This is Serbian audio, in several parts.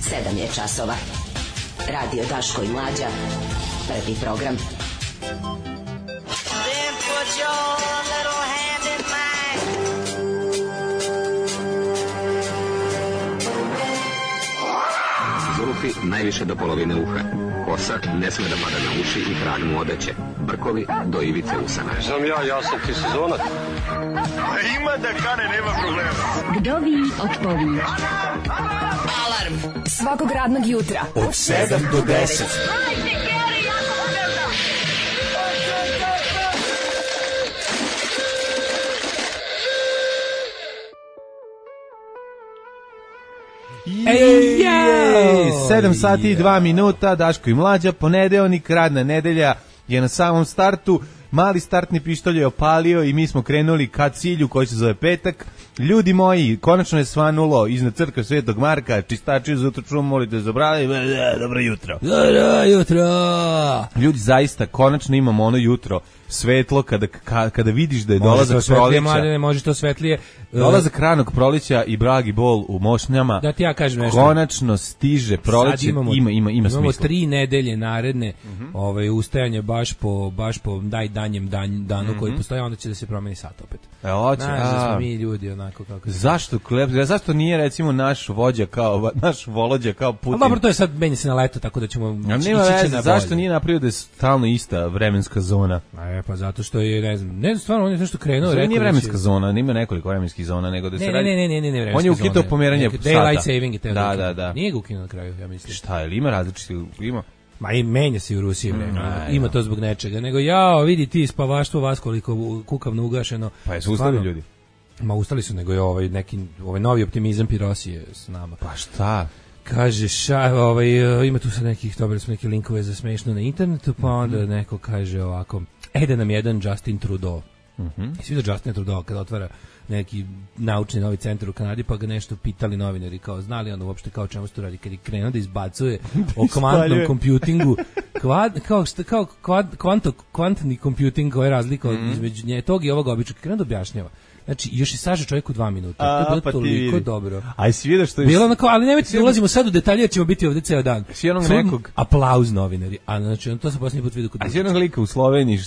7 je časova. Radio Daško i Mlađa. Prvi program. Then put your little hand in mine. Zulufi najviše do polovine uha. Kosa ne sme da pada na uši i krag mu odeće. Brkovi do ivice usana. Znam ja sam ti sezonac. Ima da kane, nema problema. Vdovi od pović. Alarm Svakog radnog jutra Od 7 do 10. Ej, 7 sati i 2 minuta, Daško i Mlađa, ponedeljnik, radna nedelja je na samom startu, mali startni pištolj je opalio i mi smo krenuli ka cilju koji se zove petak. Ljudi moji, konačno je svanulo iznad crkve Svetog Marka, čistači za utro molite za brade, dobro jutro. Dobro jutro. Ljudi, zaista, konačno imamo ono jutro svetlo kada vidiš da je dolazak proleća. Može to svetlije. Dolazak ranog proleća i bragi bol u mošnjama. Da ti ja kažem nešto. Konačno stiže proleće, ima smisla. Imamo 3 nedelje naredne ustajanje baš po danjem danu koji postoji, onda će da se promeni sat opet. Hoće. Da smo mi ljudi onako kako. Zašto nije recimo naš Volođa kao Putin? Dobro, to je sad menja se na leto, tako da ćemo ići na bolje. Zašto nije napravio da je stalno ista vremenska zona? Pa zato što je, ne znam, stvarno on je nešto krenuo. Zona nije vremenska zona, nima nekoliko vremenskih zona, nego da se radi. Ne, vremenska zona. On je ukitao pomeranje sata. Daylight saving je teo. Da. Nije ga ukinuo na kraju, ja mislim. Šta je, ima različiti, ima? Ma i menja se u Rusiji, ima to zbog nečega. Nego vidi ti spavaštvo vas koliko kukavno ugašeno. Pa jesu ustali ljudi? Ma ustali su, nego je ovaj novi optimizam Pirosije s nama. Pa šta? Kaže, ima tu sad neke linkove za smešno na internetu, pa onda neko kaže ovako, da nam jedan Justin Trudeau. Svi da Justin Trudeau kada otvara neki naučni novi centar u Kanadi, pa ga nešto pitali novinari, kao znali on uopšte kao čemu se to radi, kad je krenuo da izbacuje o kvantnom kompjutingu, kvantni kompjuting, koja je razlika između tog i ovog običnog, krenuo da objašnjava. Znači, još i saže čovjek u 2 minuta. To je bilo toliko dobro. Aj, svi što je... Bilo onako, ali nemojte da ulazimo sad u detalje, jer ćemo biti ovdje ceo dan. Svi onog nekog... Aplauz novinari. A znači, to sam posljednji put vidio kod... A svi onog lika u Sloveniji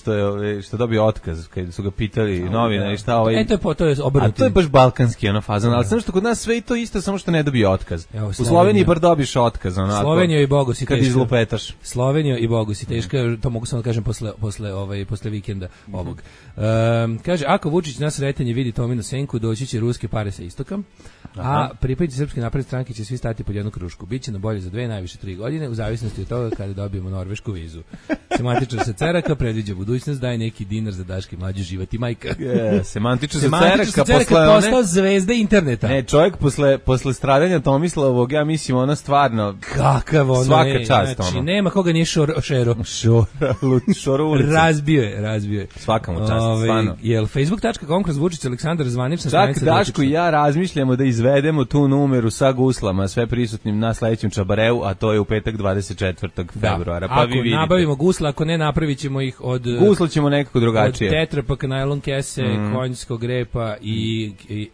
što dobio otkaz, kad su ga pitali novinari šta ovaj... To je obrnuti. A to je baš balkanski fazan, ali samo što kod nas sve i to isto, samo što ne dobije otkaz. U Sloveniji bar dobiš otkaz, onako. Slovenija i Bogu si teška. Kad izlupetaš. Slovenija i Bogu si teška, to mogu samo da kažem posle vikenda ovog. Kaže, ako Vučić na sretanje vidi Tominu senku, doći će ruske pare sa istoka, a pripadnici Srpske napredne stranke će svi stati pod jednu krušku. Biće na bolje za 2, najviše 3 godine, u zavisnosti od toga kada dobijemo norvešku vizu. Semantičar sa Ceraka predviđa budućnost, daje neki dinar za Daške Mlađe, živati majka. Semantičar sa Ceraka postao zvezda interneta. Ne, čovjek posle stradanja Tomislavog, ja mislim, ono stvarno kakav ono, svaka čast, znači, nema koga nije šoro ulica. Razbio je. Svaka mu čast, stvarno. Jel Facebook.com kroz Vučić Aleksandar zvanična stranica. Čak Daško i ja razmišljamo da izvedemo tu numeru sa guslama, sve prisutnim na sledećem čabareu, a to je u petak 24. februara. Pa ako vi nabavimo gusla, ako ne, napravit ćemo ih od... Guslo ćemo nekako drugačije. Od tetrapaka, najlon kese, konjskog repa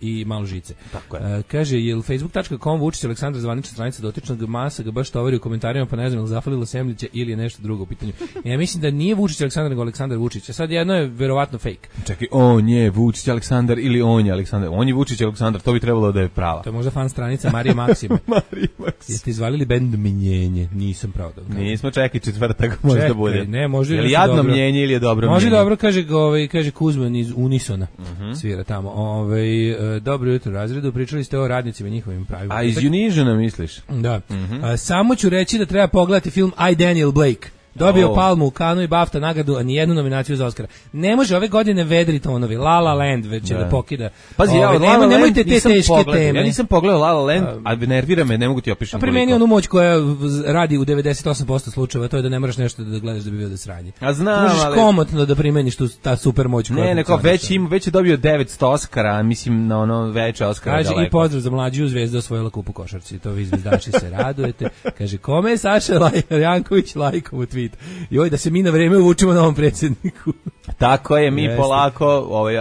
i malo žice. Tako je. Kaže, jel Facebook.com Vučić Aleksandar zvanična stranica dotičnog masa ga baš tovari u komentarima, pa ne znam, zafalilo Semljića ili je nešto drugo u pitanju. Ja mislim da nije Vučić Aleksandar, nego Aleksandar Vučić. A sad jedno je verovatno fake. Čekaj, on je Vučić Aleksandar ili on je Aleksandar? On je Vučić Aleksandar, to bi trebalo da je prava. To je možda fan stranica Marije Maksime. Jeste izvalili bend Mnjenje? Nisam pravo da. Nismo, čekaj, četvrtak možda bude. Ne, može. Je li jadno mnjenje ili je dobro mnjenje? Može dobro, kaže Kuzman iz Unisona. Svira tamo. Dobro jutro razredu, pričali ste o radnicima i njihovim pravima. A iz Unisona misliš? Da. Samo ću reći da treba pogledati film I, Daniel Blake. Dobio Palmu, Kanu i BAFTA nagradu, a nijednu nominaciju za Oscara. Ne može ove godine vedri tonovi. La La Land već će da pokida. Pazi, nemojte te teške teme. Ja nisam pogledao La La Land, a nervira me, ne mogu ti opišem koliko. Primeni onu moć koja radi u 98% slučajeva, to je da ne moraš nešto da gledaš da bi bio da sranje. A znam, možeš komotno da primeniš ta super moć koja... Ne, neko već je dobio 900 Oscara, mislim na ono veće Oscara. Kaže daleko. I pozdrav za Mlađu, Zvezda osvojila kup u košarci. To vi zvezdaši se radujete. Kaže, kome je Saša Janković lajkom u tweet? Joj, da se mi na vreme uvučemo novom predsjedniku. Tako je, mi polako,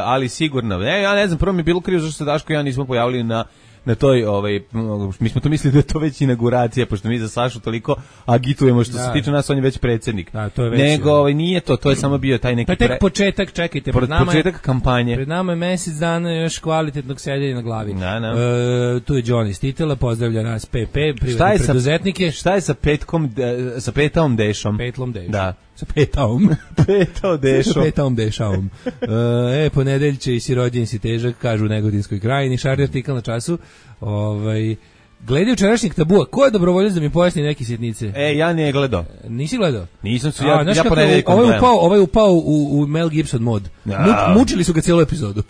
ali sigurno. Ja ne znam, prvo mi je bilo krivo zašto se Daško i ja nismo pojavili na na toj, mi smo to mislili da je to već inauguracija, pošto mi za Sašu toliko agitujemo što se tiče nas, on je već predsjednik. Da, to je već, nego nije to je samo bio taj neki... To je tek početak, čekajte, početak kampanje. Pred nama je mesec dana još kvalitetnog sedenja na glavi. Tu je Johnny Stitela, pozdravlja nas PP, privatne preduzetnike. Šta je sa Petaom Dešom? Petlom Dešom. Da. Sa Petaom. Petao Dešom. Petaom Dešaom. Ponedeljče i si rođen si težak, kažu u Negodinskoj krajini, šarni artikal na Času. Glede učerašnjeg tabua, ko je dobrovoljac da mi pojasni neke sitnice? Ja ne gledao. Nisi gledao? Nisam se, ja ponedeljkom gledam. Ovaj je upao u Mel Gibson mod. Mučili su ga cijelu epizodu.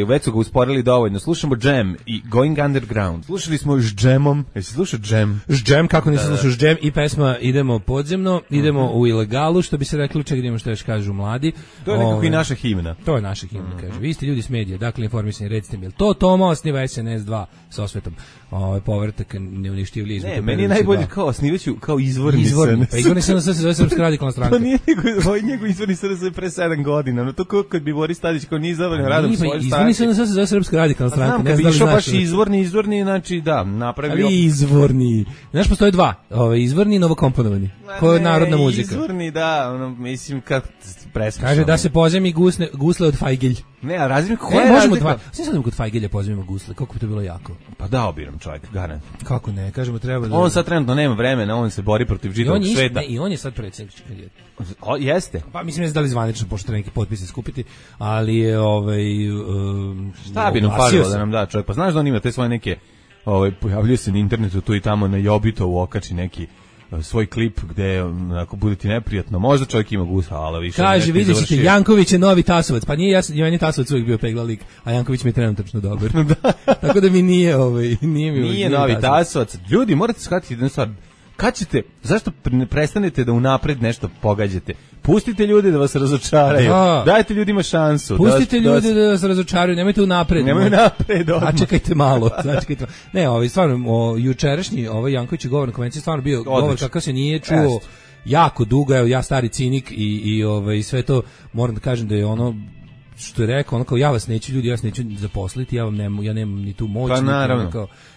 Već su ga usporili dovoljno. Slušamo Jam i Going Underground. Slušali smo s Jamom. Jesi slušao Jam? S Jam, kako nisi slušao s Jam i pesma Idemo podzemno, idemo u ilegalu, što bi se reklo, ček idemo što još kažu mladi. To je nekako i naša himna. To je naša himna, kaže. Vi ste ljudi s medija, dakle informisani, recite mi, to Toma osniva SNS2 sa osvetom. Povratak neuništivlji izvuka. Ne, meni je najbolje kao osnivaću, kao izvorni SNS. Pa izvorni SNS se zove Srpska radikalna stranka. Pa nije njegov izvorni SNS pre 7 godina. No to kao kad bi Boris Tadić kao nije zavrljeno radom svoje stranke. Izvorni SNS se zove Srpska radikalna stranka. Znam, kad bi išao baš izvorni, znači da, napravio... Ali izvorni. Znaš, postoje dva. Izvorni i novokomponovani. Ko je narodna muzika. Izvorni, da, mislim kad presmišljamo. Kaže da se pozemi gusle od Fajgelj. Ne, a razmijem koja je razlika? Sve sad kod Fajgelja pozemimo gusle, kako bi to bilo jako. Pa da, obiram čovjek, garant. Kako ne, kažemo treba da... On sad trenutno nema vremena, on se bori protiv žitavog sveta. I on je sad predsjednik kandidat. Jeste? Pa mislim da li zvanično, pošto neki potpise skupiti, ali je šta bi nam falilo da nam da čovjek? Pa znaš da on ima te svoje neke, pojavljuje se na internetu tu i tamo na Jobitovu okači neki svoj klip gde ako bude ti neprijatno, možda čovjek ima gusa, ali više. Kaže, vidjet ćete, Janković je novi Tasovac, pa nije jasno, meni Tasovac uvijek bio pegla lik, a Janković mi je trenutačno dobar. Tako da mi nije novi Tasovac. Ljudi, morate shvatiti jednu stvar. Kad ćete, zašto prestanete da unapred nešto pogađate? Pustite ljude da vas razočaraju. Dajte ljudima šansu. Pustite ljude da vas razočaraju, nemojte unapred. Nemoj napred. A čekajte malo. Ne, stvarno, jučerašnji Janković govor na konvenciji stvarno bio govor kakav se nije čuo jako dugo, ja stari cinik i sve to, moram da kažem da je ono što je rekao, ono kao ja vas neću zaposliti, ja nemam ni tu moć,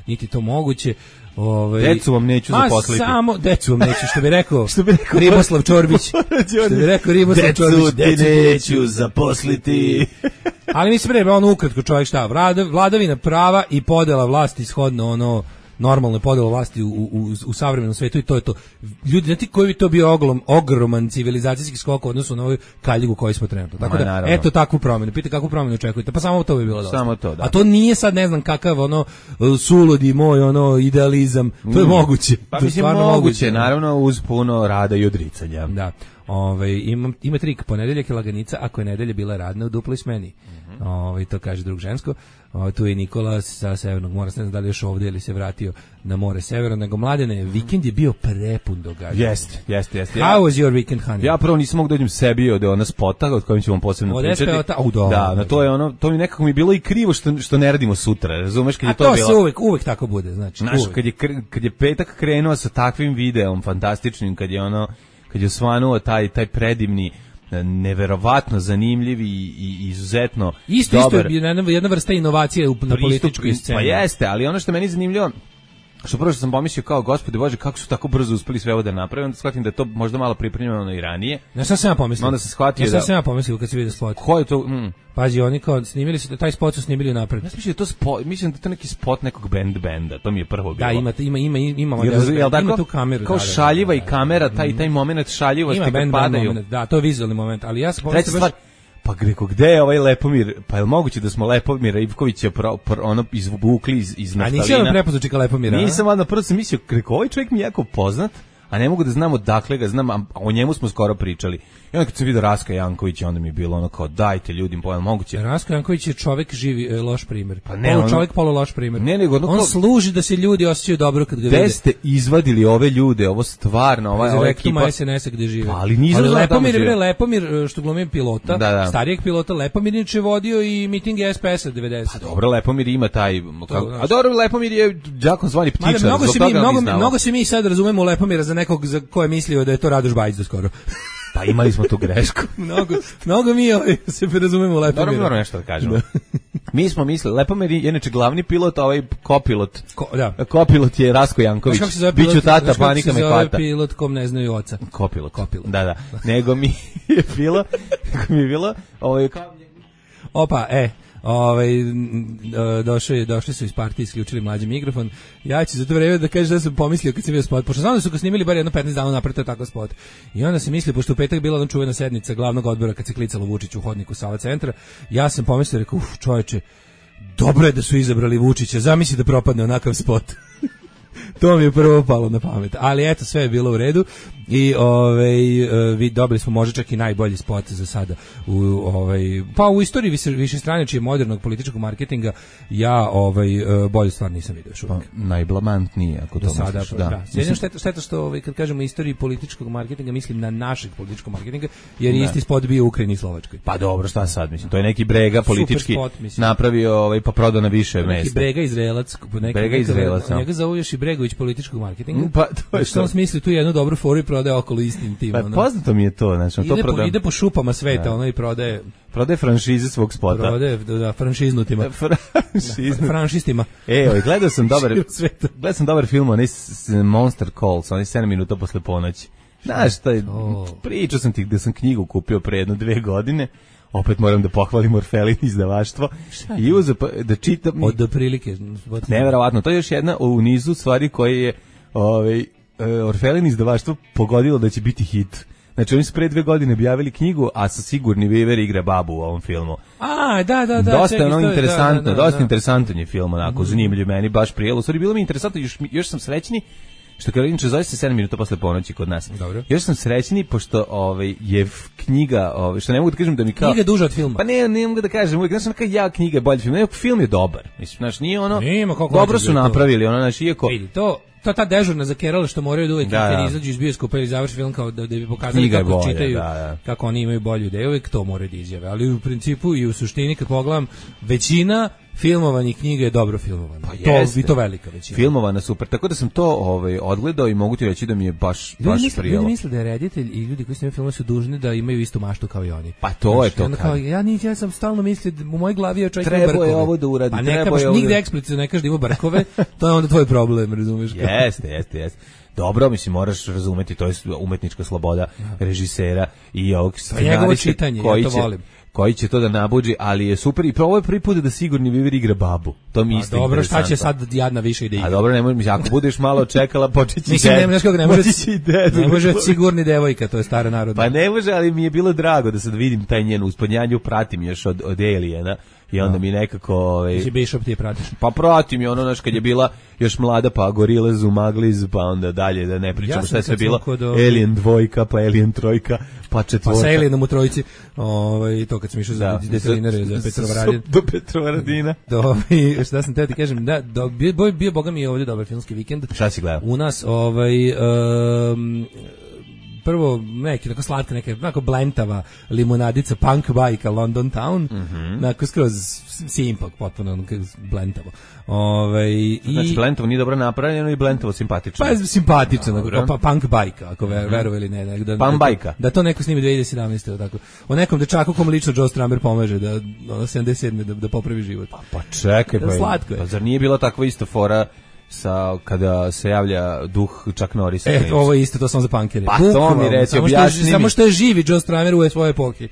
niti to moguće. Decu vam neću zaposliti. Samo decu vam neću, što bi rekao Riboslav Čorbić. Decu ti neću zaposliti. Ali mislim ono ukratko čovjek šta, vladavina prava i podela vlasti shodno ono normalno podela vlasti u savremenom svetu i to je to. Ljudi, znate koji bi to bio ogroman civilizacijski skok u odnosu na ovu kaljigu koju smo trenutno. Tako da, eto takvu promjenu. Pite kakvu promjenu očekujete. Pa samo to bi bilo dosta. Samo to, da. A to nije sad ne znam kakav suludi moj idealizam. To je moguće. Pa mislim moguće, naravno uz puno rada i odricanja. Da. Ima trik, ponedeljak je laganica, ako je nedelja bila radna u duploj smeni. To kaže drug žensko. Tu je Nikola sa Severnog mora, ne znam da li još ovdje ili se vratio na more Severno, nego Mladene, vikend je bio prepun događanja. Jeste. How was your weekend, honey? Ja prvo nisam mogu dođem sebi od ona spota, od kojim ćemo posebno pričati. Da, to je ono, to mi nekako mi bilo i krivo što ne radimo sutra, razumeš, kad je to bilo. A to se uvek tako bude, znači. Znaš, kad je petak krenuo sa takvim videom fantastičnim, kad je osvanuo taj predivni, neverovatno zanimljiv i izuzetno dobar. Isto jedna vrsta inovacije na političkoj sceni. Pa jeste, ali ono što meni zanimljivo, što prvo što sam pomislio kao, Gospode Bože, kako su tako brzo uspeli sve ovo da naprave, onda shvatim da je to možda malo pripremljeno i ranije. Ja sam ja pomislio. Onda sam shvatio da... Ja sam ja pomislio kad si vidio spot. Ko je to? Pazi, oni kao snimili su, taj spot su snimili napred. Ja mislim da je to spot, mislim da je to neki spot nekog benda, to mi je prvo bilo. Da, ima tu kameru. Kao šaljiva i kamera, taj moment šaljivosti kad padaju. Da, to je vizualni moment, ali ja sam pomislio baš... Pa reko, gde je ovaj Lepomir? Pa je li moguće da smo Lepomira Ivkovića izvukli iz naftalina? A nisi ono prepoznao čeka Lepomira? Nisam, onda prvo sam mislio, reko, ovaj čovjek mi je jako poznat, a ne mogu da znam odakle ga znam, a o njemu smo skoro pričali. I onda kad sam vidio Raska Jankovića, onda mi je bilo ono kao, dajte ljudima, pojel moguće. Rasko Janković je čovjek živi loš primjer. Pa ne, čovjek polo loš primjer. Ne, nego on služi da se ljudi osjećaju dobro kad ga vide. Gde ste izvadili ove ljude, ovo stvarno, ova ekipa SNS-a gde žive. Ali nisam Lepomir što glumi pilota, starijeg pilota, Lepomir je vodio i miting SPS-a 90. Pa dobro, Lepomir ima taj, a dobro, Lepomir je đakom zvani ptičar. Mnogo se mi sad razumemo Lepomira za nekog za ko je mislio da je to Radoš Bajić do skoro. Pa imali smo tu grešku. Mnogo mi se razumemo Lepomira. Dobro nešto da kažemo. Mi smo mislili, Lepomir je inače glavni pilot, a ovaj kopilot. Da. Kopilot je Rasko Janković. Biću tata, panika me hvata. Pilot kom ne znaju oca. Kopilot. Da. Nego mi je bilo, došli su iz partije, isključili Mlađi mikrofon. Ja ću za to vreme da kažem da sam pomislio kad sam vidio spot, pošto znam da su ga snimili bar jedno 15 dana napred, to je takav spot. I onda sam mislio, pošto u petak bila ona čuvena sednica glavnog odbora kad se klicalo Vučić u hodniku Sava centra, ja sam pomislio, rekao, čoveče, dobro je da su izabrali Vučića, zamisli da propadne onakav spot. To mi je prvo palo na pamet. Ali eto, sve je bilo u redu i vi dobili smo možda čak i najbolji spot za sada u istoriji višestranačije modernog političkog marketinga. Ja bolju stvar nisam vidio još uvijek. Najblamantnije ako to misliš. Da. Jedino šteta što kad kažemo istoriji političkog marketinga mislim na našeg političkog marketinga, jer je isti spot bio u Ukrajini i Slovačkoj. Pa dobro, šta sad mislim? To je neki Brega politički spot, napravio pa prodao na više mesta. Neki Brega Izraelac, njega zovu još i Bregović političkog marketinga. Pa to je što on smisli tu jednu dobru foru i prodaje okolo istim tim. Pa poznato mi je to, znači to prodaje. Ide po šupama sveta, ono i prodaje franšize svog spota. Prodaje franšiznutima. Franšistima. Gledao sam dobar film, onaj Monster Calls, onaj 7 minuta posle ponoći. Znaš, pričao sam ti da sam knjigu kupio pre 2 godine. Opet moram da pohvalim Orfelin izdavaštvo i uzeo da čitam. Od prilike. Neverovatno, to je još jedna u nizu stvari koje je Orfelin izdavaštvo pogodilo da će biti hit. Znači oni su pre 2 godine objavili knjigu, a sa Sigurni Viver igra babu u ovom filmu. Da. Dosta je ono interesantno, dosta interesantan je film, onako, zanimljiv, meni baš prijelo. U stvari bilo mi interesantno, još sam srećni, što kada inače zove se 7 minuta posle ponoći kod nas. Dobro. Još sam srećni pošto je knjiga, što ne mogu da kažem da mi kao knjiga duža od filma. Pa ne mogu da kažem, uvijek znači kao knjiga je bolji film. Ne, film je dobar. Mislim, znači nije ono. Dobro su napravili, ono znači iako vidi to ta dežurna za Kerala što moraju da uvijek kad izađu iz bioskopa ili završi film kao da bi pokazali kako bolje, čitaju, kako oni imaju bolju ideju, uvijek to moraju da izjave. Ali u principu i u suštini kad pogledam, većina filmovanih knjiga je dobro filmovana. I to velika većina. Filmovana super, tako da sam to odgledao i mogu ti reći da mi je baš prijelo. Ljudi misle da je reditelj i ljudi koji snimaju filmove su dužni da imaju istu maštu kao i oni. Pa to je to. Ja sam stalno mislio, u mojoj glavi je čovjek ima brkove. Treba je ovo da uradi. Pa ne kažeš nigde eksplicitno ne kažeš da ima brkove, to je onda tvoj problem, razumeš? Jeste. Dobro, mislim, moraš razumeti, to je umetnička sloboda režisera i ovog scenarista koji će to da nabuđi, ali je super i ovo je prvi put da Sigurni Viver igra babu. To mi isto dobro, šta će sad jadna više ide igra? A dobro, ne možeš, ako budeš malo čekala, počeći ne može Sigurni devojka, to je stara narodna. Pa ne može, ali mi je bilo drago da sad vidim taj njen uspodnjanju, pratim još od Aliena. I onda mi nekako Ti Bishop ti je pratiš. Pa pratim je ono naš kad je bila još mlada, pa Gorillaz, Umagliz, pa onda dalje da ne pričamo šta je sve bilo. Alien 2, pa Alien 3, pa 4. Pa sa Alienom u trojici. To kad sam išao za detelinare za Petrovaradin. Do Petrovaradina. Šta sam teo ti kažem, bio boga mi je ovdje dobar filmski vikend. Šta si gledao? U nas prvo neki tako slatka, neka blentava limunadica punk bajka London Town, onako skroz simpak, potpuno blentavo. Znači blentavo nije dobro napravljeno i blentavo simpatično. Pa simpatično, punk bajka, ako verovali ne. Punk bajka. Da to neko snimi 2017. Tako. O nekom dečaku kom lično Joe Strummer pomaže da 77. da popravi život. Pa čekaj, slatko je. Pa zar nije bila takva ista fora kada se javlja duh Chuck Norrisa? Ovo je isto, to sam za punkere. Pa to mi reći, objasni mi. Samo što je živi Joe Strummer u svojoj epohi.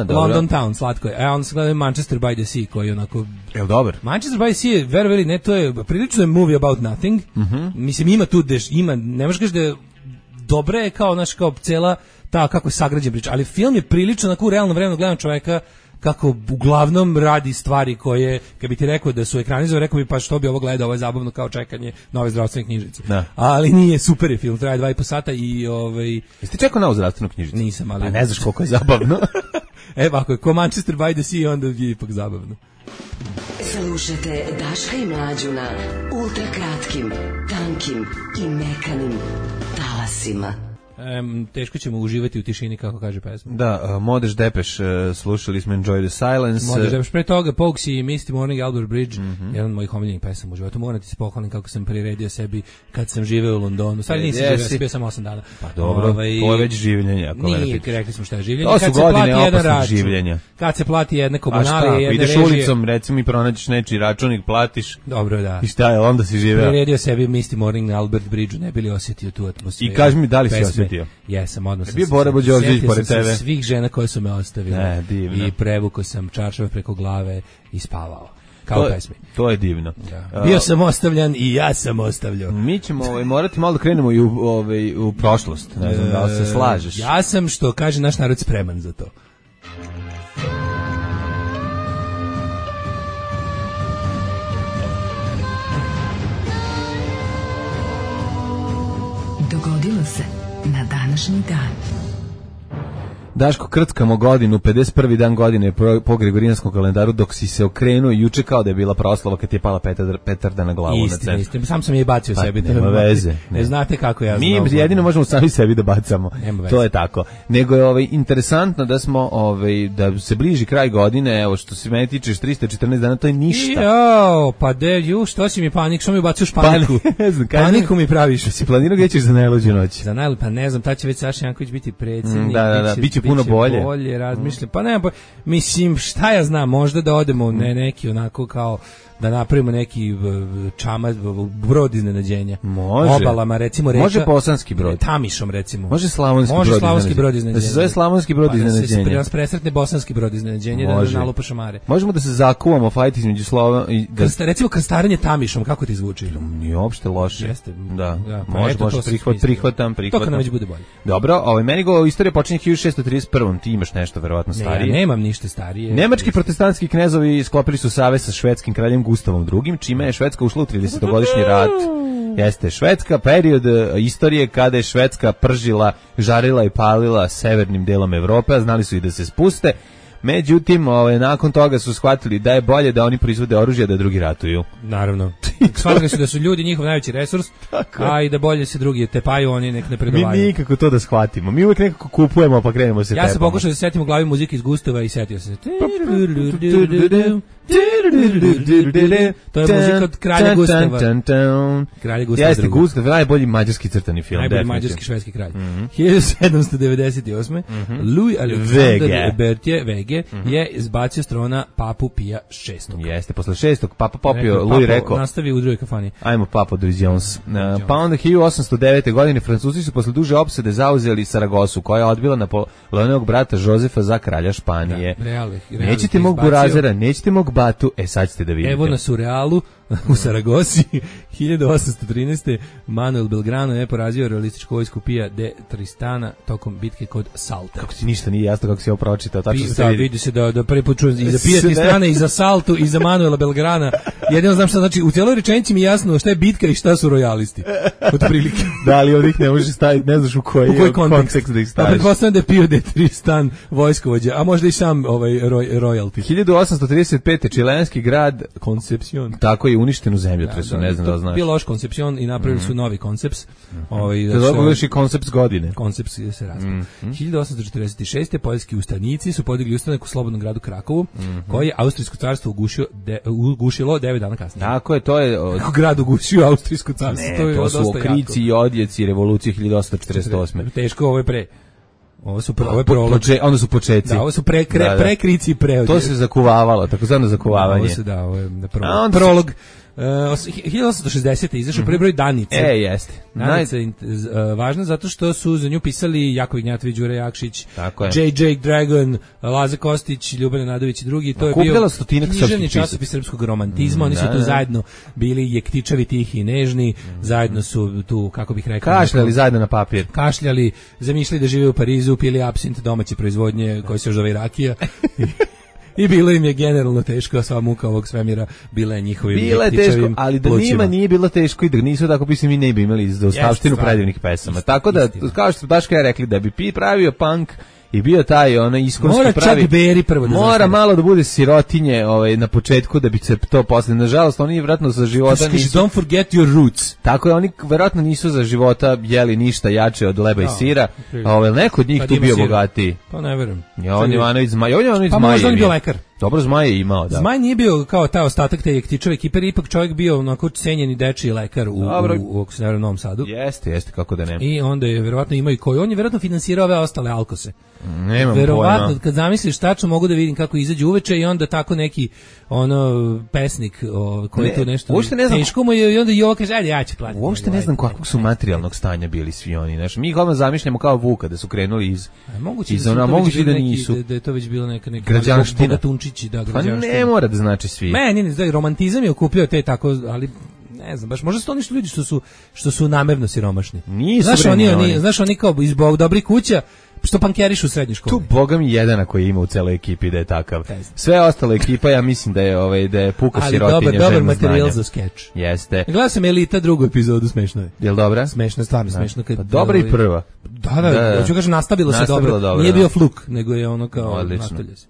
London Town, slatko je. Onda se gleda Manchester by the Sea, koji je onako... Jel dobar? Manchester by the Sea je, verovali ne, to je prilično je movie about nothing. Mislim, ima tu, ne možeš kaži da je dobra je kao cela ta kako je sagrađen priča, ali film je prilično onako u realnom vremenu gledam čoveka kako uglavnom radi stvari koje, kad bi ti rekao da su ekranizovane, rekao bi pa što bi ovo gledao, ovo je zabavno kao čekanje nove zdravstvene knjižice. Ali nije, super je film, traje 2,5 sata i Jeste čekao novu zdravstvenu knjižicu? Nisam, ali... A ne znaš koliko je zabavno. Ako je ko Manchester by the Sea, onda je ipak zabavno. Slušajte Daška i Mlađu na ultrakratkim, tankim i mekanim talasima. teško ćemo uživati u tišini, kako kaže pesma. Da, Modeš Depeš, slušali smo Enjoy the Silence. Modeš Depeš, pre toga Pogues i Misty Morning, Albert Bridge, jedan od mojih omiljenih pesama u životu. Moram ti se pohvalim kako sam priredio sebi kad sam živeo u Londonu. Stvari nisam živeo, bio sam 8 dana. Pa dobro, to je već življenje. Nije, rekli smo šta je življenje. To su godine opasnog življenja. Kad se plati jedna komunalija, jedne ideš režije. Ulicom, recimo i pronađeš nečiji računik, platiš. Dobro, da. I šta je, onda si živeo. Priredio sebi Misty Morning na Albert Bridge, ne bili osjetio tu atmosferu. I kaži mi da li si osjetio? Jesam, odmah sam bio Bora Bođorđević pored tebe. Svih žena koje su me ostavile. I prevukao sam čaršave preko glave i spavao. Kao pesmi. To je divno. Da. Bio sam ostavljan i ja sam ostavljao. Mi ćemo morati malo da krenemo i u prošlost. Ne znam da li se slažeš. Ja sam, što kaže naš narod, spreman za to. Dogodilo se na današnji dan. Daško, krckamo godinu, 51. dan godine po Gregorijanskom kalendaru, dok si se okrenuo juče kao da je bila proslava kad ti je pala petarda na glavu. Istina, sam je bacio sebi. Nema veze. Ne znate kako ja znam. Mi jedino možemo sami sebi da bacamo. To je tako. Nego je interesantno da smo da se bliži kraj godine, evo što se meni tiče 314 dana, to je ništa. Pa što si mi panik, što mi baciš paniku? Paniku mi praviš. Si planirao gdje ćeš za najluđu noć? Za najluđu, pa ne znam, tad će već Saša Janković biti predsjednik. Da, biće puno bolje razmišljam. Pa ne, mislim, šta ja znam, možda da odemo neki onako kao da napravimo neki čamac, brod iznenađenja. Može. Obalama, recimo reka. Može bosanski brod. Tamišom, recimo. Može slavonski brod iznenađenja. Da se zove slavonski brod iznenađenja. Da se nas presretne bosanski brod iznenađenja, da nalupa šamare. Možemo da se zakuvamo, fajt između slova. Recimo krstarenje Tamišom, kako ti zvuči? Nije uopšte loše. Jeste. Da. Može, prihvatam. To kad nam već bude bolje. Dobro, meni istorija počinje 1631. Ti imaš nešto verovatno starije. Ne, nemam ništa starije. Nemački protestantski knezovi sklopili su savez sa švedskim kraljem Gustavom II, čime je Švedska ušla u 30-godišnji rat. Jeste, Švedska, period istorije kada je Švedska pržila, žarila i palila severnim delom Evrope, a znali su i da se spuste. Međutim, nakon toga su shvatili da je bolje da oni proizvode oružje, da drugi ratuju. Naravno. Shvatili su da su ljudi njihov najveći resurs, a i da bolje se drugi tepaju, oni nek ne predovaju. Mi nikako to da shvatimo. Mi uvijek nekako kupujemo, pa krenemo se tepamo. Ja sam pokušao da se setim u glavi muzike iz Gustava i setio se. To je muzika od Kralja Gustava. Kralja Gustava. Jeste, Gustav, najbolji mađarski crtani film. Najbolji mađarski švedski kralj. 1798. Louis Alexander Berthier Vege je izbacio s trona papu Pija VI. Jeste, posle 6. papa popio, Louis rekao. Nastavi u drugoj kafani. Ajmo papo Louis Jones. Pa onda 1809. godine Francuzi su posle duže opsade zauzeli Saragosu, koja je odbila Napoleonovog brata Jozefa za kralja Španije. Nećete mog burazera, nećete mog batu, sad ćete da vidite. Evo nas u Realu, u Saragosi, 1813. Manuel Belgrano je porazio realističku vojsku Pija de Tristana tokom bitke kod Salta. Kako ti ništa nije jasno kako si ovo pročitao, tačno se vidi se da prvi put čujem i za Pija Tristana i za Saltu i za Manuela Belgrana. Jedino znam šta znači, u cijeloj rečenici mi je jasno šta je bitka i šta su rojalisti. Od prilike. Da, ali ovdje ne možeš staviti, ne znaš u koji kontekst da ih staviš. Pretpostavljam da je Pio de Tristan vojskovođa, a možda i sam royalty. 1835. čilenski grad Concepcion. Tako je uništen u zemljotresu, ne znam da znaš. Bio loš Concepcion i napravili su novi Concepts. To dobro još i Concepts godine. Concepts se razpao. 1846. poljski ustanici su podigli ustanak u slobodnom gradu Krakovu, koji je Austrijsko carstvo ugušilo 9 dana kasnije. Tako je, to je... Grad ugušio Austrijsko carstvo. Ne, to su okrici i odjeci revolucije 1848. Teško, ovo je pre. Ovo su prolog. Onda su početci. Da, ovo su prekrici i preodje. To se zakuvavalo, takozvano zakuvavanje. Ovo se ovo je prolog. 1860. izašao prvi broj Danice. Jeste. Danica je važna zato što su za nju pisali Jakov Ignjatović, Đure Jakšić, J.J. Dragon, Laza Kostić, Ljubana Nadović i drugi. To je bio književni časopis srpskog romantizma. Oni su tu zajedno bili jektičavi, tihi i nežni. Zajedno su tu, kako bih rekao... Kašljali zajedno na papir. Kašljali, zamišljali da žive u Parizu, pili apsint domaće proizvodnje koji se još zove rakija. I bilo im je generalno teško, sva muka ovog svemira bila je njihovim jektičavim ali da njima nije bilo teško i da nisu tako pisali, mi ne bi imali zaostavštinu predivnih pesama. Tako da, kao što Daška je rekli, da bi pravio punk i bio taj ono iskonski Mora pravi. Chuck Berry prvo da mora zastane. malo da bude sirotinje na početku da bi se to posle. Nažalost, oni vjerojatno za života nisu. Don't forget your roots. Tako je, oni vjerojatno nisu za života jeli ništa jače od leba i sira. Neko od njih Kad tu ima bio sira. bogatiji. Pa ne verujem. On Ivanović Zmaj, Pa možda on je bio lekar. Dobro, Zmaj je imao, da. Zmaj nije bio kao taj ostatak te Jektićeve ekipe, ipak čovjek bio onako cenjeni dečiji lekar u Novom Sadu. Jeste, kako da ne. I onda je verovatno imao i koji. On je verovatno finansirao ove ostale alkose. Nemam verovatno, pojma. kad zamisliš tačno mogu da vidim kako izađe uveče i onda tako neki pesnik koji tu nešto uopšte ne znam, teško mu je i onda i ovo kaže, ajde ja ću platiti. Uopšte ne znam kakvog su materijalnog stanja bili svi oni. Znaš, mi ih odmah zamišljamo kao Vuka, da su krenuli iz moguće da nisu. Da je to već bilo neka građanština. Bogatunčići, da, građanština. Pa ne mora da znači svi. Meni da romantizam je okupljao te tako, ali ne znam, baš možda su to ništa ljudi što su namerno siromašni. Nisu, znaš oni kao iz dobrih kuća što pankerišu u srednjoj školi. Tu boga mi jedana koji ima u celoj ekipi da je takav. Sve ostale ekipa ja mislim da je puka sirotinja. Ali dobar materijal za skeč. Jeste. Gledao sam Elita drugu epizodu, smešno je. Jel dobra? Smešno, stvarno smešno. Pa dobra i prva. Da, hoću kažem nastavilo se dobro. Nije bio fluk, nego je ono kao nastavlja se.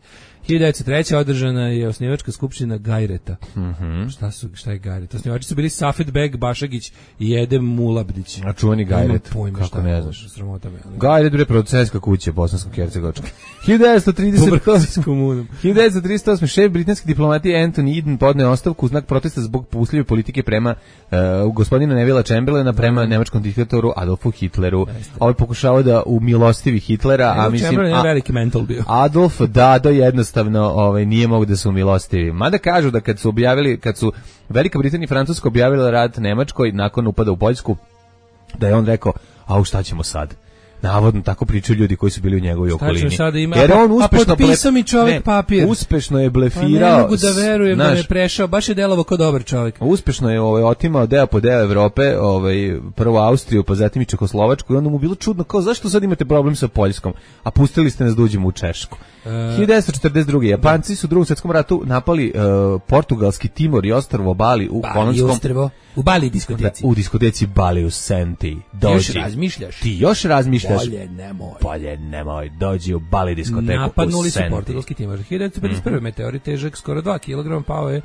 1903. održana je osnivačka skupština Gajreta. Šta je Gajret? Osnivači su bili Safet Beg, Bašagić i Edem Mulabdić. A čuveni Gajret, kako ne znaš. Gajret je producentska kuća bosansko-hercegovačka. 1938. šef britanske diplomatije Anthony Eden podneo ostavku u znak protesta zbog pusljive politike prema gospodina Nevilla Chamberlaina prema nemačkom diktatoru Adolfu Hitleru. Ovaj pokušavao da umilostivi Hitlera, a mislim Chamberlain je veliki mental bio. Adolf Dado jednostavno nije mogu da se umilostivi. Mada kažu da kad su Velika Britanija i Francuska objavila rat Nemačkoj nakon upada u Poljsku, da je on rekao, šta ćemo sad? Navodno tako pričaju ljudi koji su bili u njegovoj okolini. Jer on uspešno potpisao mi čovjek papir. Uspešno je blefirao. Pa ne mogu da verujem da me prešao, baš je delovao kao dobar čovjek. Uspešno je otimao deo po deo Evrope, prvo Austriju, pa zatim i Čehoslovačku, i onda mu bilo čudno, kao zašto sad imate problem sa Poljskom, a pustili ste nas da uđemo u Češku. 1942. Japanci su u Drugom svjetskom ratu napali portugalski Timor i ostrvo Bali u kolonskom... U Bali diskoteci. U diskoteci Bali u Senti. Još razmišljaš? Ti još razmišljaš? Bolje nemoj. Dođi u Bali diskoteku napadnuli u Senti. Napadnuli su portugalski Timor. 1951. Meteorit težak skoro 2 kg pao je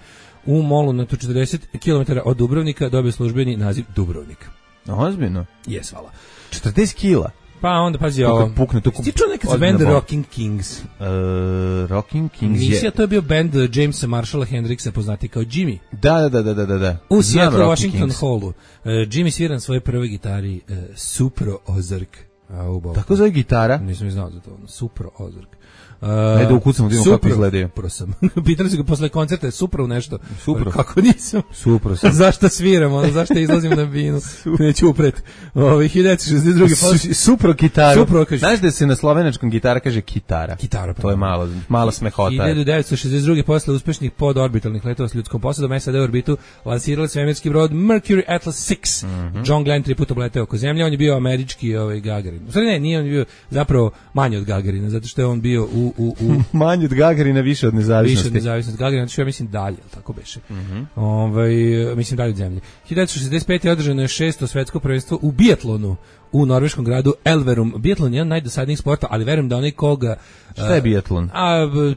u molu na 40 km od Dubrovnika, dobio službeni naziv Dubrovnik. Ozbiljno? Jes, hvala. 40 kila? Pa onda, pazi ovo. Ti čuo nekad za band Rocking Kings? Rocking Kings je... to je bio band Jamesa Marshalla Hendrixa, poznati kao Jimmy. Da. U Seattle, Washington Hallu. Jimmy svira na svojoj prvoj gitari Supro Ozark. Tako zove gitara? Nisam znao za to. Supro Ozark. Ajde ukucamo da imamo kako izgledaju. Supro sam. Pitali su ga posle koncerta, Supro nešto. Supro. Kako nisam? Supro sam. Zašto sviram? Zašto izlazim na binu? Neću upret. 1962. Supro gitaru. Supro kaže. Znaš da se na slovenačkom gitara kaže kitara? Kitara. To je malo smehota. 1962. posle uspešnih podorbitalnih letova s ljudskom posadom SAD u orbitu lansirali svemirski brod Mercury Atlas 6. John Glenn 3 puta obleteo oko zemlje. On je bio američki Gagarin. Stvari nije on bio zapravo manji od Gagarina, zato što je on bio manji od Gagarina, više od nezavisnosti. Više od nezavisnosti Gagarina, što ja mislim dalje, tako beše. Mislim dalje od zemlje. 1965. je održano je 6. svetsko prvenstvo u biatlonu u norveškom gradu Elverum. Biatlon je jedan najdosadnijih sporta, ali verujem da onaj koga... Šta je biatlon?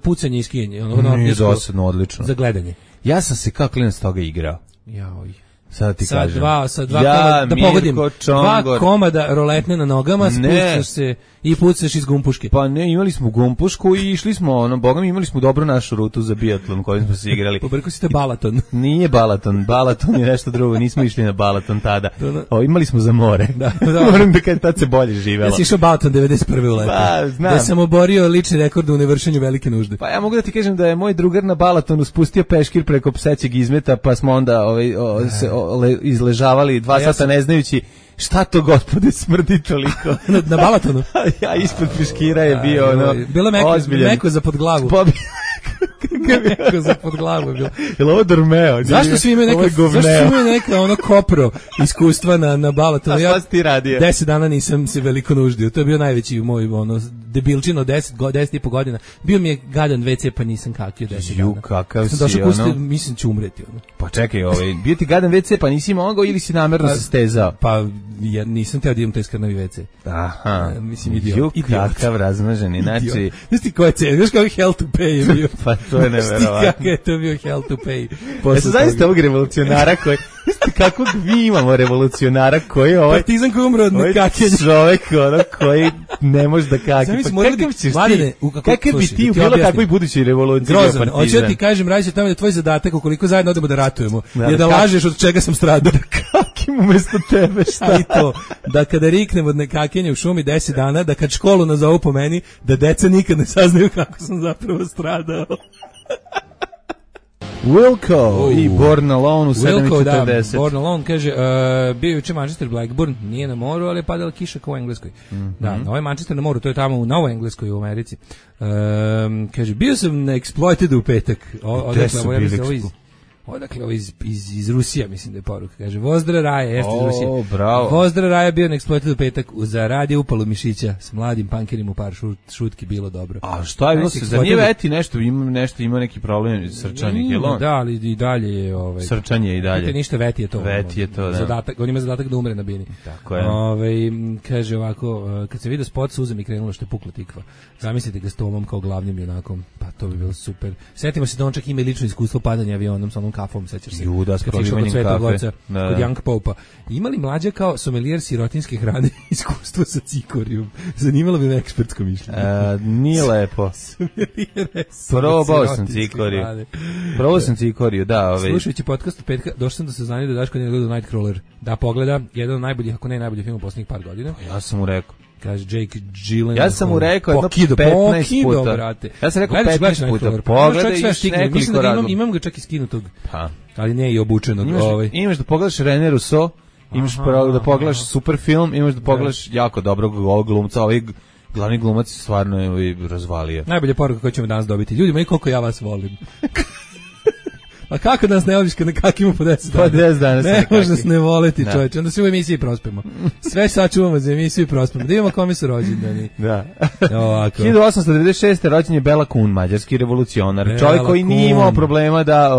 Pucanje i skijanje. Nije dosadno, odlično. Za gledanje. Ja sam se kao klinac toga igrao. Jaoj. Sad ti kažem. Sa dva komada, da pogodim, 2 komada roletne na nogama, spucaš se i pucaš iz gumpuške. Pa ne, imali smo gumpušku i išli smo, bogami, imali smo dobru našu rutu za biatlon kojim smo se igrali. Pobrko si te Balaton. Nije Balaton je nešto drugo, nismo išli na Balaton tada. Imali smo za more. Da. Moram da kažem, tad se bolje živelo. Ja si išao Balaton 91. u letu. Pa, znam. Da sam oborio lični rekord u nevršenju velike nužde. Pa ja mogu da ti kažem da je moj drugar na Balatonu spustio peškir preko psećeg izmeta, pa smo onda izležavali 2 sata ne znajući šta to, gospode, smrdi toliko. Na Balatonu? Ja ispod peškira je bio bilo meko za pod glavu. Kako za pod glavu je bilo. Jel ovo Dormeo? Zašto svi imaju neka ono kopro iskustva na balatu? A šta si ti radio? 10 dana nisam se veliko nuždio. To je bio najveći moj debilčino 10,5 godina. Bio mi je gadan WC pa nisam kakio 10 dana. Kakav sam si, mislim ću umreti. Pa čekaj, bio ti gadan WC pa nisi mogao ili si namerno se stezao? Pa ja nisam teo da idem taj skrnavi WC. Aha. Mislim, idiot. Kakav razmaženi, znači... Znaš ti koja je cena? Znaš kako hell to pay je bio? Pa to je neverovatno. Kako je to bio hell to pay? Jeste zaista ovog revolucionara koji... Znaš kakvog mi imamo revolucionara koji je ovaj... Partizan koji umro od nekakenja. Čovek koji ne može da kaki. Pa kakav ćeš ti... Kakav bi ti u bilo kakvoj budućoj revoluciji? Grozan. Hoću da ti kažem, radi se o tome da tvoj zadatak, ukoliko zajedno odemo da ratujemo, je da lažeš od čega sam stradao. Da kakim umesto tebe, šta? I to, da kada riknem od nekakenja u šumi 10 dana, da kad školu nazovu po meni, da deca nikad ne saznaju kako sam zapravo stradao. Wilco i Born Alone u 7:40. Da, Born Alone kaže, bio juče Manchester Blackburn, nije na moru, ali je padala kiša kao u Engleskoj. Da, ovaj Manchester na moru, to je tamo u Novoj Engleskoj u Americi. Kaže, bio sam na Exploited u petak. Gde su bili? Odakle ovo iz Rusija, mislim da je poruka. Kaže, Vozdra Raja, jeste iz Rusije. Bravo. Vozdra Raja bio na Exploited u petak, za radio upalo mišića, s mladim pankerima u par šutki, bilo dobro. A šta je bilo se? Za nije Veti ima neki problem srčanih, je li on? Da, ali i dalje je... Srčanje i dalje. Ništa, Veti je to. Veti je to, da. Zadatak, on ima zadatak da umre na bini. Tako je. Kaže ovako, kad se vidio spot, suza mi krenula što je pukla tikva. Zamislite ga s Tomom kao glavnim junakom, pa to bi bilo super. Setimo se da on čak ima i lično iskustvo padanja avionom sa onom kafom, sećaš se. Juda, s prolivanjem kafe. Kod Young Popa. Imali mlađa kao somelijer sirotinske hrane iskustvo sa cikorijom? Zanimalo bi me ekspertsko mišljenje. Nije lepo. Probao sam cikoriju. Da. Slušajući podcast od petka, došao sam da se znanje da Daško nije gledao Nightcrawler. Da pogleda, jedan od najboljih, ako ne najbolji film u posljednjih par godina. Ja sam mu rekao. Kaže Jake Gyllenhaal. Ja sam mu rekao jedno 15 puta. Brate. Ja sam rekao 15 puta. Pogledaj još nekoliko radom. Imam ga čak i skinutog. Ali ne i obučenog. Imaš da pogledaš René Rousseau, imaš da pogledaš super film, imaš da pogledaš jako dobrog glumca, ovaj glavni glumac stvarno je razvalio. Najbolja poruka koju ćemo danas dobiti. Ljudi moji, koliko ja vas volim. A kako nas ne voliš kad nekakimo po 10 dana? Po 10 dana ne može nas ne voleti, čovječe. Onda svi u emisiji prospemo. Sve sačuvamo za emisiju i prospemo. Da imamo kome su rođendani. Da. 1896. rođen je Bela Kun, mađarski revolucionar. Čovjek koji nije imao problema da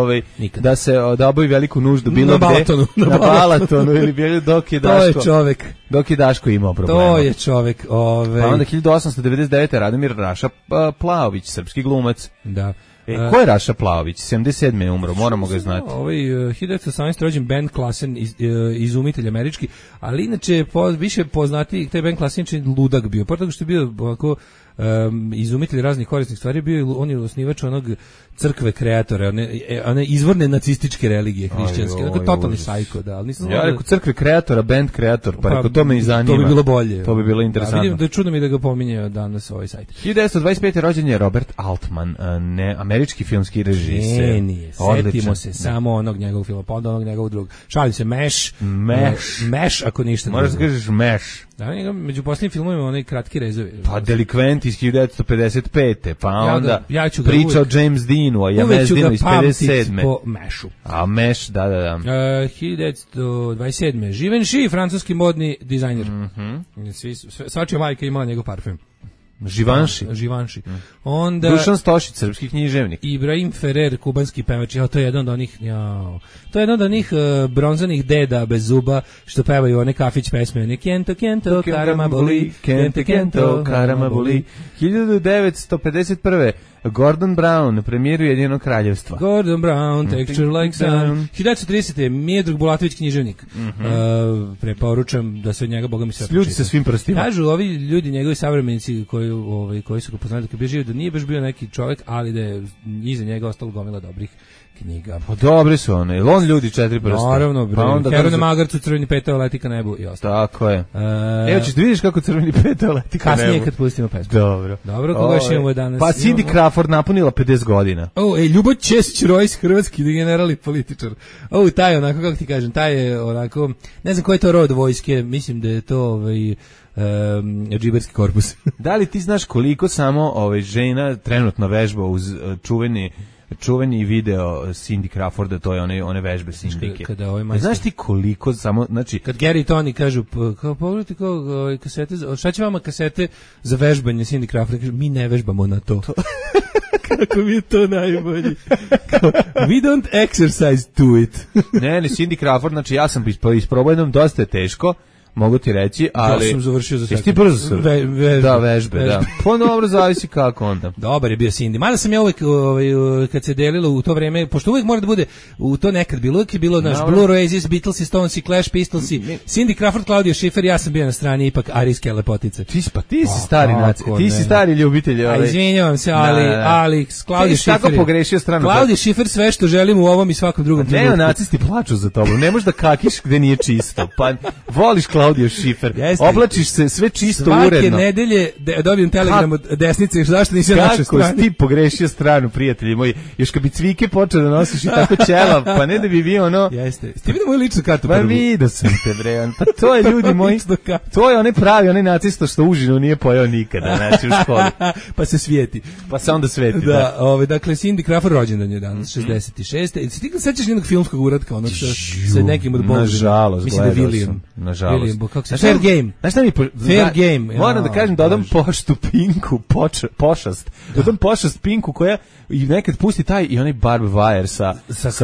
obavi veliku nuždu bilo gde. Na Balatonu ili bilo dok je Daško. To je čovjek. Dok je Daško imao problema. To je čovjek. Pa onda 1899. Radomir Raša Plaović, srpski glumac. Da. Ko je Raša Plaović? 77. je umro, moramo ga znati. 1918. rođen Ben Klassen, izumitelj američki, ali inače više poznati, taj Ben Klassen je ludak bio, pored toga što je bio ovako izumitelj raznih korisnih stvari, on je osnivač onog crkve kreatora, one izvorne nacističke religije hrišćanske, totalni sajko, da. Ja rekao crkve kreatora, band kreator, pa rekao to me i zanima. To bi bilo bolje. To bi bilo interesantno. Vidim da je čudno mi da ga pominje danas ovaj sajt. 1925. rođen je Robert Altman, američki filmski režiser. Nije, setimo se samo onog njegovog filma, pa onda onog njegovog drugog. Šalim se, Meš, ako ništa. Moraš da kažeš Meš. Da, među posljednjim filmovima onaj kratki rezovi. Pa Delikvent iz 1955. Pa onda priča o James Deanu, a ja James Deanu iz 57. Po Mešu. A Meš, da. 1927. Givenchy, francuski modni dizajner. Svačija majka imala njegov parfum. Givenchy. Onda Dušan Stošić, srpski književnik. Ibrahim Ferrer, kubanski pevač. To je jedan od onih bronzanih deda bez zuba što pevaju one kafić pesme. Kento, karama boli. Kento, karama boli. 1951. Gordon Brown, premijer Ujedinjenog kraljevstva. Gordon Brown, Texture Like Sun. 1930. Miodrag Bulatović, književnik. Preporučam da se od njega, boga mi sve Ljudi sa svim prstima. Kažu ovi ljudi, njegovi savremenici koji su ga poznali da je bio živ, da nije baš bio neki čovjek, ali da je iza njega ostalo gomila dobrih knjiga. Pa dobre su one. Jel on ljudi 4 prsta? Naravno, bre. Pa onda Heru na brzo- magarcu, crveni petao leti ka nebu i ostalo. Tako je. Evo ćeš da vidiš kako crveni petao leti ka Kasnije nebu. kad pustimo pesmu. Dobro. Dobro, koga još imamo danas? Pa Cindy Imamo- Crawford napunila 50 godina. Ljubo Ćesić-Rojs, hrvatski general i političar. Taj je onako, kako ti kažem, taj je onako, ne znam koji je to rod vojske, mislim da je to džiberski korpus. Da li ti znaš koliko samo žena trenutno vežba uz čuveni video Cindy Crawforda, to je one vežbe Cindyke. Kada ovaj majstor- Znaš ti koliko samo, znači... Kad Gary i Tony kažu, kao pogledajte kao kasete, šta će vama kasete za vežbanje Cindy Crawford? Kažu, mi ne vežbamo na to. Kako mi je to najbolji. Kao, we don't exercise to it. ne, Cindy Crawford, znači ja sam isprobao jednom, dosta je teško, mogu ti reći, ali... Ja sam završio za Jesi ti sekund. brzo sam? Vežbe. Da, vežbe, da. Pa dobro, zavisi kako onda. Dobar je bio Cindy. Mada sam ja uvek, kad se delilo u to vreme, pošto uvek mora da bude, u to nekad bilo, uvek je bilo naš Dobro. Blue Oasis, Beatlesi, Stonesi, Clash, Pistolsi, Cindy Crawford, Claudio Schiffer, ja sam bio na strani ipak arijske lepotice. Ti si stari kako naci, ti si ne. stari ljubitelj. A izvinjavam se, ali Claudio Ti si tako Schiffer je- pogrešio stranu. Claudio Schiffer sve što želim u ovom i svakom drugom trenutku. Neonacisti plaču za tobom, ne možeš da kakiš gde nije čisto, pa voliš Claudio Schiffer, Jeste. oblačiš se sve čisto, Svake uredno. nedelje dobijem telegram od desnice, zašto nisi na našoj Kako si strani? ti pogrešio stranu, prijatelji moji, još kad bi cvike počeo da nosiš i tako ćelav, pa ne da bi bio ono... Jeste. Ste vidio moju ličnu kartu Pa prvu? vidio sam te, bre, pa to je, ljudi moji, Ličnu kartu. to je onaj pravi, onaj nacista što užinu nije pojao nikada, znači u školi, Pa se svijeti. pa se onda sveti, Da, dakle, Cindy Crawford rođendan je danas, 66. I ti sećaš njenog filmskog uratka, onog sa nekim od Bogdana? Nažalost, Mislim da je gledao William. sam, nažalost. William, kako se... Znaš šta- Fair Game. Znaš šta mi... Fair Game. Moram da kažem, dodam Bože. poštu Pinku, pošast. Dodam pošast Pinku koja i nekad pusti taj i onaj Barb Wire sa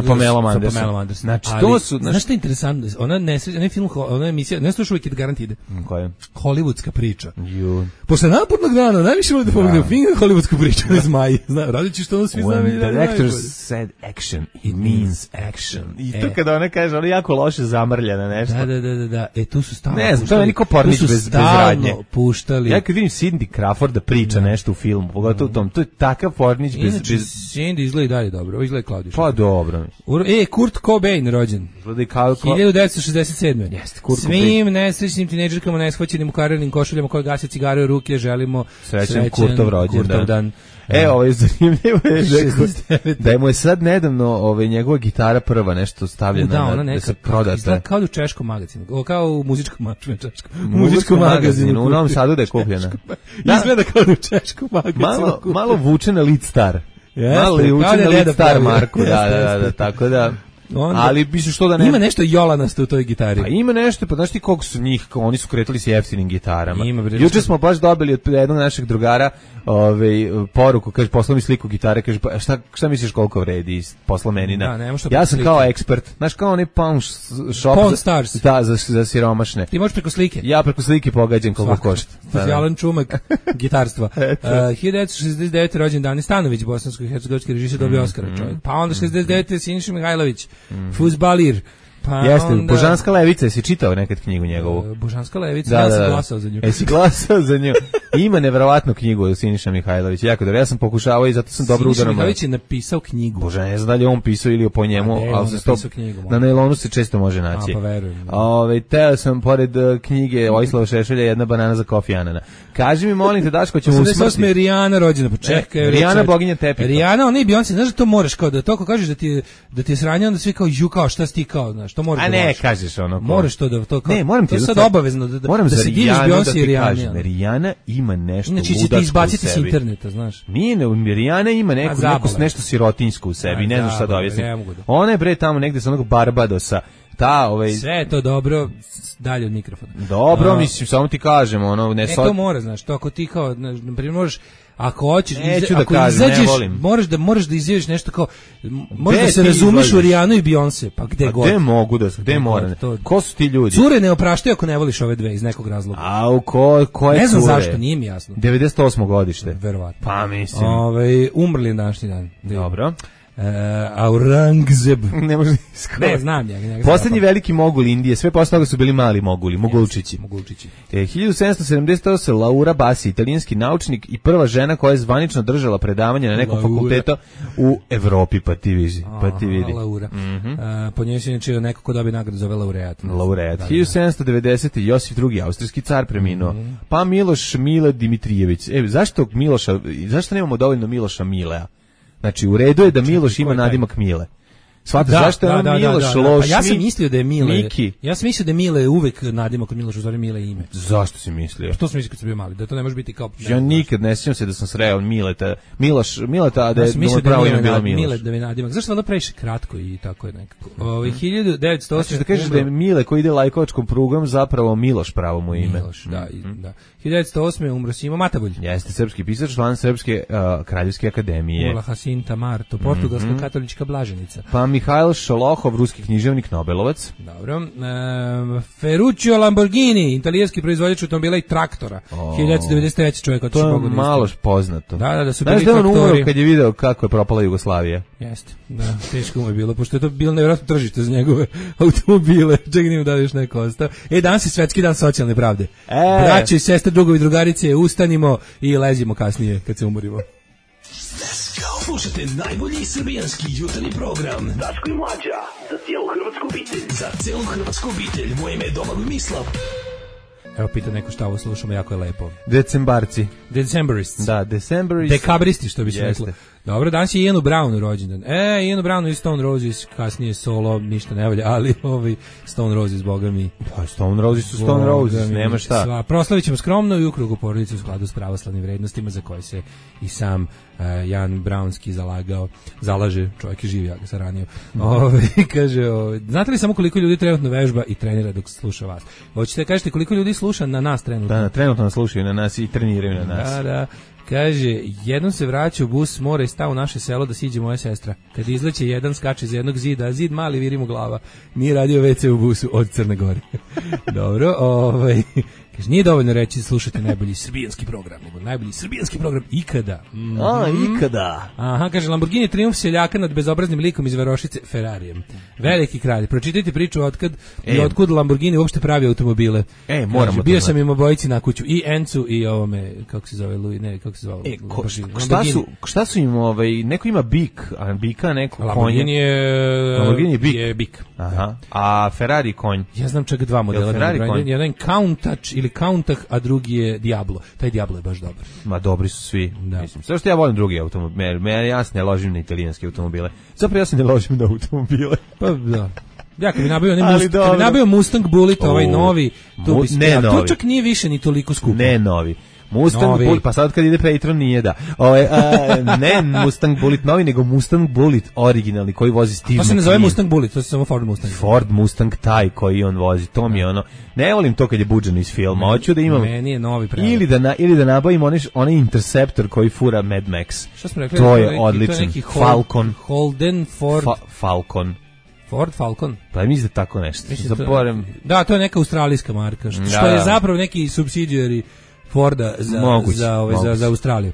Pamelom Anderson. Znači, Ali, to su... znaš što je interesantno? Onaj film, ona emisija, ne slušao uvijek garant ide. Koje? Hollywoodska priča. Ju. Posle napornog dana, najviše volim da pogledam film Hollywoodsku priču o zmaji. Radit ću što ono svi znamo. When director said action, it means action. I to kada ona kaže, ona je jako loše zamrljena nešto. Da. Tu su stalno Ne znam, to je meni ko Pornić bez radnje. puštali. Ja kad vidim Cindy Crawford da priča nešto u filmu, pogotovo u tom, to je takav Pornić bez... Inače, Cindy izgleda i dalje dobro. Ovo izgleda Claudio. Pa dobro. Kurt Cobain rođen. Izgleda i kao... 1967. Jeste, Kurt Svim nesrećnim tinejdžerkama, neshvaćenim u karirnim košuljama koje gase cigare u ruke, želimo Srećan Kurtov rođendan. dan. Zanimljivo je 69. da mu je sad nedavno njegova gitara prva nešto stavljena Da, ona da neka se prodata. izgleda kao u češkom magazinu, kao u muzičkom Muzičkom magazinu, u Novom Sadu da je kupljena. Da. Izgleda kao u češkom magazinu. Malo vuče na Lead Star. Jeste, Malo je vuče kao da na je Lead deda Star pravio. Marku, Jeste. da, tako da... Onda- Ali misliš što da ne... Ima nešto jolanasto u toj gitari. Pa ima nešto, pa znaš ti koliko su njih, oni su kretali s jeftinim gitarama. Ima, bre, Juče smo baš dobili od jednog našeg drugara poruku, kaže, poslao mi sliku gitare, kaže, pa šta misliš koliko vredi, poslao meni Da, nemo što ja preko sam slike. kao ekspert, znaš kao onaj pawn shop. Pawn Stars. Da, za siromašne. Ti možeš preko slike. Ja preko slike pogađam koliko košta. Alan Čumak, gitarstva. 1969. rođen Dani Stanović, bosansko-hercegovački režisir, dobio Oskara čovjek. Pa onda 69. Siniša Mihajlović, fudbalir. Pa Jeste, onda... Božanska levica, jesi čitao nekad knjigu njegovu? Božanska levica, ja sam glasao za nju. Jesi glasao za nju? Ima neverovatnu knjigu od Siniša Mihajlović, jako dobro. Ja sam pokušavao i zato sam dobro udaram. Siniša Mihajlović je napisao knjigu. Bože, ne znam da li je on pisao ili po njemu, ali se to na nailonu se često može naći. A, pa verujem. Teo sam pored knjige Vojislava Šešelja jedna banana za Kofi Anana. Kaži mi, molim te, Daško, ćemo usmrti. 88. Rijana rođena, pa čekaj. Rijana boginja tepiha. Rijana, ona i Beyoncé, znaš da to moraš kao da to ako kažeš da ti je sranje, onda svi kao kao šta si ti kao, znaš, to moraš. A ne, kažeš ono. Moraš to da to kao. Ne, moram ti to je sad obavezno da se diviš Beyoncé i Rijana. Rijana ima nešto ludačko u sebi. Znači će ti izbaciti s interneta, znaš. Nije, Rijana ima neku nešto sirotinjsko u sebi, ne znam šta da objasnim. Ona je bre tamo negde sa onog Barbadosa. Sve je to dobro, dalje od mikrofona. Dobro, mislim, samo ti kažem, ono, ne to mora, znaš, to ako ti kao, na primjer, možeš, ako hoćeš, ako izađeš, moraš da izjaviš nešto kao, možeš da se razumeš u Rijanu i Beyoncé, pa gde god. Gde mogu da, gde moram? Ko su ti ljudi? Cure ne opraštaju ako ne voliš ove dve iz nekog razloga. A ko je cure? Ne znam zašto, nije mi jasno. 98. godište. Verovatno. Pa mislim. Umrli današnji dan. Dobro. Aurangzeb. Ne može Ne, znam njega. Poslednji veliki mogul Indije, sve posle toga su bili mali moguli, mogulčići. 1778 Laura Bassi, italijanski naučnik i prva žena koja je zvanično držala predavanje na nekom fakultetu u Evropi, pa ti vidi. Laura. Po njoj se inače neko ko dobije nagradu zove laureat. Laureat. 1790. Josif II. Austrijski car preminuo. Pa Miloš Mile Dimitrijević. Zašto nemamo dovoljno Miloša Milea? Znači, u redu je da Miloš ima nadimak Mile. Svataš, zašto je on Miloš loš? Pa ja sam mislio da je Mile. Miki. Ja sam mislio da je Mile uvek nadimak od Miloša, u stvari Mile ime. Zašto si mislio? Što sam mislio kad sam bio mali, da to ne može biti kao... Ja nikad ne sjećam se da sam sreo Mileta, Mileta, da je pravo ime bilo Miloš. Mile da je nadimak. Zašto onda previše kratko i tako je nekako? 1908. Znači da kažeš da je Mile koji ide lajkovačkom prugom zapravo Miloš pravo mu ime. Miloš, da. 1908. umro Simo Matabulj. Jeste srpski pisac, član Srpske kraljevske akademije. Umrla Jacinta Marto, portugalska katolička blaženica. Pa Mihajl Šolohov, ruski književnik, Nobelovac. Dobro. Ferruccio Lamborghini, italijanski proizvođač automobila i traktora. 1993. čovjek otišao Bogu. To je malo poznato. Da su bili traktori. Znaš da on umro kad je video kako je propala Jugoslavija? Jeste, da, teško mu je bilo, pošto je to bilo nevjerojatno tržište za njegove automobile. Čekaj, nima da li još neko ostao. Danas je svetski dan socijalne pravde. Braće i sestre, drugovi, drugarice, ustanimo i lezimo kasnije kad se umorimo. Slušajte najbolji srbijanski jutarnji program Daško i Mlađa, za cijelu hrvatsku obitelj. Za cijelu hrvatsku obitelj, moje ime je Domagoj Mislav. Evo pita neko šta ovo slušamo, jako je lepo. Decembarci. Decemberists. Da, Decemberists. Dekabristi, što bi se reklo. Dobro, danas je Ianu Brownu rođendan. Ianu Brownu i Stone Roses, kasnije solo, ništa ne valja, ali Stone Roses, boga mi. Pa Stone Roses su Stone Roses, nema šta. Proslavit ćemo skromno i u krugu porodice u skladu s pravoslavnim vrednostima za koje se i sam Jan Brownski zalaže, čovjek je živ, ja ga sam ranio. Kaže, znate li samo koliko ljudi trenutno vežba i trenira dok sluša vas? Hoćete da kažete koliko ljudi sluša na nas trenutno? Da, trenutno nas slušaju na nas i treniraju na nas. Da. Kaže, jednom se vraća u bus, mora i sta u naše selo da siđe moja sestra. Kad izleće jedan, skače za jednog zida, a zid mali viri mu glava. Nije radio WC u busu od Crne Gore. Dobro, kaže, nije dovoljno reći da slušate najbolji srbijanski program, nego najbolji srbijanski program ikada. Ikada. Aha, kaže, Lamborghini triumf seljaka nad bezobraznim likom iz Varošice Ferrarijem. Veliki kralj. Pročitajte priču otkud Lamborghini uopšte pravi automobile. Moramo kaže, bio sam im obojici na kuću, i Encu i ovome, kako se zove, šta su im, neko ima bik, a bika neko konje. Lamborghini je bik. Aha. A Ferrari konj. Ja znam čak dva modela. Jedan je Countach ili Countach, a drugi je Diablo. Taj Diablo je baš dobar. Ma dobri su svi. Da. Mislim, sve što ja volim drugi automobile. Ja se ne ložim na italijanske automobile. Zapravo ja se ne ložim na automobile. Pa da. Ja kad bi nabio Mustang Bullet, ovaj novi, tu bi se... To čak nije više ni toliko skupo. Ne novi. Mustang Bullet, pa sad kad ide Patreon nije da. Ne Mustang Bullet novi, nego Mustang Bullet originalni koji vozi Steve McQueen. To se ne zove Mustang Bullet, to se samo Ford Mustang. Ford Mustang taj koji on vozi, to mi je ono. Ne volim to kad je buđeno iz filma, hoću da imam. Meni je novi pravo. Ili da nabavim onaj Interceptor koji fura Mad Max. Šta smo rekli? To je odličan. Falcon. Holden Ford. Falcon. Ford Falcon. Pa mislim da tako nešto. Da, to je neka australijska marka, što je zapravo neki subsidiary Forda za Australiju.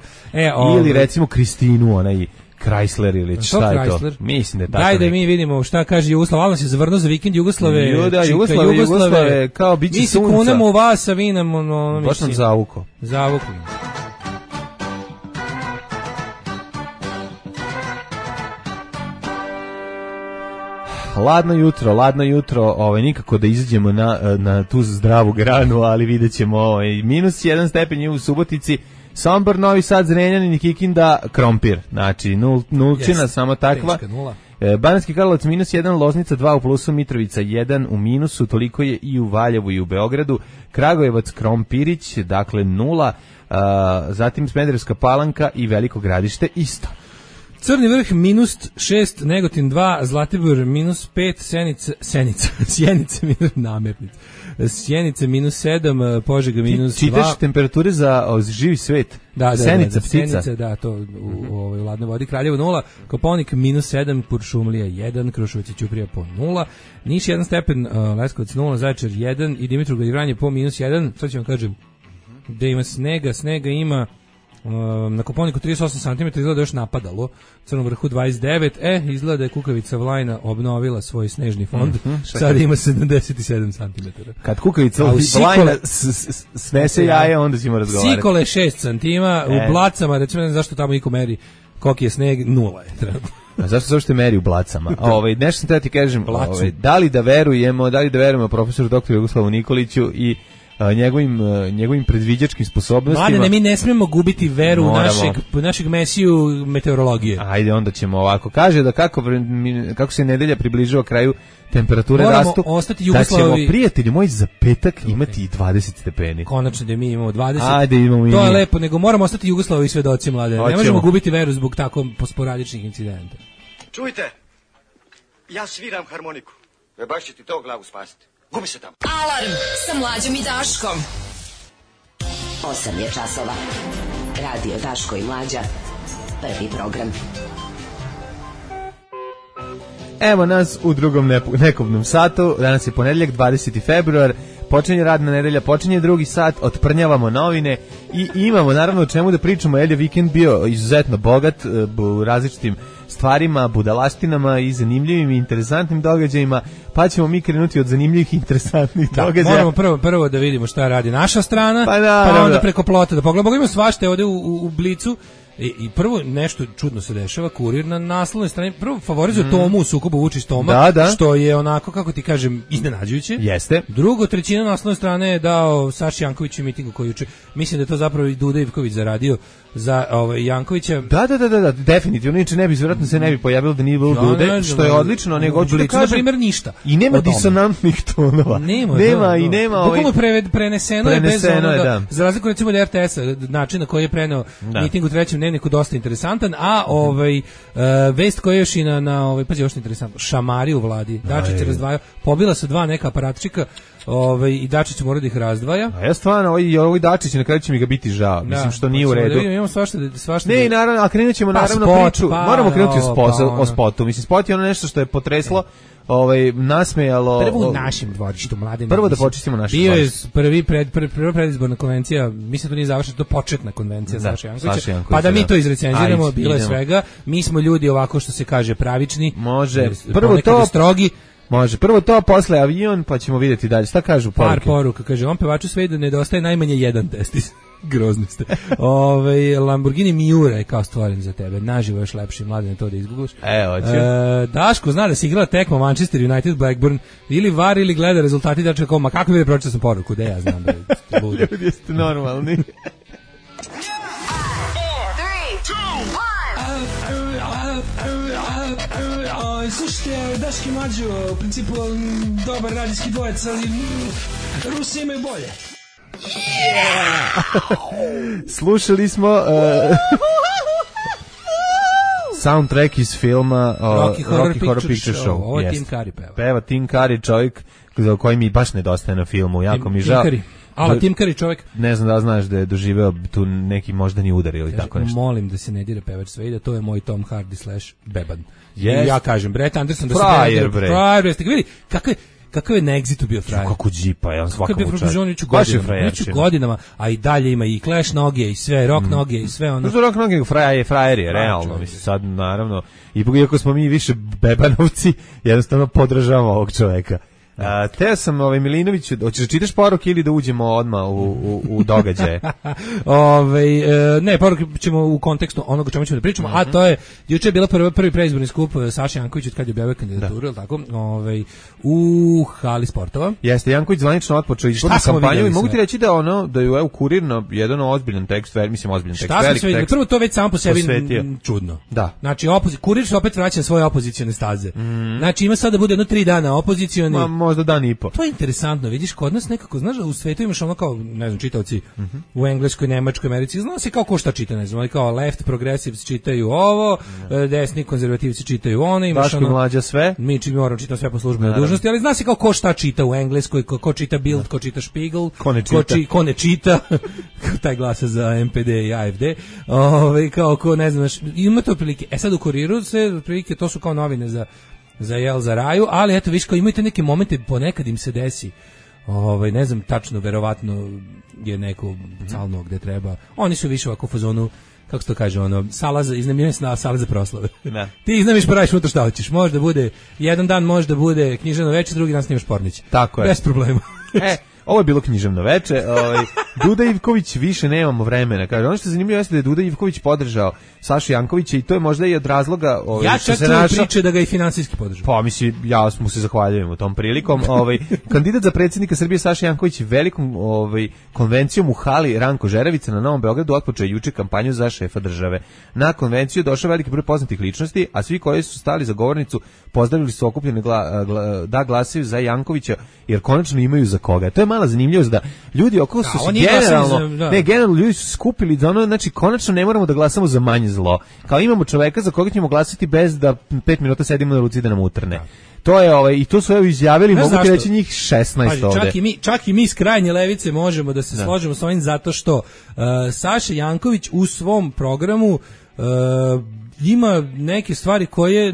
Ili recimo Kristinu, onaj Chrysler ili šta je to? Mislim da je tako. Daj da mi vidimo šta kaže Jugoslav. Alno se zavrnuo za vikend Jugoslave. Jugoslave, kao biće sunca. Mi se kunemo u vas, a vi nam... Baš nam zavukao. Ladno jutro, nikako da izađemo na tu zdravu granu, ali vidjet ćemo minus 1 stepen je u Subotici, Sombor, Novi Sad, Zrenjanin i Kikinda, krompir, znači nulčina, samo takva. Banatski Karlovac minus 1, Loznica 2 u plusu, Mitrovica 1 u minusu, toliko je i u Valjevu i u Beogradu, Kragujevac, Krompirić, dakle 0, zatim Smederevska Palanka i Veliko Gradište isto. Crni vrh minus 6, Negotin 2, Zlatibor minus 5, Sjenica minus namernica. Sjenice minus 7, Požega minus 2. Čitaš temperature za živi svet? Da, Senica, ptica. Senice, da, to u ladnoj vodi. Kraljevo 0, Kopaonik minus 7, Kuršumlija 1, Kruševac i Ćuprija po 0, Niš 1 stepen, Leskovac 0, Zaječar 1 i Dimitrovgrad i Vranje po minus 1. Sad ću vam kažem, gde ima snega ima Na Koponiku 38 cm izgleda još napadalo, Crnom vrhu 29, izgleda da je kukavica Vlajna obnovila svoj snežni fond, sad ima 77 cm. Kad kukavica Vlajna snese jaje, onda ćemo razgovarati. Sikole 6 cm, u Blacama, recimo ne znam zašto tamo niko meri koliki je sneg, 0 je trenutno. A zašto zašto meri u Blacama? Nešto sam treba ti kažem, da li da verujemo profesoru doktoru Jugoslavu Nikoliću i njegovim predviđačkim sposobnostima. Mladene, mi ne smemo gubiti veru u našeg mesiju meteorologije. Ajde, onda ćemo ovako. Kaže da kako se nedelja približava kraju, temperature rastu, da ćemo, prijatelji moji, za petak imati i 20 stepeni. Konačno da mi imamo 20. Ajde, imamo i to je lepo, nego moramo ostati Jugoslavovi svedoci, mladene. Ne možemo gubiti veru zbog tako sporadičnih incidenta. Čujte, ja sviram harmoniku. Baš će ti to glavu spasiti. Gubi se tamo. Alarm sa Mlađom i Daškom. 8 je časova. Radio Daško i Mlađa. Prvi program. Evo nas u drugom nekobnom satu. Danas je ponedjeljak, 20. februar. Počinje radna nedelja, počinje drugi sat, otprnjavamo novine i imamo naravno o čemu da pričamo, jer je vikend bio izuzetno bogat u različitim stvarima, budalastinama i zanimljivim i interesantnim događajima, pa ćemo mi krenuti od zanimljivih i interesantnih događaja. Moramo prvo da vidimo šta radi naša strana, pa onda preko plota da pogledamo. Ima svašta ovde u Blicu. I prvo nešto čudno se dešava, Kurir na naslovnoj strani prvo favorizuje Tomu u sukobu Vučić-Toma, što je onako, kako ti kažem, iznenađujuće. Jeste. Drugo, trećina naslovne strane je dao Saši Jankoviću mitingu koji juče. Mislim da je to zapravo i Duda Ivković zaradio za Jankovića. Da, definitivno. Inače vjerojatno se ne bi pojavilo da nije bilo Dude, što je odlično, nego hoću da kažem, na primjer, ništa. I nema disonantnih tonova. Nema. Bukvalno preneseno je bez onoga, za razliku recimo da RTS-a, način na koji je preneo miting u Trećem dnevniku dosta interesantan, a vest koja je još i na pazi, još interesantno, šamari u vladi. Dačić razdvaja, pobila su dva neka aparatčika, i Dačić mora da ih razdvaja. A ja stvarno, ovaj Dačić na kraju će mi ga biti žao. Mislim što nije u redu. Imamo svašta. Ne, naravno, a krenut ćemo priču. Moramo krenuti o spotu. Mislim, spot je ono nešto što je potreslo, nasmejalo. Prvo u našem dvorištu, mladim. Prvo da počistimo naše dvorište. Bio je prva predizborna konvencija, mislim da to nije završena, to početna konvencija Saša Jankovića. Pa da mi to izrecenziramo, bilo je svega. Mi smo ljudi ovako što se kaže pravični. Može. Prvo to strogi. Može, prvo to, posle avion, pa ćemo vidjeti dalje. Šta kažu poruke? Par poruka, kaže, on pevaču sve da nedostaje najmanje jedan testis. Grozni ste. Lamborghini Miura je kao stvoren za tebe. Naživo još lepši, Mladen, to da izgooglaš. Daško zna da si igrala tekma Manchester United Blackburn, ili var ili gleda rezultati dačka, ma kako bi pročitao sam poruku, da ja znam da bude. Ljudi jeste normalni. Slušajte, Daški Mlađo, u principu dobar radijski dvojec, ali Rusi imaju bolje. Slušali smo soundtrack iz filma Rocky Horror Picture Show. Ovo je Tim Curry peva. Peva Tim Curry, čovjek za koji mi baš nedostaje na filmu, jako mi žao. Tim Curry čovjek. Ne znam da znaš da je doživeo tu neki moždani udar ili tako nešto. Molim da se ne dira pevač sve i da to je moj Tom Hardy / Beban. Yes. Ja kažem, Brett Anderson da se frajer, vidi, kakav je na Exitu bio frajer. Kako džipa, ja svakako čast. Godinama, a i dalje ima i Clash noge i sve, rock noge i sve ono. Rock noge frajer je, realno. Mislim, sad, naravno, iako smo mi više bebanovci, jednostavno podržavamo ovog čoveka. Teo sam Milinoviću, hoćeš da čitaš poruke ili da uđemo odmah u događaje? Ne, poruke ćemo u kontekstu onoga o čemu ćemo da pričamo, a to je, juče je bila prvi predizborni skup Saša Jankovića kad je objavio kandidaturu, ili tako, u hali sportova. Jeste, Janković zvanično otpočeo izbornu kampanju i mogu ti reći da je Kurir na jedan ozbiljan tekst, velik tekst. Prvo to već samo po sebi čudno. Da. Znači, Kurir se opet vraća na svoje opozicione staze. Znači, ima sad da bude 3 dana opozicioni. Možda dan i po. To je interesantno, vidiš, kod nas nekako, znaš da u svetu imaš ono kao, ne znam, čitaoci u Engleskoj, Nemačkoj, Americi, zna se kao ko šta čita, ne znam, kao left progressives čitaju ovo, desni konzervativci čitaju ono, imaš Daško ono, Mlađa sve. Mi moramo čitati sve po službenoj dužnosti, ali zna se kao ko šta čita u Engleskoj, ko čita Bild, ko čita Spiegel, ko ne čita, taj glasa za MPD i AFD, kao ko ne znaš, ima to prilike. Sad u Kuriru se prilike, to su kao novine za raju, ali eto viš kao imate neke momente, ponekad im se desi ne znam tačno, verovatno je neko calno gde treba. Oni su više ovako u fazonu, kako se to kaže, sala za iznajmljivanje sna, sala za proslave. Da. Ti iznajmiš pa radiš unutra šta hoćeš. Može da bude, jedan dan može da bude književno veče, drugi dan snimaš pornić. Tako je. Bez problema. Ovo je bilo književno veče. Duda Ivković više nemamo vremena. Kaže, ono što je zanimljivo jeste da je Duda Ivković podržao Sašu Jankovića i to je možda i od razloga ja čak tu priče da ga i finansijski podržao. Pa mislim, ja mu se zahvaljujem u tom prilikom. Kandidat za predsjednika Srbije Saša Janković velikom konvencijom u hali Ranko Žeravica na Novom Beogradu otpočeo juče kampanju za šefa države. Na konvenciju došao veliki broj poznatih ličnosti, a svi koji su stali za govornicu pozdravili su okupljene da glasaju za Jankovića jer konačno imaju za koga. To je mala zanimljivost da ljudi oko su generalno ljudi su skupili da znači konačno ne moramo da glasamo za manje zlo. Kao imamo čoveka za koga ćemo glasati bez da 5 minuta sedimo na ruci da nam utrne. To je i to su izjavili, mogu ti reći njih 16 ovde. Čak i mi iz krajnje levice možemo da se složimo s ovim zato što Saša Janković u svom programu ima neke stvari koje,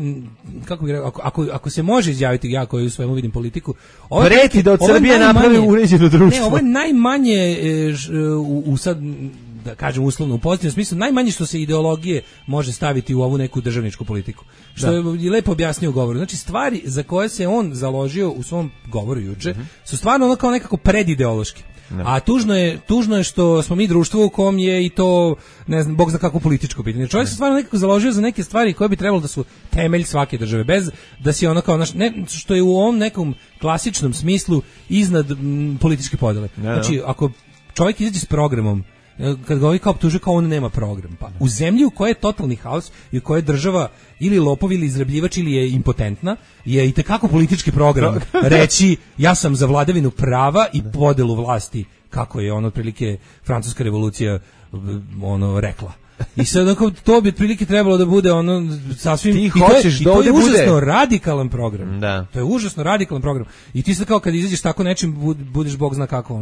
kako bih rekao, ako se može izjaviti, ja koji u svemu vidim politiku, preti da od Srbije napravi uređeno društvo. Ne, ovo je najmanje u sad, da kažem uslovno u pozitivnom smislu, najmanje što se ideologije može staviti u ovu neku državničku politiku. Što je lepo objasnio u govoru. Znači, stvari za koje se on založio u svom govoru juče su stvarno ono kao nekako predideološki. A tužno je što smo mi društvo u kom je i to, ne znam, bog zna kako političko pitanje. Čovjek se stvarno nekako založio za neke stvari koje bi trebalo da su temelj svake države, bez da si ono kao što je u ovom nekom klasičnom smislu iznad političke podele. Znači, ako čovjek izađe s programom, kad ga ovi kao optužuje kao on nema program. Pa u zemlji u kojoj je totalni haos i u kojoj je država ili lopov ili izrabljivač ili je impotentna, je i tekako politički program reći ja sam za vladavinu prava i podelu vlasti, kako je otprilike francuska revolucija rekla. I sad to bi otprilike trebalo da bude sasvim ti hoćeš to je užasno bude radikalan program. Da. To je užasno radikalan program. I ti sad kao kad izađeš tako nečim budeš bog zna kako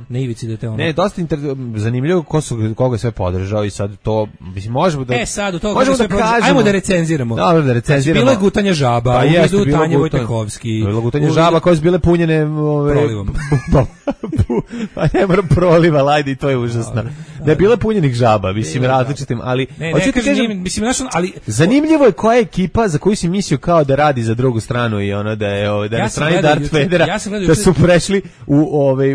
na ivici da te Ne, dosta zanimljivo koga sve podržao i sad to mislim možemo da sad to možemo da kažemo. Ajmo da recenziramo. Dobro, da recenziramo. Bilo je gutanje žaba, u Tanje Vojtehovski. Bilo gutanje žaba koje su bile punjene prolivom. Pa ne moram proliva, ajde i to je užasno. Da je bilo punjenih žaba, mislim različitim, ali ali zanimljivo je koja je ekipa za koju si mislio kao da radi za drugu stranu i da je na strani Darth Vadera, da su prešli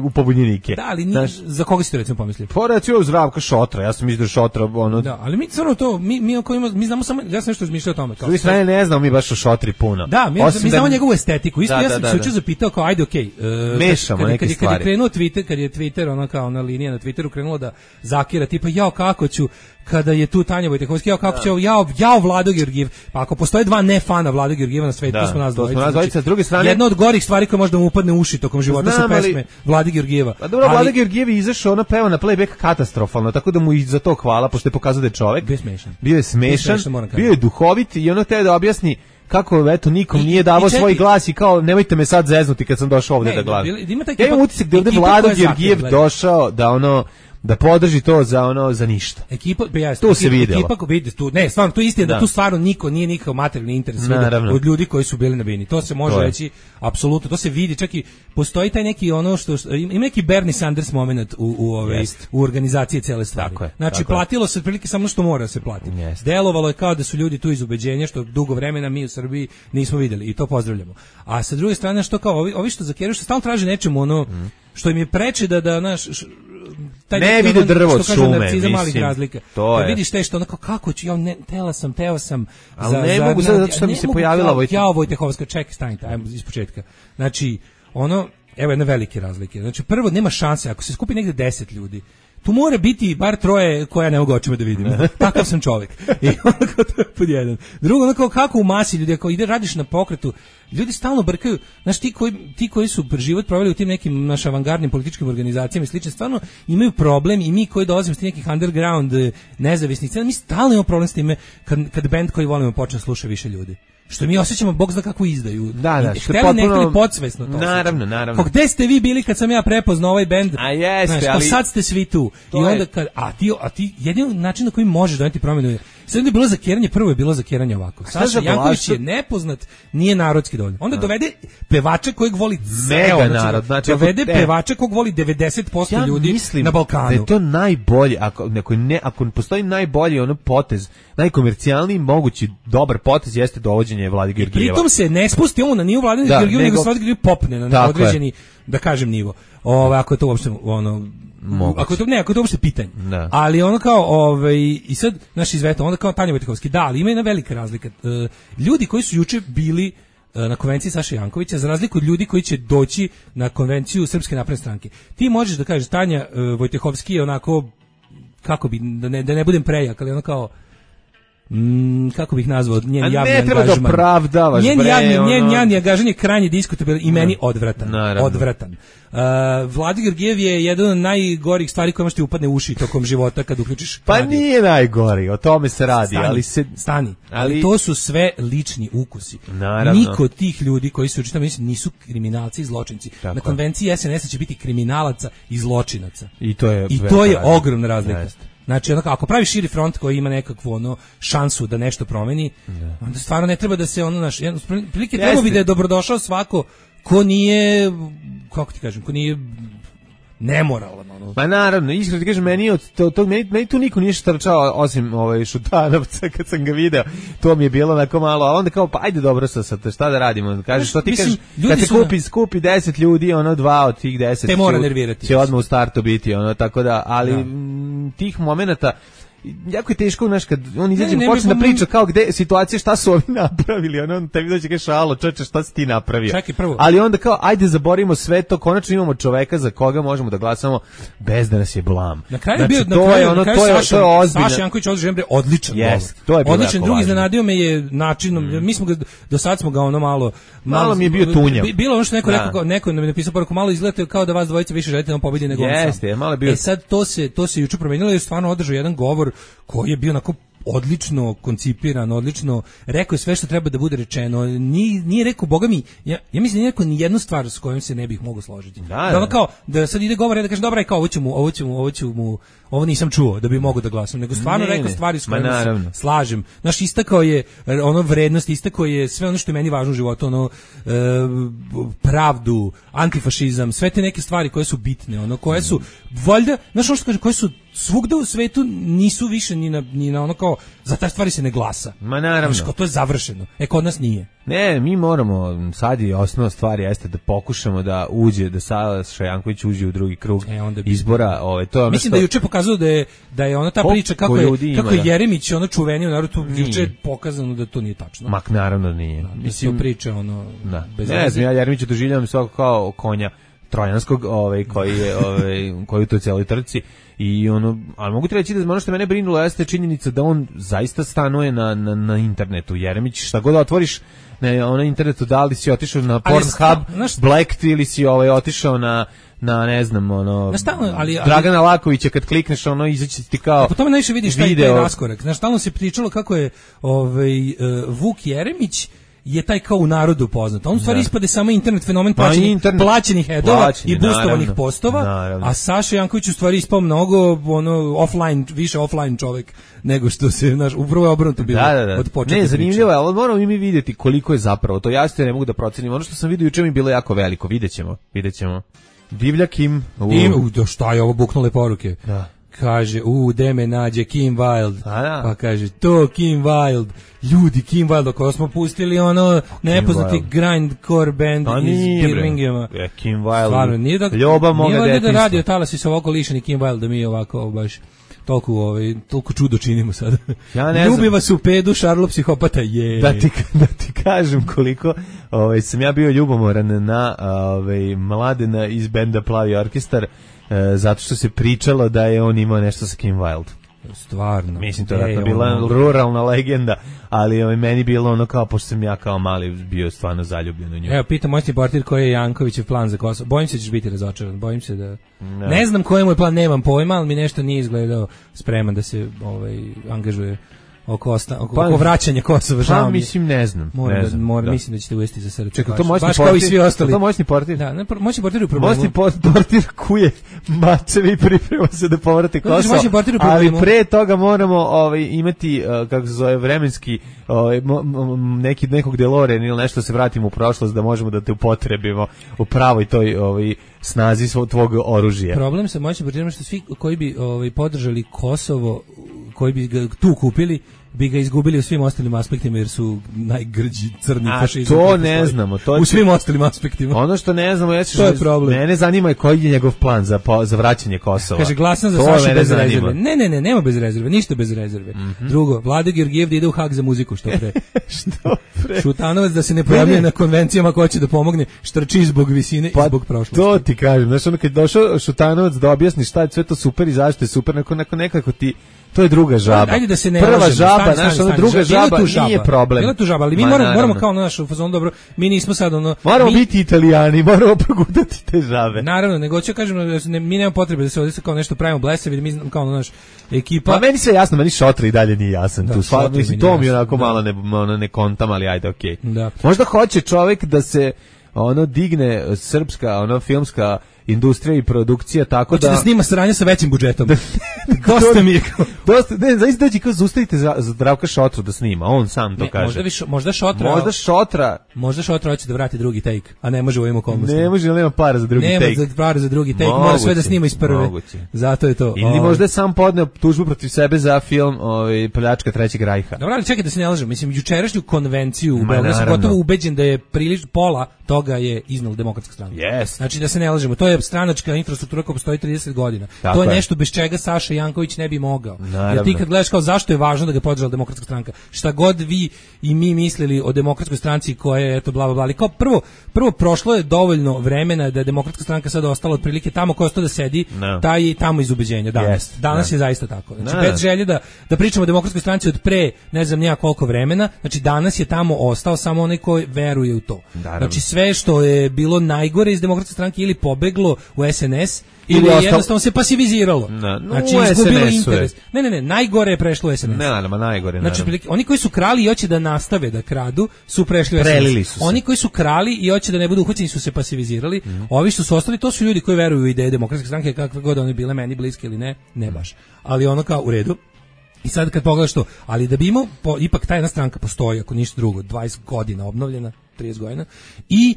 u pobunjenike. Da, ali za koga si to recimo pomislio? Pa recimo Zdravka Šotra, ja sam mislio da Šotra Da, ali mi stvarno to mi znamo samo, ja sam nešto razmišljao o tome. S druge strane ne znamo mi baš o Šotri puno. Da, mi znamo njegovu estetiku. Isto ja sam se juče zapitao kao ajde okej. Mešamo neke stvari. Kad je krenuo Twitter, kad je Twitter kao linija na Twitteru krenula da zakira tipa kako ću kada je tu Tanja Vojtehovski, kako će Vlado Georgijev, pa ako postoje dva ne fana Vlado Georgijeva na svetu, to smo nas dvojica. S druge strane, jedna od gorih stvari koja može da mu upadne u uši tokom života su pesme Vlade Georgijeva. Pa dobro, Vlado Georgijev je izašao, peva na playback katastrofalno, tako da mu i za to hvala, pošto je pokazao da je čovek. Bio je smešan, bio je duhovit i teo da objasni kako nikom nije davao svoj glas i kao nemojte me sad zeznuti kad sam došao ovde da glasam. Ja imam utisak da ovde Vlado Georgijev došao da podrži to za ništa. To se videlo. Stvarno, to je istina da tu stvarno niko nije nikakav materijalni interes od ljudi koji su bili na bini. To se može reći, apsolutno, to se vidi, čak i postoji taj neki ima neki Bernie Sanders moment u organizaciji cele stvari. Znači, platilo se otprilike samo što mora se platiti. Delovalo je kao da su ljudi tu iz ubeđenja, što dugo vremena mi u Srbiji nismo videli i to pozdravljamo. A sa druge strane, što kao ovi što zakeraju, što stalno traže nečemu što im je preče da naš ne vide drvo od šume, mislim. Malih razlika. Da vidiš te što kako ću, teo sam. Ali ne mogu sad, zato što mi se pojavila Vojtehovska, čekaj, stanite, ajmo iz početka. Znači, evo jedne velike razlike. Znači, prvo, nema šanse, ako se skupi negde 10 ljudi, tu mora biti bar troje koja ne mogu očima da vidim. Takav sam čovjek. I onako to je pod jedan. Drugo, kako u masi ljudi, ako radiš na pokretu, ljudi stalno brkaju. Znaš, ti koji su život proveli u tim nekim našim avangardnim političkim organizacijama i slično, stvarno imaju problem i mi koji dolazimo s nekih underground nezavisnih scena, mi stalno imamo problem s time kad band koji volimo počne sluša više ljudi. Što mi osjećamo, bog zna kako izdaju. Da, što je potpuno... Hteli podsvesno to. Naravno. Pa gde ste vi bili kad sam ja prepoznao ovaj bend? A jeste, ali... sad ste svi tu. I onda a ti jedini način na koji možeš doneti promjenu Sad je bilo zakeranje, prvo je bilo zakeranje ovako. Saša Janković je nepoznat, nije narodski dovoljno. Onda dovede pevača kojeg voli mega narod, znači dovede pevača kojeg voli 90% ljudi na Balkanu. Da je to najbolje, ako postoji najbolji ono potez, najkomercijalniji mogući dobar potez jeste dovođenje Vlade Georgijeva. Pritom se ne spusti on na nivo Vlade Georgijeva, nego Vlade Georgijeva popne na određeni, da kažem, nivo. Ako je to uopšte ono ako to uopšte pitanje. Da. Ali ono kao i sad naš izveta, onda kao Tanja Vojtehovski, da, ali ima jedna velika razlika. Ljudi koji su juče bili na konvenciji Saše Jankovića, za razliku od ljudi koji će doći na konvenciju Srpske napredne stranke. Ti možeš da kažeš Tanja Vojtehovski je onako, kako bi, da ne budem prejak, ali ono kao kako bih nazvao njen javni angažman. Ne treba da opravdavaš, njen javni angažman je krajnje diskutabilan i meni odvratan. Vlada Georgijev je jedan od najgorih stvari koje možete upadne u uši tokom života kad uključiš pa radio. Nije najgori, o tome se radi. Ali to su sve lični ukusi. Naravno. Niko od tih ljudi koji su učitamo nisu kriminalci i zločinci. Tako. Na konvenciji SNS će biti kriminalaca i zločinaca. I to je ogromna razlika. Znači, ako pravi širi front koji ima nekakvu šansu da nešto promeni, onda stvarno ne treba da se prilike treba bi da je dobrodošao svako ko nije, kako ti kažem, ko nije nemoralan. Pa naravno, iskreno ti kažem, meni tu niko nije štrčao osim Šutanovca kad sam ga video. To mi je bilo onako malo, a onda kao pa ajde dobro sad šta da radimo? Kažeš što ti kažeš, kad se skupi 10 ljudi, 2 od tih 10 te mora nervirati. Će odmah u startu biti, tako da, ali tih momenata jako je teško, kad on izađe počne da priča kao gde situacija, šta su ovi napravili, on tebi dođe kaže šalo, čoveče, šta si ti napravio? Čekaj, prvo. Ali onda kao ajde zaborimo sve to, konačno imamo čoveka za koga možemo da glasamo bez da nas je blam. Na kraju je bio Saša Janković odličan. Odličan, drugi iznenadio me je načinom, mi smo ga do sad smo ga malo mi je bio tunjav. Bilo ono što neko nam je napisao poruku, malo izgleda kao da vas dvojica više želite da on pobedi nego on sam. Jeste, malo bio. Sad to se juče promenilo jer stvarno održao jedan govor koji je bio onako odlično koncipiran, odlično rekao je sve što treba da bude rečeno. Nije rekao, boga mi, ja mislim da nije rekao ni jednu stvar s kojom se ne bih mogao složiti. Da kao, da sad ide govor da kaže, dobra, kao, ovo nisam čuo da bi mogao da glasam, nego stvarno rekao stvari s kojima se slažem. Znaš, istakao je vrednost, istakao je sve ono što je meni važno u životu, pravdu, antifašizam, sve te neke stvari koje su bitne, koje su, valjda, znaš ono što kaže, koje su svugda u svetu nisu više ni na ono kao, za te stvari se ne glasa. Ma naravno. Znaš, to je završeno. Kod nas nije. Ne, mi moramo, sad je osnovna stvar jeste da pokušamo da Saša Janković uđe u drugi krug izbora. To je mislim da je juče pokazao da je ona ta priča kako je Jeremić čuveni u narodu, juče je pokazano da to nije tačno. Mak naravno nije. Mislim priča bez veze. Ne znam, ja Jeremića doživljavam svako kao konja trojanskog, koji u toj cijeloj trci. Ali mogu ti reći da ono što mene brinulo jeste činjenica da on zaista stanuje na internetu. Jeremić, šta god otvoriš na internetu, da li si otišao na Pornhub, Blacked ili si otišao na ne znam, Dragana Lakovića, kad klikneš, izaći ti kao po tome najviše vidiš taj raskorak. Znaš, stalno se pričalo kako je Vuk Jeremić je taj kao u narodu poznat. On u stvari ispade samo internet fenomen plaćenih headova i boostovanih postova, a Saša Janković u stvari ispao mnogo više offline čovjek nego što se, upravo je obrnuto bilo od početka. Ne, zanimljivo je, ali moramo mi vidjeti koliko je zapravo to. Ja se ne mogu da procenim. Ono što sam vidio juče mi bilo jako veliko. Vidjet ćemo. Divlja Kim. Šta je ovo, buknule poruke. Da. Kaže, gde me nađe Kim Wilde, pa kaže, to Kim Wilde, ljudi, Kim Wilde, ako smo pustili nepoznati grindcore band iz Birminghama. Kim Wilde, ljubav moga detinjstva. Nije da radio talasi su ovako lišeni Kim Wilde, da mi ovako baš toliko čudo činimo sad. Ljubi vas u pedu, Šarlo psihopata je. Da ti kažem koliko sam ja bio ljubomoran na Mladena iz benda Plavi orkestar, zato što se pričalo da je on imao nešto sa Kim Wilde. Stvarno. Mislim, to je bila ruralna legenda, ali meni bilo kao, pošto sam ja kao mali bio stvarno zaljubljen u nju. Evo, pitam moćni portir koji je Jankovićev plan za Kosovo. Bojim se da ćeš biti razočaran, bojim se da... Ne znam koji je moj plan, nemam pojma, ali mi nešto nije izgledao spreman da se angažuje oko vraćanja Kosova. Pa mislim ne znam. Mislim da ćete uvesti za srce. Čekaj, to moćni baš kao i svi ostali. To moćni portir. Da, moćni portir u problemu. Moćni portir kuje mačevi i priprema se da povrati Kosovo. Ali pre toga moramo imati kako se zove vremenski nekog DeLorean ili nešto, se vratimo u prošlost da možemo da te upotrebimo u pravoj toj snazi tvog oružja. Problem sa moćnim portirom što svi koji bi podržali Kosovo, koji bi ga tu kupili, bi ga izgubili u svim ostalim aspektima jer su najgrđi crni fašizam. To ne znamo. U svim ostalim aspektima. Ono što ne znamo je to je problem. Mene zanima koji je njegov plan za vraćanje Kosova. Kaže, glasam za Sašu bez rezerve. Ne, nema bez rezerve, ništa bez rezerve. Drugo, Vlada Georgijev da ide u Hag za muziku, što pre. Što pre? Šutanovac da se ne pojavljuje na konvencijama ko će da pomogne, štrči zbog visine i zbog prošlosti. To ti kažem, znaš, ono kad došao Šutanovac da objasni šta je sve to super i zašto je super, nekako ti to je druga žaba. Ajde da se ne prva lažemo, žaba, naša druga žaba nije problem. Bila tu žaba, ali mi moramo kao na našu fazonu dobro. Mi nismo sad moramo biti Italijani, moramo progutati te žabe. Naravno, nego ću kažem mi nemamo potrebe da se ovdje kao nešto pravimo blesavi, mi kao naš ekipa. Pa meni se jasno, meni Šotra i dalje nije jasan tu. Mislim to mi onako malo ne kontam, ali ajde, okej. Možda hoće čovjek da se digne srpska, filmska industrija i produkcija tako hoće da snima sranje sa većim budžetom. Dosta mi je. Ne, zaista dođi kao zaustavite za Zdravka Šotru da snima, on sam to kaže. Možda Šotra hoće da vrati drugi take, a ne može u ovim okolnostima. Ne može, nema para za drugi take. Nema para za drugi take, mora sve da snima iz prve. Moguće. Zato je to. Ili možda je sam podneo tužbu protiv sebe za film Pljačka Trećeg rajha. Dobro, ali čekaj da se ne lažem, mislim jučerašnju konvenciju u Beogradu sam gotovo ubeđen da je pola toga je iznala Demokratska stranka. Yes. Znači da se ne lažemo, to je stranačka infrastruktura koja postoji 30 godina. To je nešto bez čega Saša Janković ne bi mogao. Jer ti kad gledaš kao zašto je važno da ga podržala Demokratska stranka, šta god vi i mi mislili o Demokratskoj stranci koja je eto bla bla bla, ali kao prvo prošlo je dovoljno vremena da je Demokratska stranka sada ostala otprilike tamo ko ostao da sedi, taj je tamo iz ubeđenja danas. Danas je zaista tako. Znači bez želje da pričamo o Demokratskoj stranci od pre ne znam nija koliko vremena, znači danas je tamo ostao samo onaj ko veruje u to. Znači sve što je bilo najgore iz Demokratske stranke ili pobeglo u SNS ili jednostavno se pasiviziralo. Znači izgubilo interes. Ne, najgore je prešlo u SNS. Najgore. Znači oni koji su krali i hoće da nastave da kradu su prešli u SNS. Oni koji su krali i hoće da ne budu uhvaćeni su se pasivizirali. Ovi što su ostali to su ljudi koji veruju u ideje Demokratske stranke kakve god one bile meni bliske ili ne baš. Ali ono kao u redu. I sad kad pogledaš to, ali da bi imao, ipak ta jedna stranka postoji, ako ništa drugo, 20 godina obnovljena, 30 godina, i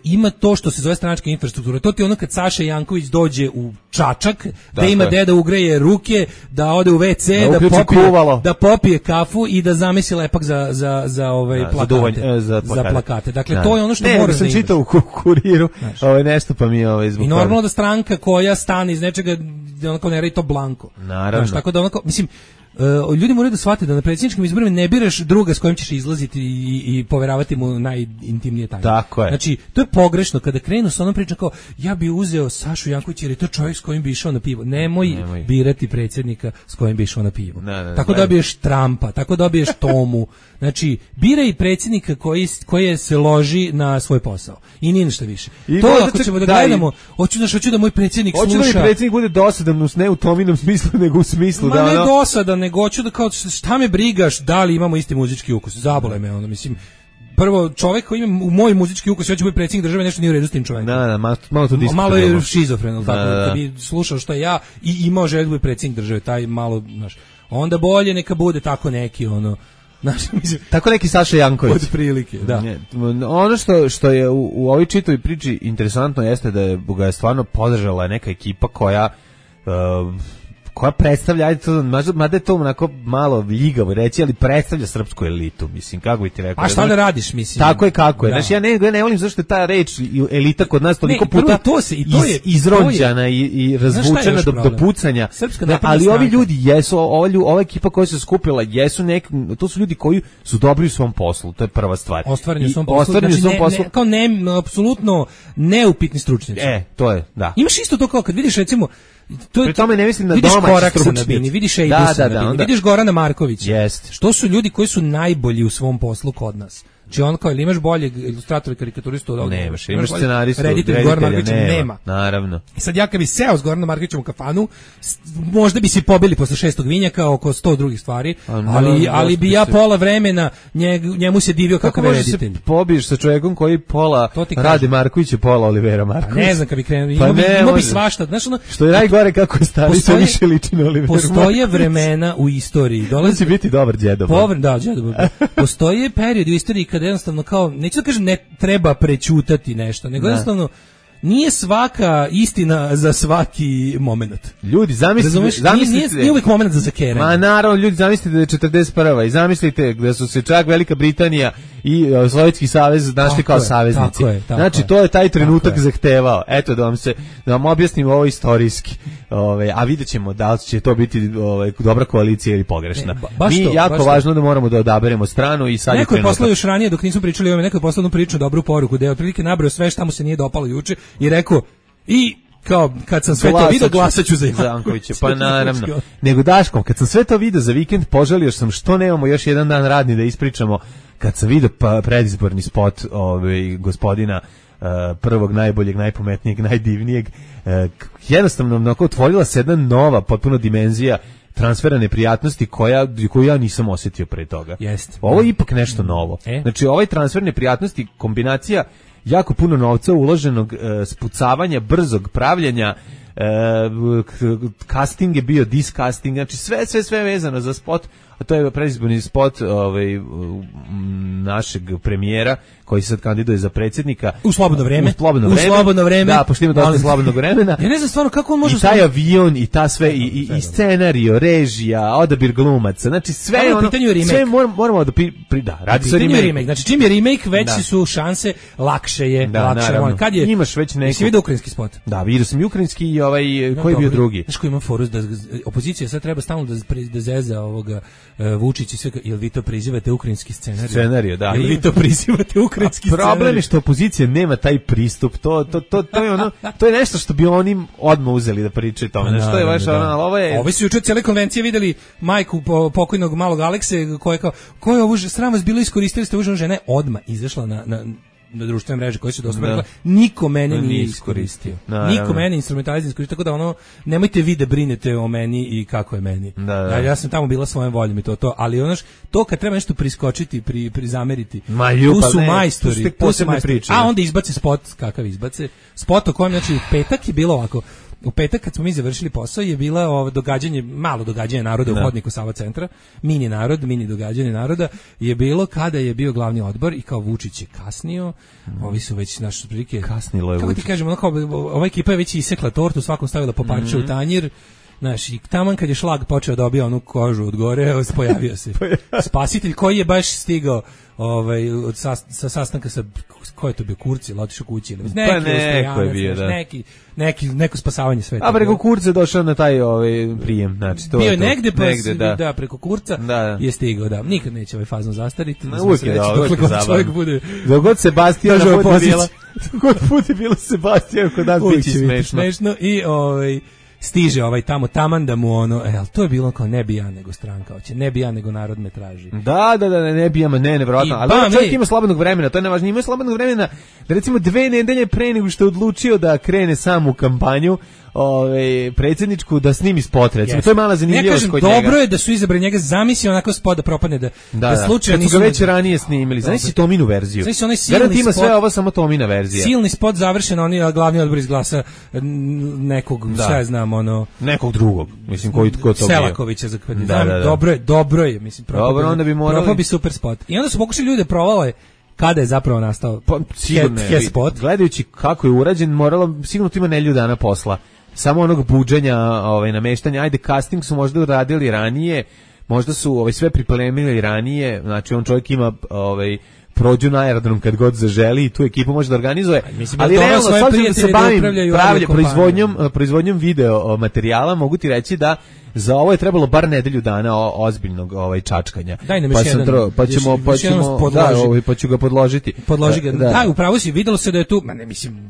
ima to što se zove stranačka infrastruktura. To ti ono kad Saša Janković dođe u Čačak, da ima gde da ugreje ruke, da ode u WC, da popije kafu i da zamesi lepak za plakate. Dakle, to je ono što moraš da imaš. Sam čitao u Kuriru, nešto pa mi je zbog i normalno da stranka koja stane iz nečega, onako ne radi to blanko. Naravno. Tako da onako, mislim, ljudi moraju da shvate da na predsjedničkim izborima ne biraš druga s kojim ćeš izlaziti i poveravati mu najintimnije tajne. Tako je. Znači, to je pogrešno kada krenu sa onom pričom kao ja bi uzeo Sašu Jankovića jer je to čovjek s kojim bi išao na pivo. Nemoj birati predsjednika s kojim bi išao na pivo. Tako dobiješ Trumpa, tako dobiješ Tomu. Znači, biraj predsjednika koji se loži na svoj posao. I nije ništa više. I to ako ćemo da gledamo, hoću da moj predsjednik sluša. Hoću da mi predsjednik bude dosadan, ne u Tominom smislu, nego u smislu da ne dosadan, nego hoću da kao šta me brigaš da li imamo isti muzički ukus. Zabole me ono, mislim. Prvo, čovjek koji ima u moj muzički ukus, hoće biti predsjednik države, nešto nije u redu s tim čovjekom. Malo to malo je šizofren, tako da bi slušao što ja i imao želju da bude predsjednik države, taj malo, znaš, onda bolje neka bude tako neki, ono, mislim, tako neki Saša Janković. Od prilike, da. Ono što je u ovoj čitavoj priči interesantno jeste da ga je stvarno podržala neka ekipa koja predstavlja, mada je to onako malo ljigavo reći, ali predstavlja srpsku elitu, mislim, kako bi ti rekao. A šta da radiš, mislim? Tako je kako je. Znači, ja ne volim zašto je ta reč elita kod nas toliko puta izronđana i razvučena do pucanja. Ali ovi ljudi jesu, ova ekipa koja se skupila, to su ljudi koji su dobri u svom poslu, to je prva stvar. Ostvareni u svom poslu. Kao apsolutno neupitni stručnjaci. To je, da. Imaš isto to kao kad vidiš, recimo, pri tome ne mislim na vidiš domaći stručnjaci. Vidiš Ejbusa na bini, vidiš Gorana Markovića. Što su ljudi koji su najbolji u svom poslu kod nas. Znači on kao, ili imaš boljeg ilustratora i karikaturistu od ovoga? Nemaš, imaš scenaristu, reditelja Gorana Markovića nema. Naravno. I sad ja kad bi seo s Goranom Markovićem u kafanu, možda bi se pobili posle 6. vinjaka oko 100 drugih stvari, ali bi ja pola vremena njemu se divio kakav je reditelj. Kako možeš se pobiješ sa čovjekom koji pola Rade Markovića, pola Olivera Markovića? Ne znam kad bi krenuo, imao bi svašta. Znaš, što je najgore kako je stari, sve više liči na Olivera Markovića. Postoje vremena u istoriji. On će biti dobar džedo. Da, džedo. Postoje period u istoriji kada jednostavno kao, neću da kažem ne treba prećutati nešto, nego jednostavno nije svaka istina za svaki moment. Ljudi, zamislite... Nije uvijek moment za zakeranje. Ma naravno, ljudi, zamislite da je 41. i zamislite da su se čak Velika Britanija i Sovjetski savez našli kao saveznici. Znači, to je taj trenutak zahtevao. Eto, da vam objasnim ovo istorijski. A vidjet ćemo da li će to biti dobra koalicija ili pogrešna. Mi jako važno da moramo da odaberemo stranu i sad neko je poslao još ranije, dok nismo pričali o ovome, neko je poslao jednu priču, dobru poruku, da je otprilike nabrao sve šta mu se nije dopalo juče i rekao, i kao kad sam sve to video glasaću za Jankovića, pa naravno. Nego Daškom, kad sam sve to video za vikend, poželio sam što nemamo još jedan dan radni da ispričamo, kad sam video predizborni spot gospodina prvog, najboljeg, najpametnijeg, najdivnijeg. Jednostavno, onako, otvorila se jedna nova, potpuno dimenzija transfera neprijatnosti koju ja nisam osjetio pre toga. Ovo je ipak nešto novo. Znači, ovaj transfer neprijatnosti, kombinacija jako puno novca uloženog, spucavanja, brzog pravljenja, casting je bio discasting, znači sve vezano za spot, a to je predizborni spot našeg premijera koji se sad kandiduje za predsjednika u slobodno vreme. Da, pošto ima dosta slobodnog vremena. Ja ne znam stvarno kako on može... I taj avion, i ta sve, i scenario, režija, odabir glumaca, znači sve ono... Sve moramo da... Da, radi se o remake. Znači, čim je remake, veći su šanse, lakše je. Kad je... Imaš već neko... Jesi vidio ukrajinski spot? Da, vidio sam i ukrajinski i koji je bio drugi. Znaš koji ima foru, da opozicija sad treba stalno da zeza ovoga Vučić i sve, jel vi to prizivate ukrajinski scenarij? Scenarij, da. Jel vi to prizivate ukrajinski scenarij? Problem je što opozicija nema taj pristup, to je ono, to je nešto što bi oni odmah uzeli da pričaju tome. Znači, to je baš ono, ovo je... Ovi su juče cijele konvencije videli majku pokojnog malog Alekse, koja je kao, ko je ovo, sram vas bilo, iskoristili ste uženu žene, odmah izašla na društvene mreže koje su dostupne, rekla, niko mene nije iskoristio. Niko mene instrumentalizam iskoristio, tako da ono, nemojte vi da brinete o meni i kako je meni. Ja sam tamo bila svojom voljom i to, ali ono to kad treba nešto priskočiti, prizameriti, tu su majstori, a onda izbace spot, kakav izbace, spot o kojem, znači, u petak je bilo ovako. U petak kad smo mi završili posao je bila malo događanje naroda u hodniku Sava centra, mini događanje naroda je bilo kada je bio glavni odbor i kao Vučić je kasnio, ovi su već naše prilike kasnilo je. Kako ti kažemo, ova ekipa je već isekla tortu, svakom stavila po parče u tanjir. Znaš, i taman kad je šlag počeo dobija onu kožu od gore, pojavio se spasitelj koji je baš stigao sa sastanka sa, ko je to bio, Kurci, ili otišao kući, ili neko je bio, da. Neko spasavanje sveta. A preko Kurca je došao na taj prijem, znači to. Bio je negde da, preko Kurca je stigao, da. Nikad neće ovaj fazon zastariti. Uvijek je čovjek bude. Dogod Sebastijan bude bilo Sebastijan kod nas biće smešno. I stiže tamo taman da mu to je bilo kao ne bi ja nego stranka hoće, ne bi ja nego narod me traži. Da, ne bi ja, nevjerojatno. Ali čovjek ima slobodnog vremena, to je najvažnije, ima slobodnog vremena da recimo 2 nedelje pre nego što je odlučio da krene sam u kampanju predsjedničku, da snimi spot, recimo. To je mala zanimljivost kod njega. Dobro je da su izabrali njega, zamisli onako spot da propadne, da slučajno nisu ga već ranije snimili. Zamisli Tominu verziju. Garant ima sve ovo, samo Tomina verzija. Silni spot završen, oni glavni odbor izglasa nekog, šta znam, nekog drugog, mislim, ko to bio. Selakovića za kandidat. Dobro je, mislim, propao bi super spot. I onda su pokušali ljude provale kada je zapravo nastao spot. Gledajući kako je urađen, sigurno tu ima nelju dana posla. Samo onog buđenja, nameštanja, ajde, casting su možda uradili ranije, možda su sve pripremili ranije, znači on čovjek ima prođu na aerodrom kad god zaželi i tu ekipu može da organizuje, ali realno, sad da se bavim proizvodnjom video materijala, mogu ti reći da za ovo je trebalo bar nedelju dana ozbiljnog čačkanja. Daj nam još jedan. Pa ću ga podložiti. Podloži ga. Da, upravo si, videlo se da je tu,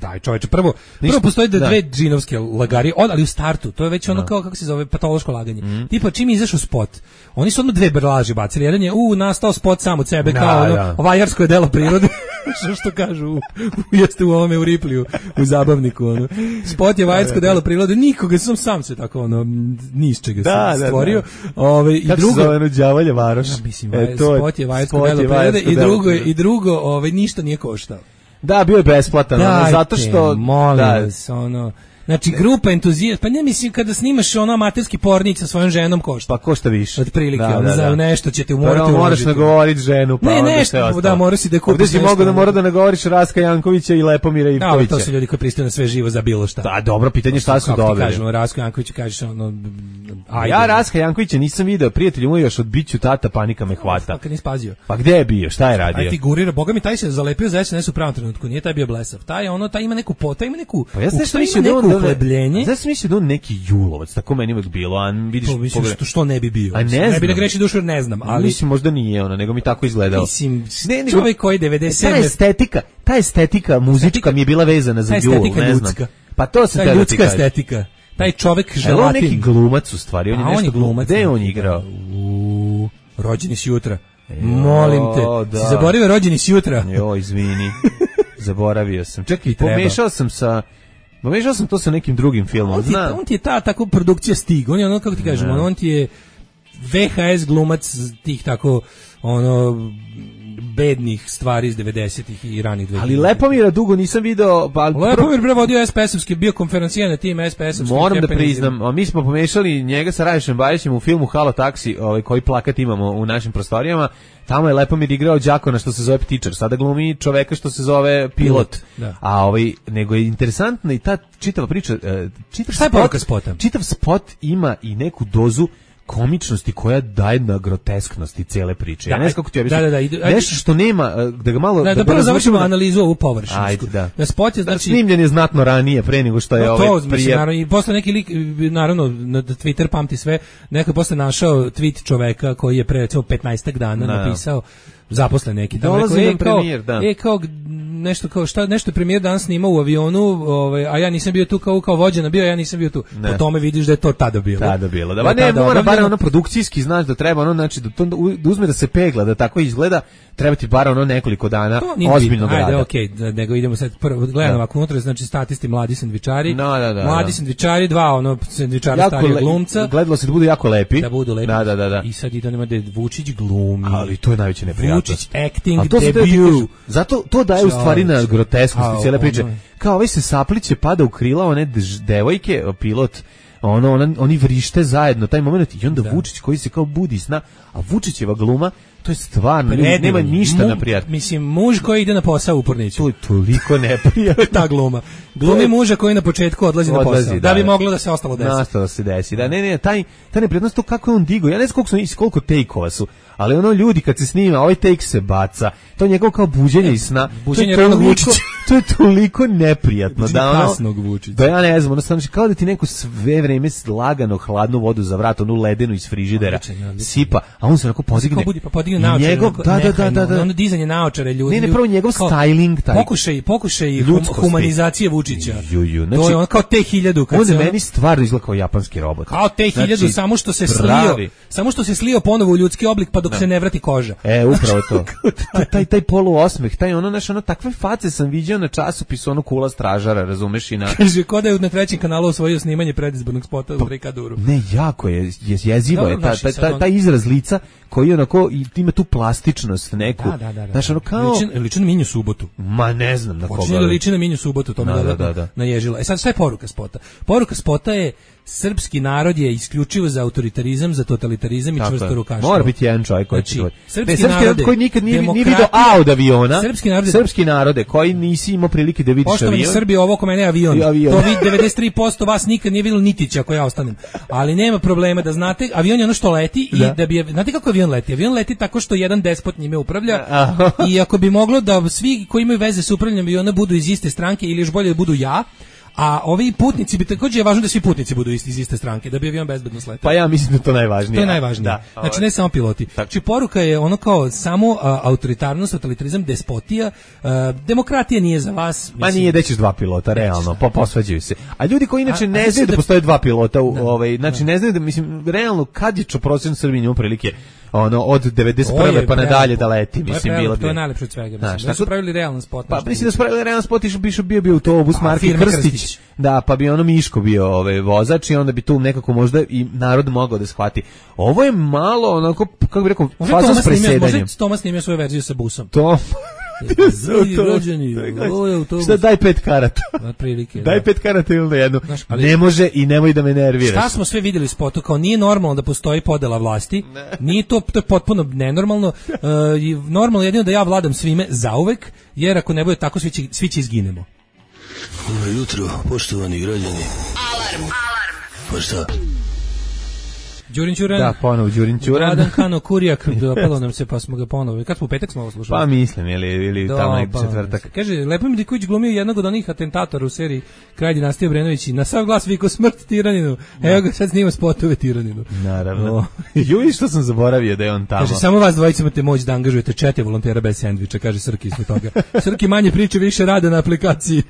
daj čoveče, prvo postoji dve džinovske lagarije, ali u startu, to je već ono kao, kako se zove, patološko laganje. Tipa, čim je izašao spot, oni su odmah 2 laži bacili. Jedan je, nastao spot sam od sebe, kao vajarsko Vajsko je delo prirode. što kažu jeste u ovome u Ripliju u zabavniku ono. Spot je Vajsko delo prirode, nikoga sam se tako ono ni iz čega sam stvorio. I drugo se zove đavolje varoš. Mislim, spot je Vajsko delo prirode i drugo ništa nije koštao. Da, bio je besplatan, zato što molim vas, ono. Znači, grupa entuzijasta, pa ne mislim kada snimaš ono amaterski pornić sa svojom ženom košta. Pa košta više. Otprilike, za nešto ćete morati uložiti. Moraš nagovoriti ženu, pa onda nešto, da, moraš si da kupiš nešto. Ovdje si mora da nagovoriš Raska Jankovića i Lepomira Ivkovića. To su ljudi koji pristaju na sve živo za bilo šta. Da, dobro, pitanje šta su dobili. Kako ti kažemo, Raska Jankovića kažeš ono, ajde. Ja Raska Jankovića nisam video, prijatelju moj još od biću tata, panika me hvata. Pa nisi pazio. Pa gde je bio, šta je radio? Aj figurira, boga mi taj se zalepio za SNS u pravom trenutku, nije taj bio blesav. Taj ima neku uhlebljenje. Ja sam mislio da on neki julovac, tako meni uvek bilo, a vidiš... To mislim što ne bi bio. A ne bi da greši dušu, ne znam, ali... Mislim, možda nije ona, nego mi tako izgledao. Mislim, čovjek koji 97... Ta estetika muzička mi je bila vezana za jul, ne znam. Pa to se ta ljudska estetika. Taj čovjek želatin. On neki glumac u stvari, on je nešto glumac. Gde je on igrao? Rođeni si jutra. Molim te, si zaboravio rođeni si jutra? Jo, izvini, zaboravio sam. Čekaj, pomešao sam to sa nekim drugim filmom. On ti je ta tako produkcija Stig. On je ono, kako ti kažemo, on ti je VHS glumac tih tako, ono, bednih stvari iz 90-ih i ranih 2000-ih. Ali Lepomira dugo nisam video. Lepomir bre vodio SPS-ovski, bio konferencijer na tim SPS-ovskim. Moram da priznam, a mi smo pomešali njega sa Rajišem Bajićem u filmu Halo taksi, koji plakat imamo u našim prostorijama. Tamo je Lepomir igrao đakona što se zove ptičar, sada glumi čoveka što se zove pilot. A nego je interesantna i ta čitava priča, šta je poruka spota? Čitav spot ima i neku dozu komičnosti koja daje na grotesknosti cele priče. Ja ne znam kako ti objasnim. Nešto što nema, da ga malo... Da prvo završimo analizu ovu površinsku. Ajde, da. Na spot je, znači... Snimljen je znatno ranije, pre nego što je prije... Naravno, i posle neki lik, naravno, na Twitter pamti sve, neko je posle našao tweet čoveka koji je pre 15 dana napisao, zaposlen neki. Dolazi nam premijer, da. Nešto kao nešto je premijer danas snimao u avionu, a ja nisam bio tu kao vođena bio, ja nisam bio tu. Po tome vidiš da je to tada bilo. Da, ba ne, mora bar ono produkcijski, znaš da treba ono, znači da uzme da se pegla, da tako izgleda, treba ti bar ono nekoliko dana ozbiljnog rada. Ajde, okej, nego idemo sad prvo gledamo ovako unutra, znači statisti mladi sendvičari. Mladi sendvičari, dva sendvičara starija glumca. Gledalo se da budu jako lepi. Da budu lepi. Da. I sad idemo da Vučić glumi. Ali to je najveće neprijatnost. Vučić acting debut. Zato to daje u stvari na grotesknosti cijele priče. Kao ovaj se sapliće, pada u krila one devojke, pilot, oni vrište zajedno, taj moment, i onda Vučić koji se kao budi sna, a Vučićeva gluma, to je stvarno, nema ništa na prijatno. Mislim, muž koji ide na posao u Porniću. To je toliko neprijatno. Ta gluma. Glumi muža koji na početku odlazi na posao. Da bi moglo da se ostalo desi. Nastalo se desi. Da, ne, taj neprijatnost, to kako je on digo. Ja ne znam koliko take-ova su, ali ono ljudi kad se snima, ovaj take se baca. To je njegov kao buđenje iz sna. Buđenje ranog Vučića. To je toliko neprijatno. Kasnog Vučića. Da ja ne znam, ono kao da ti neko sve vreme lagano hladnu vodu za vrat, onu ledenu iz frižidera sipa, a on se onako podigne. Njegov, da. Ono dizanje naočare ljudi. Ne, prvo njegov styling taj. Pokušaj humanizacije Vučića. Znači, to je on kao T-1000 kad se neki stvarno izgleda kao japanski robot. Kao T-1000, znači, samo što se slio ponovo u ljudski oblik pa dok se ne vrati koža. Upravo to. taj poluosmeh, taj ono takve face sam viđao na časopisu, ono Kula stražara, razumeš i na... Kaže, ko da je na trećem kanalu osvojio snimanje predizbornog spota u Rikaduru. Ne, jako je jezivo je taj izraz lica koji onako ima tu plastičnost neku. Da. Znaš, ono kao... Liči na Minju Subotu. Ma ne znam na koga. Počinje da liči na Minju Subotu, to me naježila. Sad, šta je poruka spota? Poruka spota je srpski narod je isključivo za autoritarizam, za totalitarizam i čvrsto rukaštvo. Mora biti jedan čovjek koji će govoriti. Srpski narod koji nikad nije vidio A od aviona. Srpski narode koji nisi imao prilike da vidiš avion. Poštovani Srbi, ovo ko mene je avion. To vi 93% vas nikad nije vidjelo Nitića ako ja ostanem. Ali nema problema da znate, avion je ono što leti i da bi, znate kako avion leti? Avion leti tako što jedan despot njime upravlja i ako bi moglo da svi koji imaju veze sa upravljanjem aviona budu iz iste stranke ili još bolje da budu ja, a ovi putnici bi također je važno da svi putnici budu iz iste stranke, da bi avion bezbedno sletao. Pa ja mislim da to najvažnije. To je najvažnije. Znači ne samo piloti. Znači poruka je ono kao samo autoritarnost, totalitarizam, despotija, demokratija nije za vas. Ma nije da ćeš dva pilota, realno, posvađaju se. A ljudi koji inače ne znaju da postoje dva pilota, znači ne znaju da, mislim, realno kad je prosječan Srbin ima prilike ono od 91. pa nadalje da leti, mislim bilo bi. To je najlepše od svega, mislim. Da su pravili realan spot. Pa mislim da su pravili realan spot, bio bi autobus marke Krstić. Da, pa bi ono Miško bio vozač i onda bi tu nekako možda i narod mogao da shvati. Ovo je malo onako, kako bih rekao, faza s presedanjem. Možda Tomas snimio svoju verziju sa busom. Šta, daj 5 karata. Otprilike. Daj 5 karata ili na jednu. Ne može i nemoj da me nerviraš. Šta smo sve vidjeli u spotu, kao nije normalno da postoji podela vlasti. Nije to je potpuno nenormalno. Normalno jedino da ja vladam svime zauvek, jer ako ne bude tako svi će izginemo. Dobro jutro, poštovani građani. Alarm. Pa šta? Đurin Ćuran. Da, ponovo Đurin Ćuran. Vladan Kano Kurijak, dopalo nam se pa smo ga ponovo. Kad smo u petak smo ovo slušali? Pa mislim, ili tamo neki četvrtak. Kaže, Lepo Diković glumio jednog od onih atentatora u seriji Kralj dinastije Obrenović i na sav glas vikao smrt tiraninu. Evo ga sad snima spotove tiraninu. Naravno. Juj, što sam zaboravio da je on tamo. Kaže, samo vas dvojica imate moć da angažujete 4 volontera bez sendviča, kaže Srki ispod toga. Srki manje priče, više rade na aplikaciji.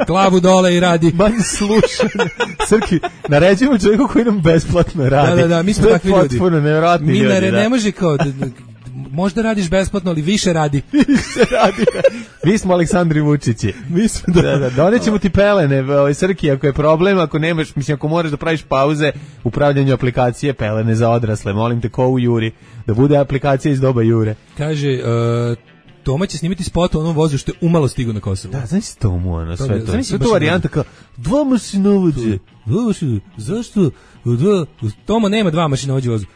Glavu dole i radi. Manje slušanje. Srki, naređujemo čovjeku koji nam besplatno radi. Da, mi smo takvi ljudi. Potpuno nevjerojatni ljudi. Minare, ne može kao, možda radiš besplatno, ali više radi. Više radi. Mi smo Aleksandri Vučići. Mi smo donećemo ti pelene, Srki, ako je problem, ako nemaš, mislim, ako moraš da praviš pauze u pravljanju aplikacije, pelene za odrasle, molim te, ko u Juri, da bude aplikacija iz doba Jure. Kaže, Toma će snimiti spot o onom vozu što je umalo stigu na Kosovo. Da, znaš si Tomu, ono, sve to. Sve to varijanta kao, 2 mašinovođe. Zašto? Toma nema 2 mašinovođe vozu.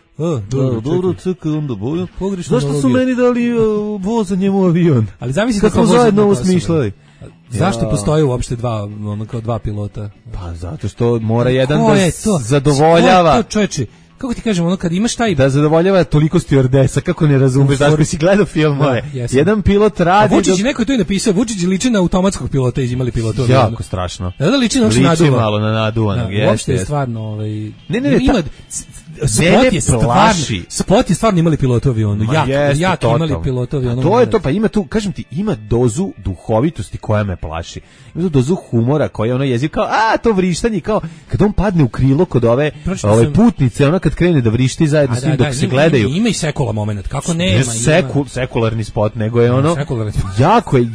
Dobro, čekaj, onda boju. Zašto su meni dali voz za njemu avion? Ali zamisli kad smo zajedno ovo smišljali. Zašto postoji uopšte dva pilota? Pa zato što mora jedan da zadovoljava. Ko je to, čoveče? Kako ti kažem, ono kad imaš taj... Da zadovoljava toliko stewardesa, kako ne razumeš, da koji si gledao filmove. Jedan pilot radi... Vučić, neko je to i napisao, Vučić liči na automatskog pilota, izimali pilota. Jako strašno. Da liči na naduvanog. Liči malo na naduvanog, uopšte je stvarno... Ne, Spot je stvarno imali pilota u avionu. Jak imali pilota u avionu. To je to, pa ima tu, kažem ti, ima dozu duhovitosti koja me plaši. Ima tu dozu humora koja ono jezik kao, to vrištanje, kao kad on padne u krilo kod ove putnice, ona kad krene da vrišti zajedno s njim dok se gledaju. Ima i sekula moment, kako nema. Ne sekularni spot, nego je ono,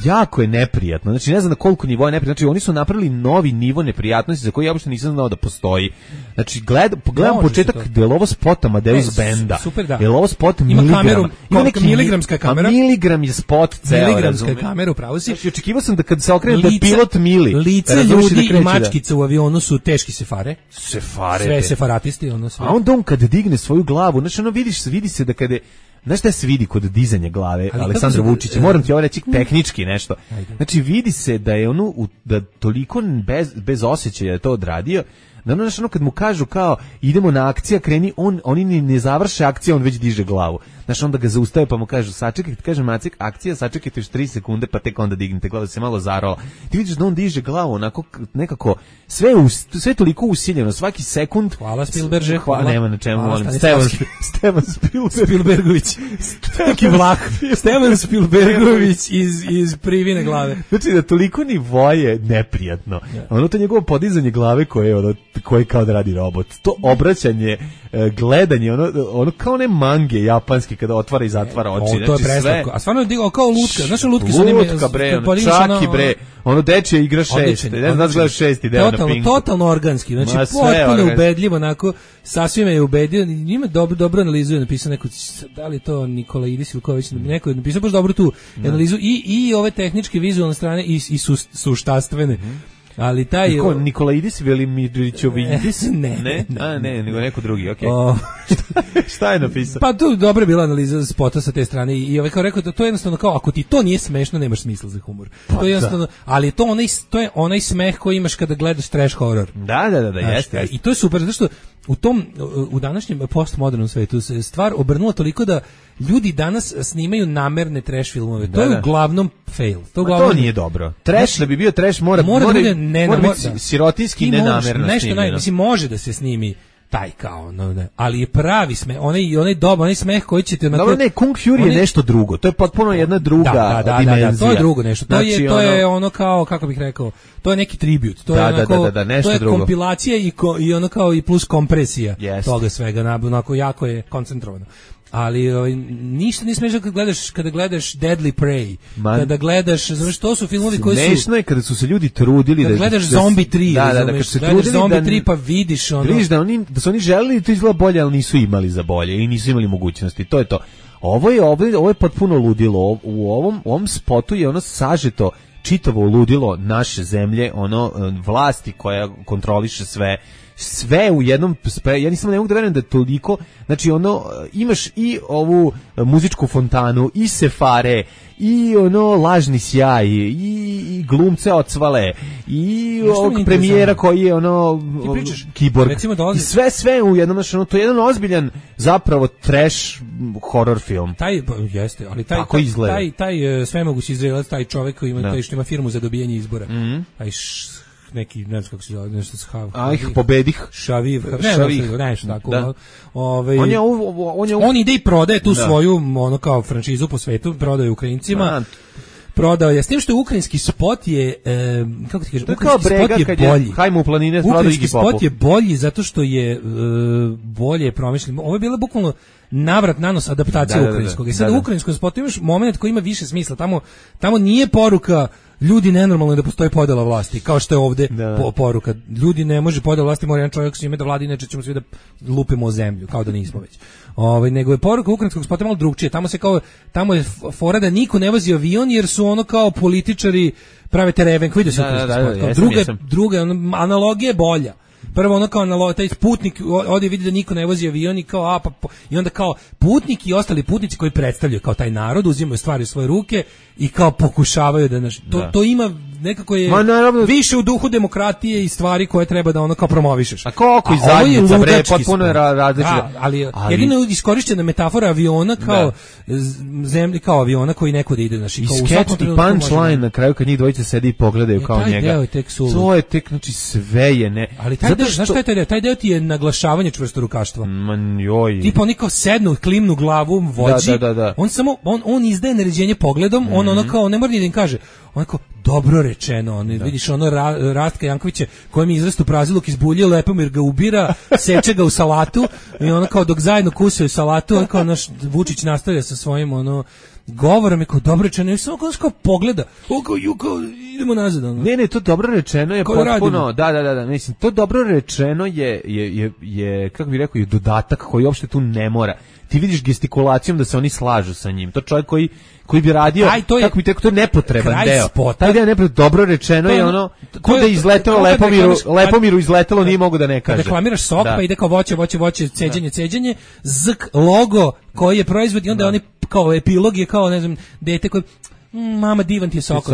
jako je neprijatno. Znači ne znam na koliko nivoa je neprijatno. Znači oni su napravili novi nivo neprijatnosti za koji ja uopšte nisam znao da postoji. Znači gledam početak ovo spot Amadeus Benda. Super, da. Je ovo spot miligram? Ima neki miligramska kamera. Miligram je spot ceo. Miligramska kamera, upravo si. Znači, očekivao sam da kad se okrene da je pilot mili. Lice ljudi i mačkice u avionu su teški sefare. Sve sefaratisti, ono sve. A onda on kad digne svoju glavu, znači ono vidi se da kada je, znaš šta se vidi kod dizanja glave Aleksandra Vučića? Moram ti ovo reći tehnički nešto. Znači vidi se da je ono da toliko bez osjećaja je to odradio. Znaš, ono kad mu kažu kao idemo na akcija, kreni, oni ne završe akcije, on već diže glavu. Znaš, onda ga zaustave pa mu kažu sačekajte, kaže Macek, akcija, sačekajte još 3 sekunde pa tek onda dignite glavu, da se malo zarola. Ti vidiš da on diže glavu onako nekako, sve toliko usiljeno, svaki sekund. Hvala Spielberže, hvala. Nema na čemu, molim. Stevan Spielbergović. Neki vlah. Stevan Spielbergović iz Privine glave. Znači da toliko nivoje neprijatno. Ono to njegovo podizanje glave koje kao da radi robot. To obraćanje, gledanje, ono kao ne mange japanski kada otvara i zatvara oči. To je preslatko. A stvarno je digao kao lutka. Znaš lutke su lutka, bre, čaki, bre. Ono dečje igra 6. Ne znam da gledaš 6. deo na Pinku. Totalno organski. Znači, potpuno ubedljivo, onako, sasvim je ubedio. Ima dobro analizu, je napisao neko, da li to Nikolaidis Ilković, neko je napisao baš dobro tu analizu i ove tehničke, vizualne strane i suštastvene. Ali taj Nikolaidis Velimirovićović ne, nego neko drugi, okej. Šta je napisao? Pa tu dobra bila analiza spota sa te strane i kao rekao da to je jednostavno kao ako ti to nije smešno, nemaš smisla za humor. To je jednostavno, ali to je onaj smeh koji imaš kada gledaš trash horror. Da, jeste. I to je super zato što u današnjem postmodernom svetu se stvar obrnula toliko da ljudi danas snimaju namerne trash filmove. To je uglavnom fail. To nije dobro. Trash, da bi bio trash mora biti sirotinski nenamerno snimljeno. Mislim, može da se snimi taj kao, ali je pravi smeh, onaj smeh koji ćete... Dobro, ne, Kung Fury je nešto drugo, to je potpuno jedna druga dimenzija. Da, to je drugo nešto, to je ono kao, kako bih rekao, to je neki tribut, to je nešto drugo. To je kompilacija i ono kao i plus kompresija toga svega, onako jako je koncentrovano. ali ništa ne smiješ kada gledaš Deadly Prey, kada gledaš, znaš, to su filmovi koji su... Smešno je kada su se ljudi trudili kada gledaš Zombie 3, kad se gledaš trudili Zombie 3 pa vidiš ono... Vidiš da su oni želeli to izgleda bolje, ali nisu imali za bolje i nisu imali mogućnosti, to je to. Ovo je potpuno ludilo, u ovom spotu je ono sažeto čitavo ludilo naše zemlje, ono vlasti koja kontroliše sve u jednom, ja nisam ne mogu da verujem da toliko, znači ono, imaš i ovu muzičku fontanu, i sefare, i ono lažni sjaj, i glumce ocvale, i ovog premijera koji je ono kiborg, i sve u jednom, znači ono, to je jedan ozbiljan zapravo trash horror film. Jeste, ali taj svemogući Izraelac, taj čovjek koji ima, taj što ima firmu za dobijanje izbora, taj neki, ne znam kako se zove, nešto s Hav. Pobedih. Šaviv, nešto tako. Da. On ide i prodaje tu svoju, ono kao franšizu po svetu, prodaje Ukrajincima. Prodao je, s tim što je ukrajinski spot je, kako ti kažem, ukrajinski spot je bolji. Hajmo u planine, ukrajinski spot je bolji zato što je bolje promišljen. Ovo je bila bukvalno navrat nanos adaptacija ukrajinskog. I sad u ukrajinskom spotu imaš moment koji ima više smisla. Tamo nije poruka ljudi nenormalno da postoji podela vlasti, kao što je ovde poruka. Ljudi ne može podela vlasti, mora jedan čovjek s njime da vlada, inače ćemo svi da lupimo o zemlju, kao da nismo već. Nego je poruka ukrajinskog spota malo drugčije. Tamo je fora da niko ne vozi avion, jer su ono kao političari prave tereven, vidio se ukrajinski spot. Druga analogija je bolja. Prvo ono kao taj putnik ovdje vidi da niko ne vozi avion i kao i onda kao putnik i ostali putnici koji predstavljaju kao taj narod uzimaju stvari u svoje ruke i kao pokušavaju da to ima nekako je više u duhu demokratije i stvari koje treba da ono kao promovišeš. A koliko i zadnjica bre, potpuno je različito. Ali jedino je iskorišćena metafora aviona kao zemlje, kao aviona koji nekud ide, znači kao u svakom trenutku punchline na kraju kad njih dvojice sedi i pogledaju kao njega. To je tek, znači sve je ne. Ali taj deo, znaš šta je taj deo? Taj deo ti je naglašavanje čvrstorukaštva. Tipa oni kao sednu, klimnu glavu, vođi. On samo, on izdaje naređenje pogledom, on ono kao, ne mora ni da im kaže, on kao, dobro rečeno, vidiš ono Rastka Jankovića kojem je izrastu praziluk izbuljio Lepomir ga ubira, seče ga u salatu i ono kao dok zajedno kusaju salatu, on kao naš Vučić nastavlja sa svojim ono govorom je kao dobro rečeno i samo kao pogleda, idemo nazad. Ne, to dobro rečeno je potpuno, da, mislim, to dobro rečeno je kako bih rekao, je dodatak koji uopšte tu ne mora. Ti vidiš gestikulacijom da se oni slažu sa njim. To čovjek koji bi radio, kako bi tekao, to je nepotreban deo. Taj deo je nepotreban, dobro rečeno je ono, ko da je izletelo Lepomiru izletelo, nije mogu da ne kaže. Kad reklamiraš sok, pa ide kao voće, ceđenje, zk, logo koji je proizvod i onda oni kao epilog je kao, ne znam, dete koji mama divan ti je sok,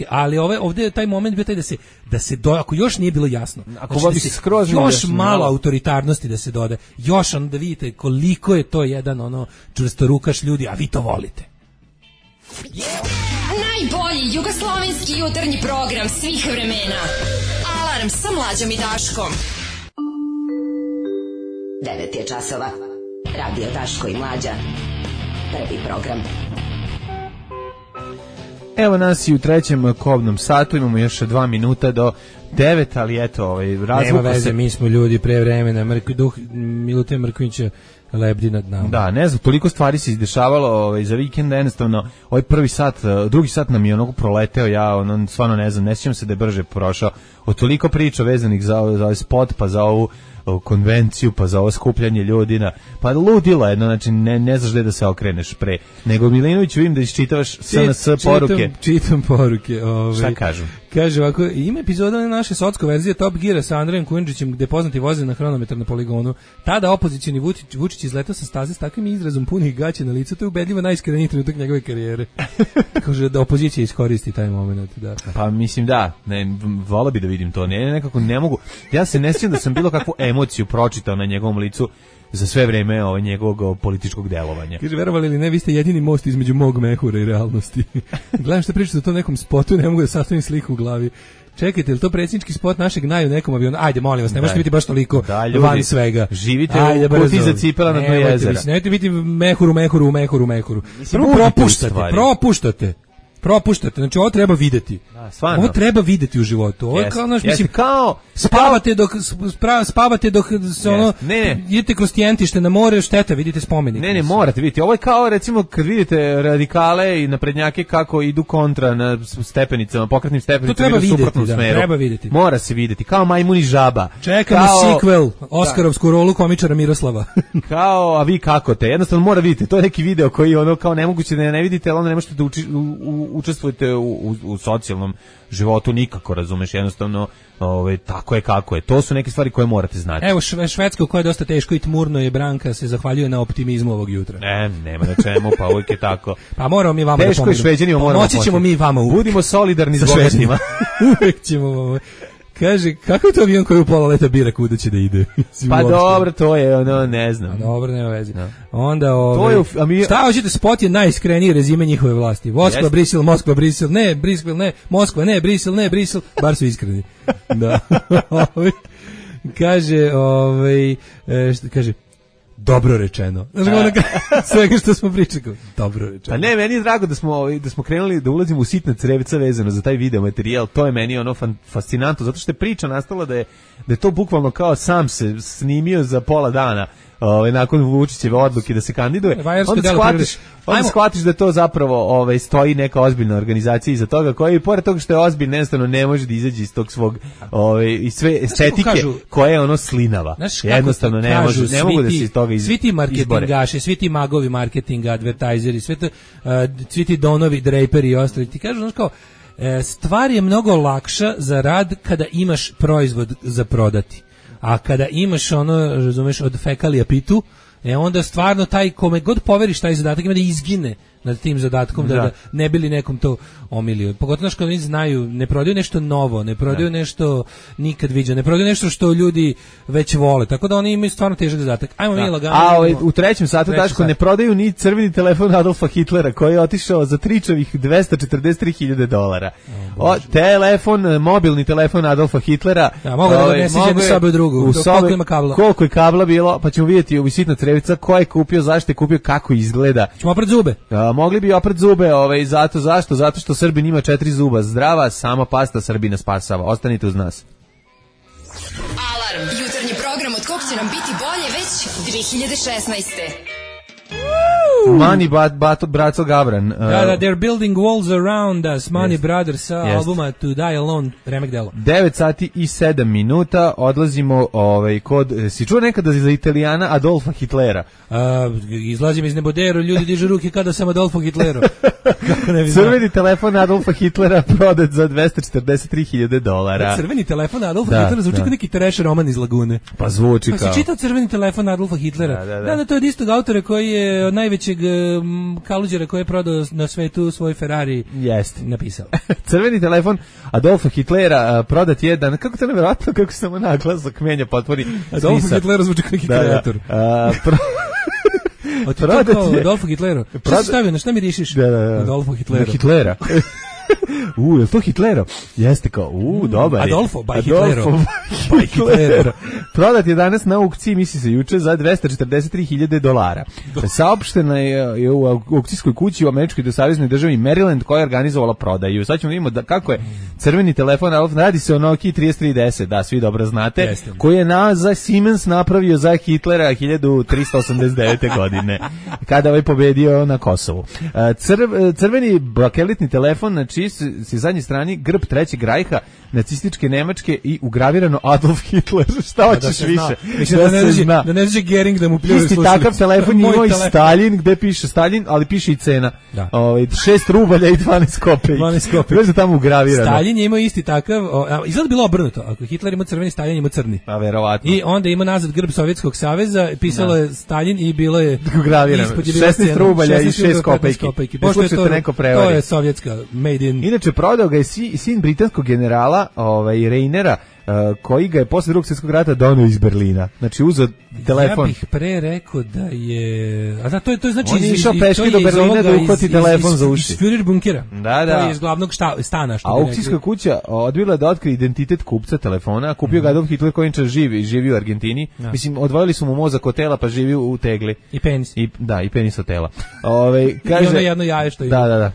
ali ovdje je taj moment bio taj da se ako još nije bilo jasno, još malo autoritarnosti da se doda, još ono da vidite koliko je to jedan ono čvrstorukaš ljudi, a vi to volite. Najbolji jugoslovenski jutarnji program svih vremena. Alarm sa Mlađom i Daškom. 9 je časova. Radio Daško i Mlađa. Prvi program. Evo nas i u trećem kobnom satu, imamo još 2 minuta do 9, ali eto, nema veze, mi smo ljudi pre vremena, Milutije Mrkovića lebdi nad nama. Da, ne znam, toliko stvari se izdešavalo za vikenda, jednostavno, ovaj prvi sat, drugi sat nam je onako proleteo, ja stvarno ne znam, ne sjećam se da je brže prošao, od toliko priča vezanih za ovaj spot, pa za ovu konvenciju, pa za ovo skupljanje ljudi pa ludilo jedno, znači ne znaš gde da se okreneš pre. Nego Milinović, vidim da iščitavaš SNS poruke. Čitam poruke. Šta kažu? Kaže ovako, ima epizoda naše socko verzije Top Geara sa Andrejem Kujundžićem gde poznati voze na hronometar na poligonu. Tada opozicioni Vučić izletao sa staze s takvim izrazom punih gaća na licu, to je ubedljivo najiskreniji trenutak njegove karijere. Kaže da opozicija iskoristi taj moment. Da. Pa mislim volao bi da vidim to, nekako ne mogu. Ja se ne sjećam da sam bilo kakvu emociju pročitao na njegovom licu za sve vreme njegovog političkog delovanja. Kaže, verovali ili ne, vi ste jedini most između mog mehura i realnosti. Gledam što pričate o tom nekom spotu, ne mogu da sastavim sliku u glavi. Čekajte, je li to predsjednički spot našeg naju nekom avionu? Ajde, molim vas, ne možete biti baš toliko van svega. Živite u kuti za cipela na dno jezera. Nemojte biti mehuru. Prvo propuštate. propuštate. Znači ovo treba videti. Da, stvarno. Ovo treba videti u životu. Ovo je kao, znaš, mislim, kao spavate dok se ono, idete kroz Tijentište na more, šteta, vidite spomenik. Ne, morate vidjeti. Ovo je kao, recimo, kad vidite radikale i naprednjake kako idu kontra na stepenicama, pokretnim stepenicama, idu u suprotnom smeru. Treba vidjeti. Mora se vidjeti. Kao Majmun i žaba. Čekamo sequel, Oskarovsku rolu komičara Miroslava. Kao, a vi kako te? Jednostavno mora vidjeti. To je neki video koji ono kao nemoguće da ne vidite, ali onda ne možete da učestvujete u socijalnom životu nikako, razumeš, jednostavno tako je kako je. To su neke stvari koje morate znati. Evo Švedska koja je dosta teško i tmurno je, Branka se zahvaljuje na optimizmu ovog jutra. Nema na čemu, pa uvijek je tako. Pa moramo mi vama teško da i Šveđanima moramo pomoći ćemo mi vama uvijek. Budimo solidarni s bogatima. Uvijek ćemo. Kaže, kako je to avion koji u pola leta bira kuda će da ide? Pa dobro, to je ono, ne znam. Dobro, nema veze. No. Onda, šta hoćete, spot je najiskreniji rezime njihove vlasti. Moskva, Brisel, Moskva, Brisel, ne, Brisel, ne, Moskva, ne, Brisel, ne, Brisel, bar su iskreni. Da. Kaže, kaže, dobro rečeno. Znaš, svega što smo pričali, dobro rečeno. Pa ne, meni je drago da smo krenuli da ulazimo u sitna crevca vezano za taj video materijal. To je meni ono fascinantno, zato što je priča nastala da je to bukvalno kao sam se snimio za pola dana. Nakon Vučićeve odluke da se kandiduje, onda shvatiš da to zapravo stoji neka ozbiljna organizacija iza toga, koja i pored toga što je ozbiljna, jednostavno ne može da izađe iz tog svog i sve estetike koja je ono slinava. Jednostavno ne mogu da se iz toga izbore. Svi ti marketingaši, svi ti magovi marketinga, advertajzeri, svi ti Donovi, Draperi i ostali, ti kažu, znaš kao, stvar je mnogo lakša za rad kada imaš proizvod za prodati. A kada imaš ono, razumeš, od fekalija pitu, onda stvarno taj kome god poveriš taj zadatak ima da izgine nad tim zadatkom, da ne bili nekom to omilio. Pogotovo što oni znaju, ne prodaju nešto novo, ne prodaju nešto nikad viđeno, ne prodaju nešto što ljudi već vole, tako da oni imaju stvarno težak zadatak. Ajmo mi lagano. A u trećem satu, Daško, ne prodaju ni crveni telefon Adolfa Hitlera, koji je otišao za tričavih $243.000. Telefon, mobilni telefon Adolfa Hitlera. Mogu da ga nesi jednu sobe u drugu, koliko ima kabla. Koliko je kabla bilo, pa ćemo vidjeti u sitna crevica ko je kupio, zašto je kupio, kako izgleda. Ćemo opret zube. Mogli bi opret zube, zašto? Zato što Srbin ima 4 zuba zdrava, sama pasta Srbina spasava. Ostanite uz nas. Alarm, jutarnji program od kog će nam biti bolje već 2016. Mani Braco Gavran. They're building walls around us. Mani Brothers sa albuma To Die Alone, remek delo. 9 sati i 7 minuta. Odlazimo kod... Si čuo nekada za Italijana Adolfa Hitlera? Izlazim iz neboderu, ljudi dižu ruke kada sam Adolfo Hitleru. Crveni telefon Adolfa Hitlera prodat za $243.000. Crveni telefon Adolfa Hitlera zvuči kao neki trash roman iz Lagune. Pa zvuči kao. Pa si čitao Crveni telefon Adolfa Hitlera? Da, to je od istog autora koji je od najvećeg kaluđera koji je prodao na svetu svoj Ferrari napisao. Crveni telefon Adolfa Hitlera prodat je kako to nevjerojatno, kako se samo naglasak menja, potvori. Adolfa Hitlera zvuči kao neki kreator. Adolfo Hitleru. Šta si stavio, na šta mi rišiš? Adolfo Hitleru. Hitlera. Je to Hitlero? Jeste kao, dobar je. Adolfo by Hitlero. Prodat je danas na aukciji, misli se juče, za $243.000. Saopštena je u aukcijskoj kući u američkoj saveznoj državi Maryland, koja je organizovala prodaju. Sad ćemo vidimo kako je crveni telefon, radi se o Nokia 3310, da, svi dobro znate, koji je za Siemens napravio za Hitlera 1389. godine, kada je pobedio na Kosovu. Crveni bakelitni telefon, znači si zadnjoj strani grb Trećeg rajha, nacističke Nemačke i ugravirano Adolf Hitler. Šta hoćeš više? Da ne može Gering da mu pljuje slušalicu. Isti takav telefon imao i Stalin, gde piše Stalin, ali piše i cena. 6 rubalja i 12 kopejki. 12 kopejki. Već je tamo ugravirano. Stalin je imao isti takav, izgleda bilo obrnuto. Ako Hitler ima crveni, Stalin ima crni. Pa verovatno. I onda ima nazad grb Sovjetskog saveza, pisalo je Stalin i bilo je ugravirano. 16 rubalja i 6 kopejki. Pošto je to je sovjetska made in. Inače, prodao ga je sin britanskog generala Reinera, koji ga je posle Drugog svjetskog rata donio iz Berlina. Znači, uzeo telefon. Ja bih pre rekao da je... A da, to je znači... On je išao peške do Berlina da uhvati telefon za uši. Iz Führer bunkera. Da. To je iz glavnog stana. A aukcijska kuća odbila da otkrije identitet kupca telefona, kupio ga Adolf Hitler koji živi u Argentini. Mislim, odvojili su mu mozak od tela, pa živi u tegli. I penis. I penis od tela. I ono jedno jaje što je. Da.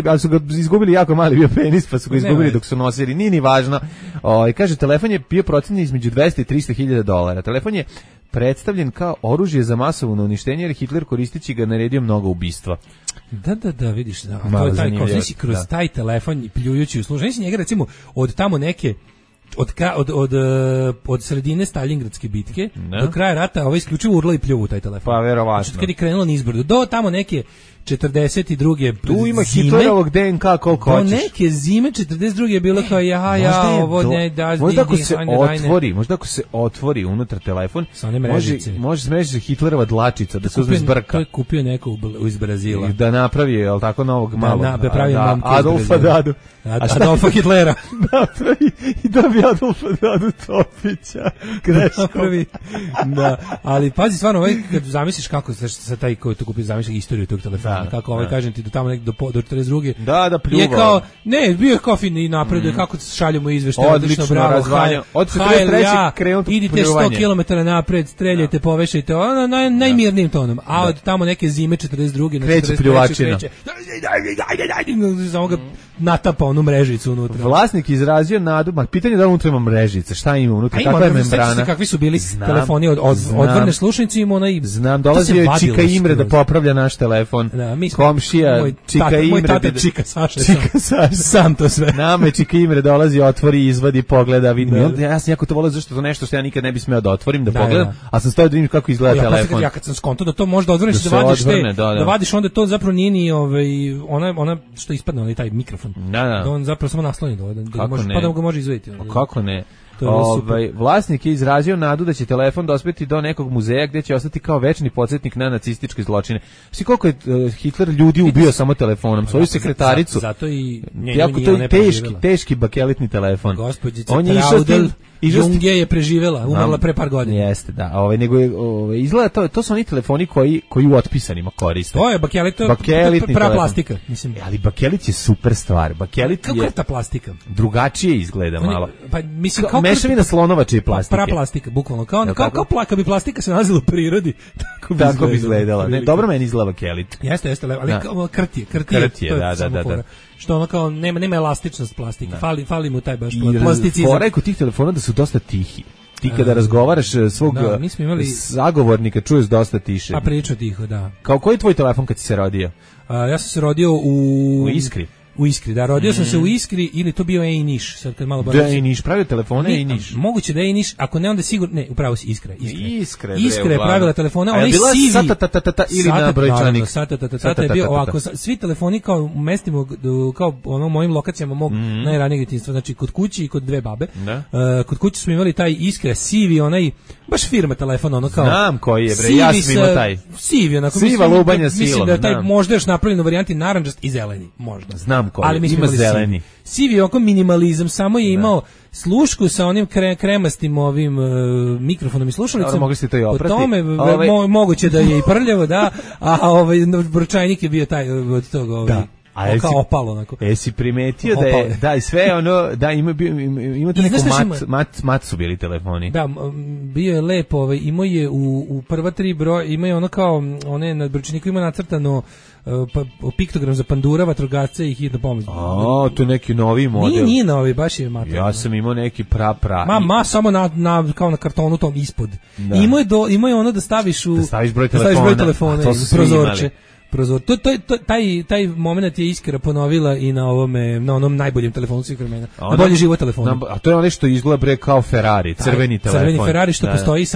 ali su ga izgubili jako mali bio penis, pa su ga izgubili dok su nosili, nije ni važno. Kaže, telefon je bio procenjen između 200 i 300 hiljada dolara. Telefon je predstavljen kao oružje za masovno uništenje, jer Hitler koristeći ga naredio mnogo ubistva. Da, vidiš, to je taj, kao znači kroz taj telefon pljujući u službu. Znači njega recimo od tamo neke od sredine Staljingradske bitke do kraja rata isključivo urla i pljuvu taj telefon. Pa verovatno. Znači kad je krenulo nizbrdo do tamo neke 42. Tu ima Hitlerovog DNK koliko hoćeš. Do neke zime 42. je bilo kao ovo ne da. Možda ako se otvori unutar telefon, može smeći Hitlerova dlačica da se uzme zbrka. To je kupio neko iz Brazila. Da napravi, je li tako, novog malog. Adolfa Dadu. Adolfa Hitlera. Napravi i dobije Adolfa Dadu Topića. Napravi. Da, ali pazi stvarno, kad zamisliš kako sa taj koji to kupio, zamisliš istoriju tog telefona. Kako kažem ti do tamo do 42. Da pljuva. Je kao bio je kao fin i napreduje kako šaljemo izveštaje, odlično, bravo. Od 43. krenuo idite 100 km napred, streljajte, povešajte, najmirnijim tonom. A od tamo neke zime 42. na 43. Samo ga natapa onu mrežicu unutra. Vlasnik izrazio nadu, pitanje da unutra ima mrežice, šta ima unutra, kakva je membrana. Kakvi su bili telefoni odvrne slušnice, ima onaj. Znam, dolazio je Čika Imre da popravlja naš telefon. Komšija Čika Imre. Moj tata Čika Saša. Sam to sve. Nama je Čika Imre dolazi, otvori, izvadi, pogleda, vidim. Ja sam jako to volio zašto to nešto što ja nikad ne bi smeo da otvorim, da pogledam, a sam stavio da vidim kako izgleda telefon. Ja kad sam skonto da to možda odvrneš da vadiš, onda to zapravo nije ni ona što ispadne, onaj taj mikrofon. Da on zapravo samo nasloni pa da ga može izvaditi. Kako ne? Vlasnik je izrazio nadu da će telefon dospeti do nekog muzeja gdje će ostati kao večni podsjetnik na nacističke zločine. Svi koliko je Hitler ljudi ubio samo telefonom, svoju sekretaricu. Zato i to je teški bakelitni telefon. Gospođica Traudel Junge je preživjela, umrla pre par godina. Jeste, da. Nego izgleda to su oni telefoni koji u otpisanima koriste. To je bakelitni prava plastika, mislim. Ali bakelit je super stvar. Bakelit je ta plastika. Drugačije izgleda malo. Pa mislim kao mešavina slonovače i plastike. Prava plastika, bukvalno kao plaka bi plastika se nalazila u prirodi. Tako bi izgledala. Ne, dobro meni izgleda bakelit. Jeste, ali krtije, da. Što ono kao nema elastičnost plastike, fali mu taj baš plasticizam. Fora je kod tih telefona da su dosta tihi. Ti kada razgovaraš svog sagovornika čuješ dosta tiše. A priča tiho, da. Kao koji je tvoj telefon kad si se rodio? Ja sam se rodio u Iskri. U Iskri, da, rodio sam se u Iskri ili to bio Niš, sad kad malo da Niš pravio telefone Niš. Moguće da Niš, ako ne onda sigurno, ne, upravo si Iskra je pravila telefone, onaj sivi ili na brojčanik. Sata je bio ovako, svi telefoni kao u mestima, kao ono mojim lokacijama mog najranijeg djetinjstva, znači kod kući i kod dve babe. Kod kuće smo imali taj Iskra sivi, onaj baš firma telefon, ono kao. Znam koji je bre, ja sam imao taj. Sivi, onako mislim da je taj možda još napravljen u varijanti narandžast i zeleni, možda. Znam koji, ima zeleni. Sivi oko minimalizam, samo je imao slušku sa onim kremastim ovim mikrofonom i slušalicom. Mogli ste to i oprati. Po tome moguće da je i prljavo, da, a brojčajnik je bio taj od toga kao opalo onako. Jesi primetio da je sve ono, da imate neku mat su bili telefoni. Da, bio je lepo, imao je u prva 3 broja, imao je ono kao, one na brojčaniku ima nacrtano piktogram za pandura, vatrogasca i hitna pomoć. To je neki novi model. Nije novi, baš je mater. Ja sam imao neki pra. Samo kao na kartonu tom ispod. Imao je ono da staviš broj telefona i prozorče. Taj moment je Iskra ponovila i na onom najboljem telefonu svih vremena. Na bolji život telefona. A to je ono što izgleda bre kao Ferrari, crveni telefon. Crveni Ferrari što postoji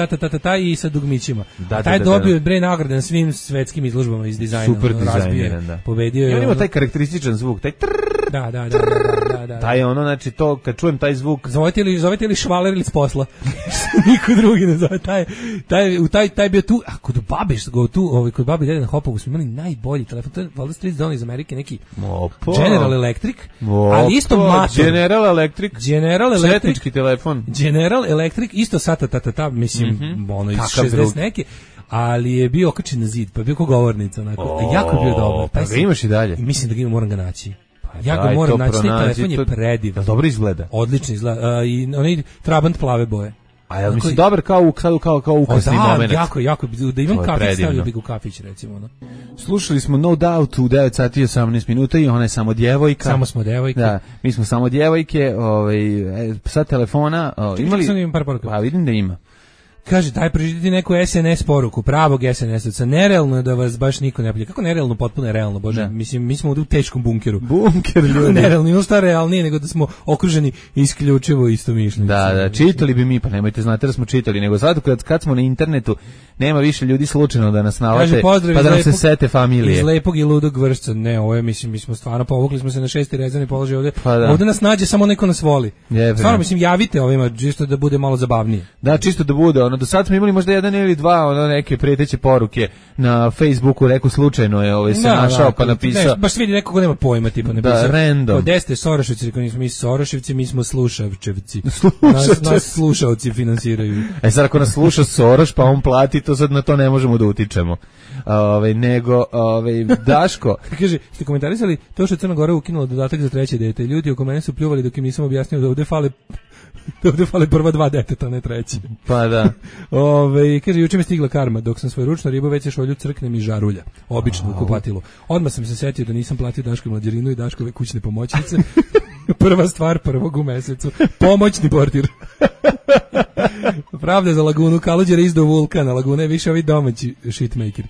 i sa dugmićima. Taj dobio bre nagrade na svim svetskim izložbama iz dizajna. Super dizajniran, da. Pobedio je. On ima taj karakterističan zvuk, taj Da. Taj ono, znači to, kad čujem taj zvuk. Zovete li švaler ili s posla? Niko drugi ne zove. Taj bio tu, a kod babe, kod babe dede na Hopovu smo imali najbolji telefon. To je valjda Street Zone iz Amerike, neki General Electric, ali isto mator. General Electric, četnički telefon. General Electric, isto sata, mislim, ono iz 60 neke. Ali je bio okačen na zid, pa je bio kao govornica, onako. Jako je bio dobro. Pa ga imaš i dalje? Mislim da ga moram ga naći. Ja ga moram naći, taj telefon je predivan. Dobro izgleda? Odlično izgleda. I onaj Trabant plave boje. A ja mislim dobar kao ukrasni moment. Jako, da imam kafić, stavio bi u kafić, recimo. No. Slušali smo No Doubt u 9 sati i 18 minuta i ona je samo djevojka. Samo smo djevojke. Da, mi smo samo djevojke, sa telefona, imali... Par poruka. Pa vidim da ima. Kaže, daj pročitati neku SNS poruku, pravog SNS-ovca. Nerealno je da vas baš niko ne plje. Kako nerealno, potpuno je realno, bože. Da. Mislim, mi smo u teškom bunkeru. Bunker, ljudi. Nerealno, ono šta realnije nego da smo okruženi isključivo istomišljenici. Da, čitali bi mi, pa nemojte znati da smo čitali, nego sad kad smo na internetu, nema više ljudi slučajno da nas nalate, pa da nam se sete familije. Iz lepog i ludog vršca. Ne, ovo je, mislim, mi smo stvarno povukli smo se na 6. rezervni položaj ovde. Pa da. Ovde nas nađe samo neko nas voli. Stvarno, mislim, javite ovima, čisto da bude malo zabavnije. Da, čisto da bude, do sad smo imali možda jedan ili dva neke preteće poruke na Facebooku, rekao slučajno je se našao pa napisao. Baš vidi neko ko nema pojma, tipa napisao. Da, random. Gde ste Soroševci, rekao nismo mi Soroševci, mi smo Slušavčevci. Nas slušaoci finansiraju. Sad ako nas sluša Soroš pa on plati, to sad na to ne možemo da utičemo. Nego Daško kaže, ste komentarisali to što je Crna Gora ukinula dodatak za 3. dete. Ljudi oko mene su pljuvali dok im nisam objasnio da ovde fale prva 2 deteta, ne 3. Pa da. Kaže, juče mi stigla karma, dok sam svoj ručno ribu već je šolju crknem i žarulja. Obično u kupatilu. Odmah sam se setio da nisam platio Daškoj mlađerinu i Daškove kućne pomoćnice. Prva stvar prvog u mesecu. Pomoćni portir. Pravda za Lagunu, Kaluđer izdao vulkan, a Laguna je više ovi domaći shitmaker.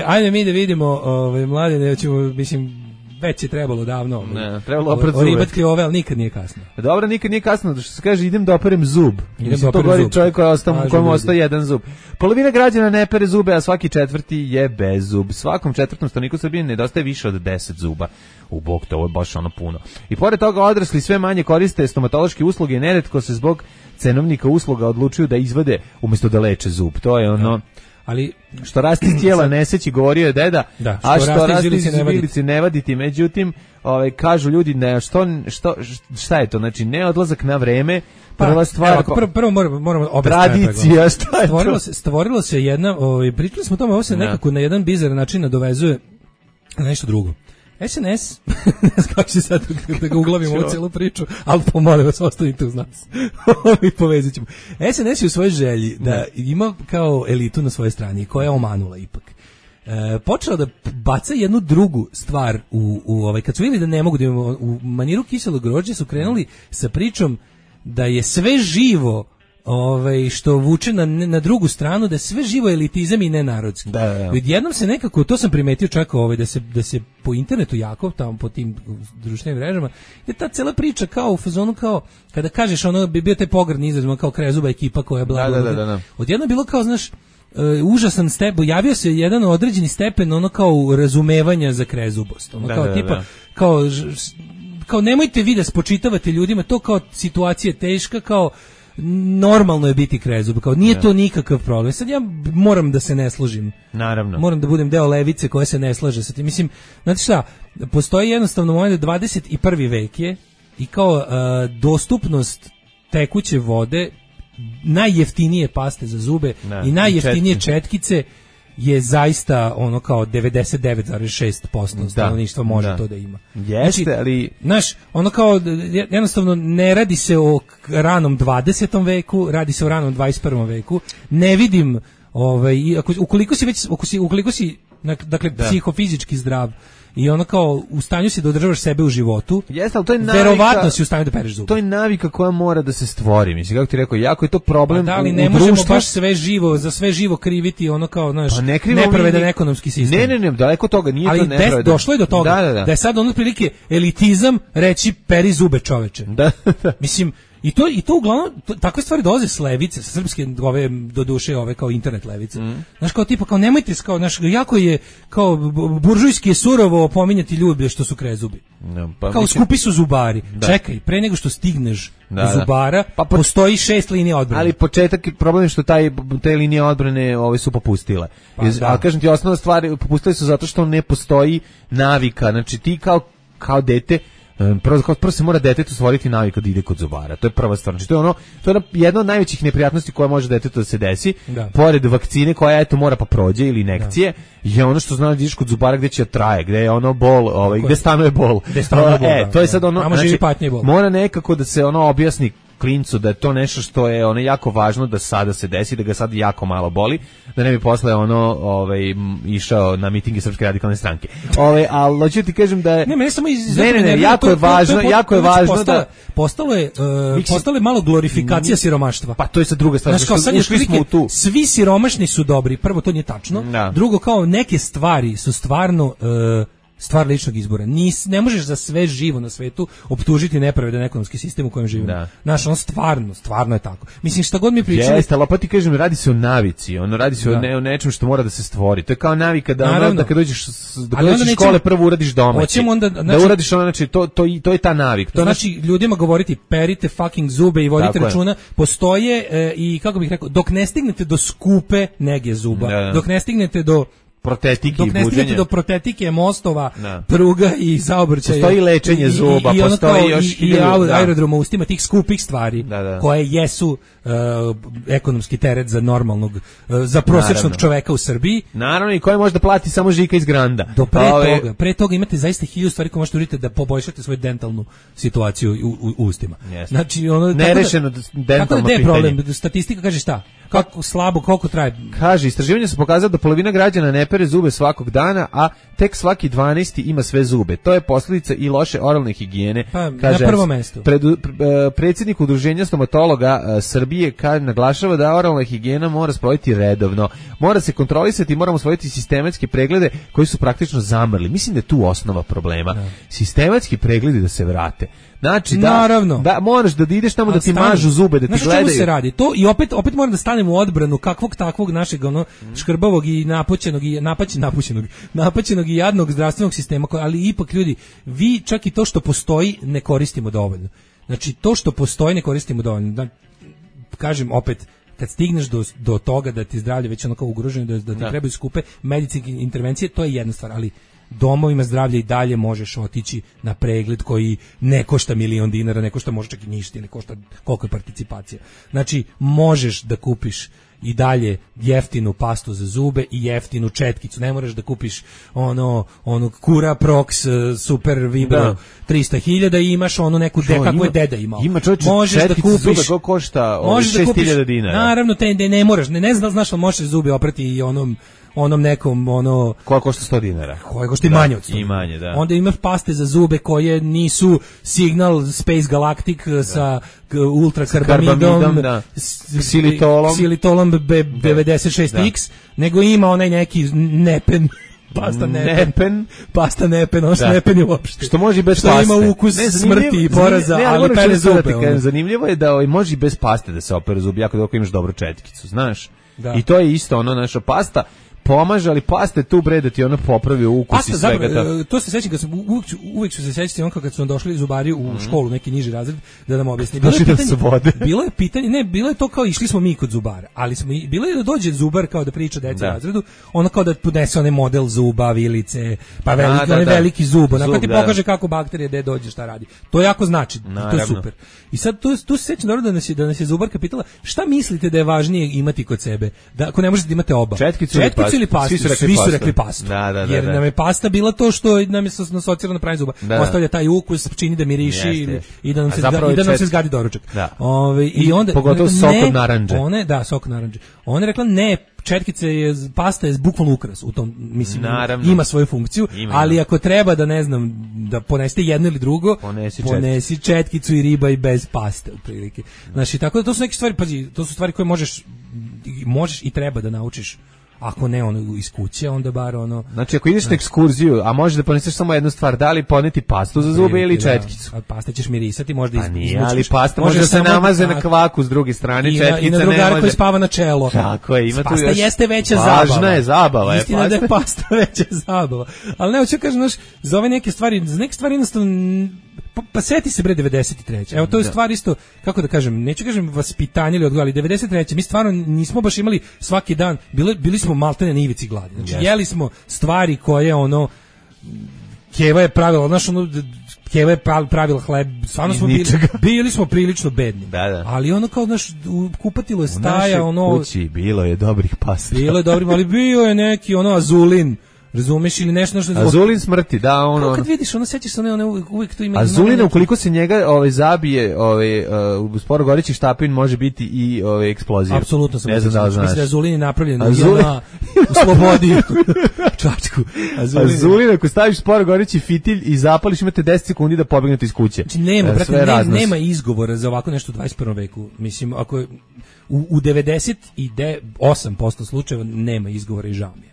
Ajde mi da vidimo, mlade, mislim, već je trebalo davno. Ne, trebalo oprat zube. Ribatke ove, ali nikad nije kasno. Dobro, nikad nije kasno, što se kaže, idem da operem zub. To govori čovjek kojem ostaje jedan zub. Polovina građana ne pere zube, a svaki 4. je bez zub. Svakom 4. stanovniku Srbije nedostaje više od 10 zuba. U bok, to je baš puno. I pored toga odrasli sve manje koriste stomatološke usluge i neretko se zbog cenovnika usluga odlučuju da izvade umjesto da leče zub. To je ono... Ali što raste iz tijela neseći, govorio je deda, a što raste iz vilici ne vaditi. Međutim, kažu ljudi, šta je to? Znači, ne odlazak na vreme, prva stvar... Prvo moramo tradicija, šta je to? Stvorilo se jedna, pričali smo o tome, ovo se nekako na jedan bizaran način nadovezuje na nešto drugo. SNS, kako će sad da ga uglavimo u celu priču, ali pomolim vas, ostanite uz nas. I povezit ćemo. SNS je u svojoj želji da ima kao elitu na svojoj strani, koja je omanula ipak. Počela da baca jednu drugu stvar kad su vidjeli da ne mogu da imamo u maniru kiselog grožđa, su krenuli sa pričom da je sve živo što vuče na drugu stranu, da sve živo elitizam i nenarodski. Jednom se nekako, to sam primetio čak da se po internetu jako, tamo po tim društvenim mrežama, je ta cela priča kao u fazonu, kao kada kažeš bi bio taj pogrdni izraz, kao Krezuba ekipa koja je blago. Odjedno je bilo kao, znaš, užasan stepen, javio se jedan određeni stepen kao razumevanja za Krezubost. Kao nemojte vi da spočitavate ljudima, to kao situacija teška, kao normalno je biti Krezub, kao nije to nikakav problem. Sad ja moram da se ne složim. Naravno. Moram da budem deo levice koja se ne slaže sa tim. Mislim, znate šta, postoji jednostavno moment da 21. vek je i kao dostupnost tekuće vode, najjeftinije paste za zube i najjeftinije četkice je zaista kao 99,6% stanovništva može to da ima. Jeste, znači, ali... Znaš, kao jednostavno ne radi se o ranom 20. veku, radi se o ranom 21. veku. Ne vidim, ukoliko si dakle, psihofizički zdrav i kao u stanju si da održavaš sebe u životu, jeste, ali to je navika, verovatno si u stanju da pereš zube. To je navika koja mora da se stvori. Mislim, kako ti rekao, jako je to problem u društvu. Da li ne možemo baš za sve živo kriviti kao, znaš, nepravedan ekonomski sistem. Ne, daleko toga, nije ali to nepravedan. Ali došlo je do toga da je sad otprilike elitizam reći peri zube, čoveče. Mislim, I to uglavnom, takve stvari dolaze s levice, sa srpske, do duše, kao internet levice. Znaš, kao tipa, kao nemojte, kao, znaš, jako je, kao, buržujski je surovo pominjati ljude što su Krezubi. Kao skupi su zubari. Čekaj, pre nego što stigneš do zubara, postoji 6 linija odbrane. Ali početak, problem je što te linije odbrane su popustile. Ali kažem ti, osnovna stvar, popustile su zato što ne postoji navika. Znači, ti kao dete, prvo se mora detetu stvoriti navika da ide kod zubara. To je prva stvar. Znači, to je jedna od najvećih neprijatnosti koja može detetu da se desi. Pored vakcine koja mora pa prođe ili injekcije, je ono što zna da ideš kod zubara gde će traje, gde je bol, gde stanuje bol. To je sad znači, mora nekako da se objasni klincu da je to nešto što je ono jako važno da sada se desi, da ga sad jako malo boli, da ne bi posle išao na mitinge Srpske radikalne stranke. Ali hoću ti kažem da je ne, jako je važno da postalo je malo glorifikacija siromaštva. Pa to je sad druga stvar. Ušli smo u tu. Svi siromašni su dobri. Prvo, to nije tačno. Drugo, kao neke stvari su stvarno stvar ličnog izbora. Ne možeš za sve živo na svetu optužiti nepravedan ekonomski sistem u kojem živimo. Znaš, on stvarno je tako. Mislim, šta god mi pričali... Jeste, ali opet ti kažem, radi se o navici, radi se o nečem što mora da se stvori. To je kao navika da kad dođeš iz škole prvo uradiš domaći. Da uradiš znači, to je ta navik. To znači ljudima govoriti, perite fucking zube i vodite računa. Postoje i, kako bih rekao, dok ne stignete do skupe nege zuba, dok ne stignete do do protetike, mostova, pruga i saobraćaja. Postoji lečenje zuba, postoji još i aerodroma u ustima tih skupih stvari koje jesu ekonomski teret za normalnog, za prosječnog čoveka u Srbiji. Naravno, i koje može da plati samo Žika iz Granda. Pre toga imate zaista 1000 stvari koje možete uraditi da poboljšate svoju dentalnu situaciju u ustima. Znači, nerešeno dentalno pitanje. Problem? Statistika kaže šta? Kako slabo, koliko traje? Kaže, istraživanje su pokazala da polovina građana ne pere zube svakog dana, a tek svaki 12. ima sve zube. To je posljedica i loše oralne higijene. Kaže, na prvom mestu. Predsjednik Udruženja stomatologa Srbije naglašava da oralna higijena mora sprovoditi redovno. Mora se kontrolisati i moramo sprovoditi sistematske preglede koji su praktično zamrli. Mislim da je tu osnova problema. Sistematski pregledi da se vrate. Znači da moraš da ideš tamo da ti mažu zube, da ti gledaju. Znači, čemu se radi? To i opet moram da stanem u odbranu kakvog takvog našeg škrbavog i napaćenog i jadnog zdravstvenog sistema, ali ipak ljudi, vi čak i to što postoji ne koristimo dovoljno. Znači, to što postoji ne koristimo dovoljno. Da, kažem opet, kad stigneš do toga da ti zdravlje već kao ugroženo, da ti trebaju skupe medicinske intervencije, to je jedna stvar, ali domovima zdravlja i dalje možeš otići na pregled koji ne košta $1.000.000, ne košta možda čak i ništa, ne košta koliko je participacija. Znači, možeš da kupiš i dalje jeftinu pastu za zube i jeftinu četkicu. Ne moraš da kupiš ono Cura Prox Super Vibro 300.000 i imaš neku kako je deda imao. Ima četkicu zube koja košta 6.000 dinara. Naravno, ne moraš, ne znaš li možeš zube oprati i onom nekom koja košta 100 dinara. Koja košta i manje od 100. I manje, da. Onda imaš paste za zube koje nisu Signal Space Galactic sa ultrakarbamidom, Xylitolom B96X, nego ima onaj neki nepen. Pasta nepen, nepen je uopšte. Što može i bez paste. Što ima ukus smrti i poraza, ali pere zube. Zanimljivo je da može i bez paste da se opere zubi, jako dok imaš dobru četkicu, znaš. I to je isto naša pasta pomaže, ali paste tu bre da ti popravi ukus i svega. To se sećam kad sam uvek ću se sećati kad su došli zubari u školu, neki niži razred, da nam objasni. Bilo je to kao išli smo mi kod zubara, ali bilo je da dođe zubar kao da priča deci u razredu, kao da podnese onaj model zuba, vilice, pa veliki zub, onako ti pokaže kako bakterije gde dođe, šta radi. To jako znači, to je super. I sad tu se sećam dobro da nas je zubarka pitala šta mislite da je važnije imati kod sebe, da ako ne možete imati oba. Četkicu ili pastu? Svi su rekli pastu. Jer nam je pasta bila to što nam je asocirano na pranje zuba. Ostavlja taj ukus, čini da miriši i da nam se zgadi doručak. Pogotovo sok od narandže. Sok od narandže. Ona je rekla ne, pasta je bukvalno ukras u tom, mislim, ima svoju funkciju, ali ako treba da da ponesete jedno ili drugo, ponesi četkicu i riba i bez paste otprilike. Znači, tako da to su neke stvari, pazi, to su stvari koje možeš i treba da naučiš. Ako ne iz kuće, onda bar Znači, ako ideš na ekskurziju, a možeš da poneseš samo jednu stvar, da li poneti pastu za zube ili četkicu? A pasta ćeš mirisati, možda izvučeš. Ali pasta može da se namaze na kvaku s druge strane, četkica ne može. I na drugara koji spava na čelo. Tako je, ima tu još... Pasta jeste veća zabava. Važna je zabava. Istina da je pasta veća zabava. Ali ne, hoću kažem, za ove neke stvari jednostavno... Pa seti se bre 93. Evo, to je stvar isto, kako da kažem, neću kažem vaspitanje ili odgoj, ali 93. mi stvarno nismo baš imali svaki dan, bili smo maltene na ivici gladi. Znači, jeli smo stvari koje Keva je pravila, Keva je pravila hleb, stvarno smo bili smo prilično bedni. Ali kao kupatilo je staja, u našoj kući bilo je dobrih pasta. Bilo je dobrih, ali bio je neki azulin. Razumeš ili nešto što Azulin smrti, da, ono. Kad vidiš, ono sećaš se one uvijek tu ima. Azulina ukoliko se njega zabije, u sporo goreći štapin može biti i eksplozija. Apsolutno sam. Ne znam da li znaš. Mislim da je Azulin napravljen u slobodi. Čačku. Azulin ako staviš sporo goreći fitilj i zapališ, imate 10 sekundi da pobegnete iz kuće. Znači nema izgovora za ovako nešto u 21. veku. Mislim, ako u 98% slučajeva nema izgovora i žao mi je.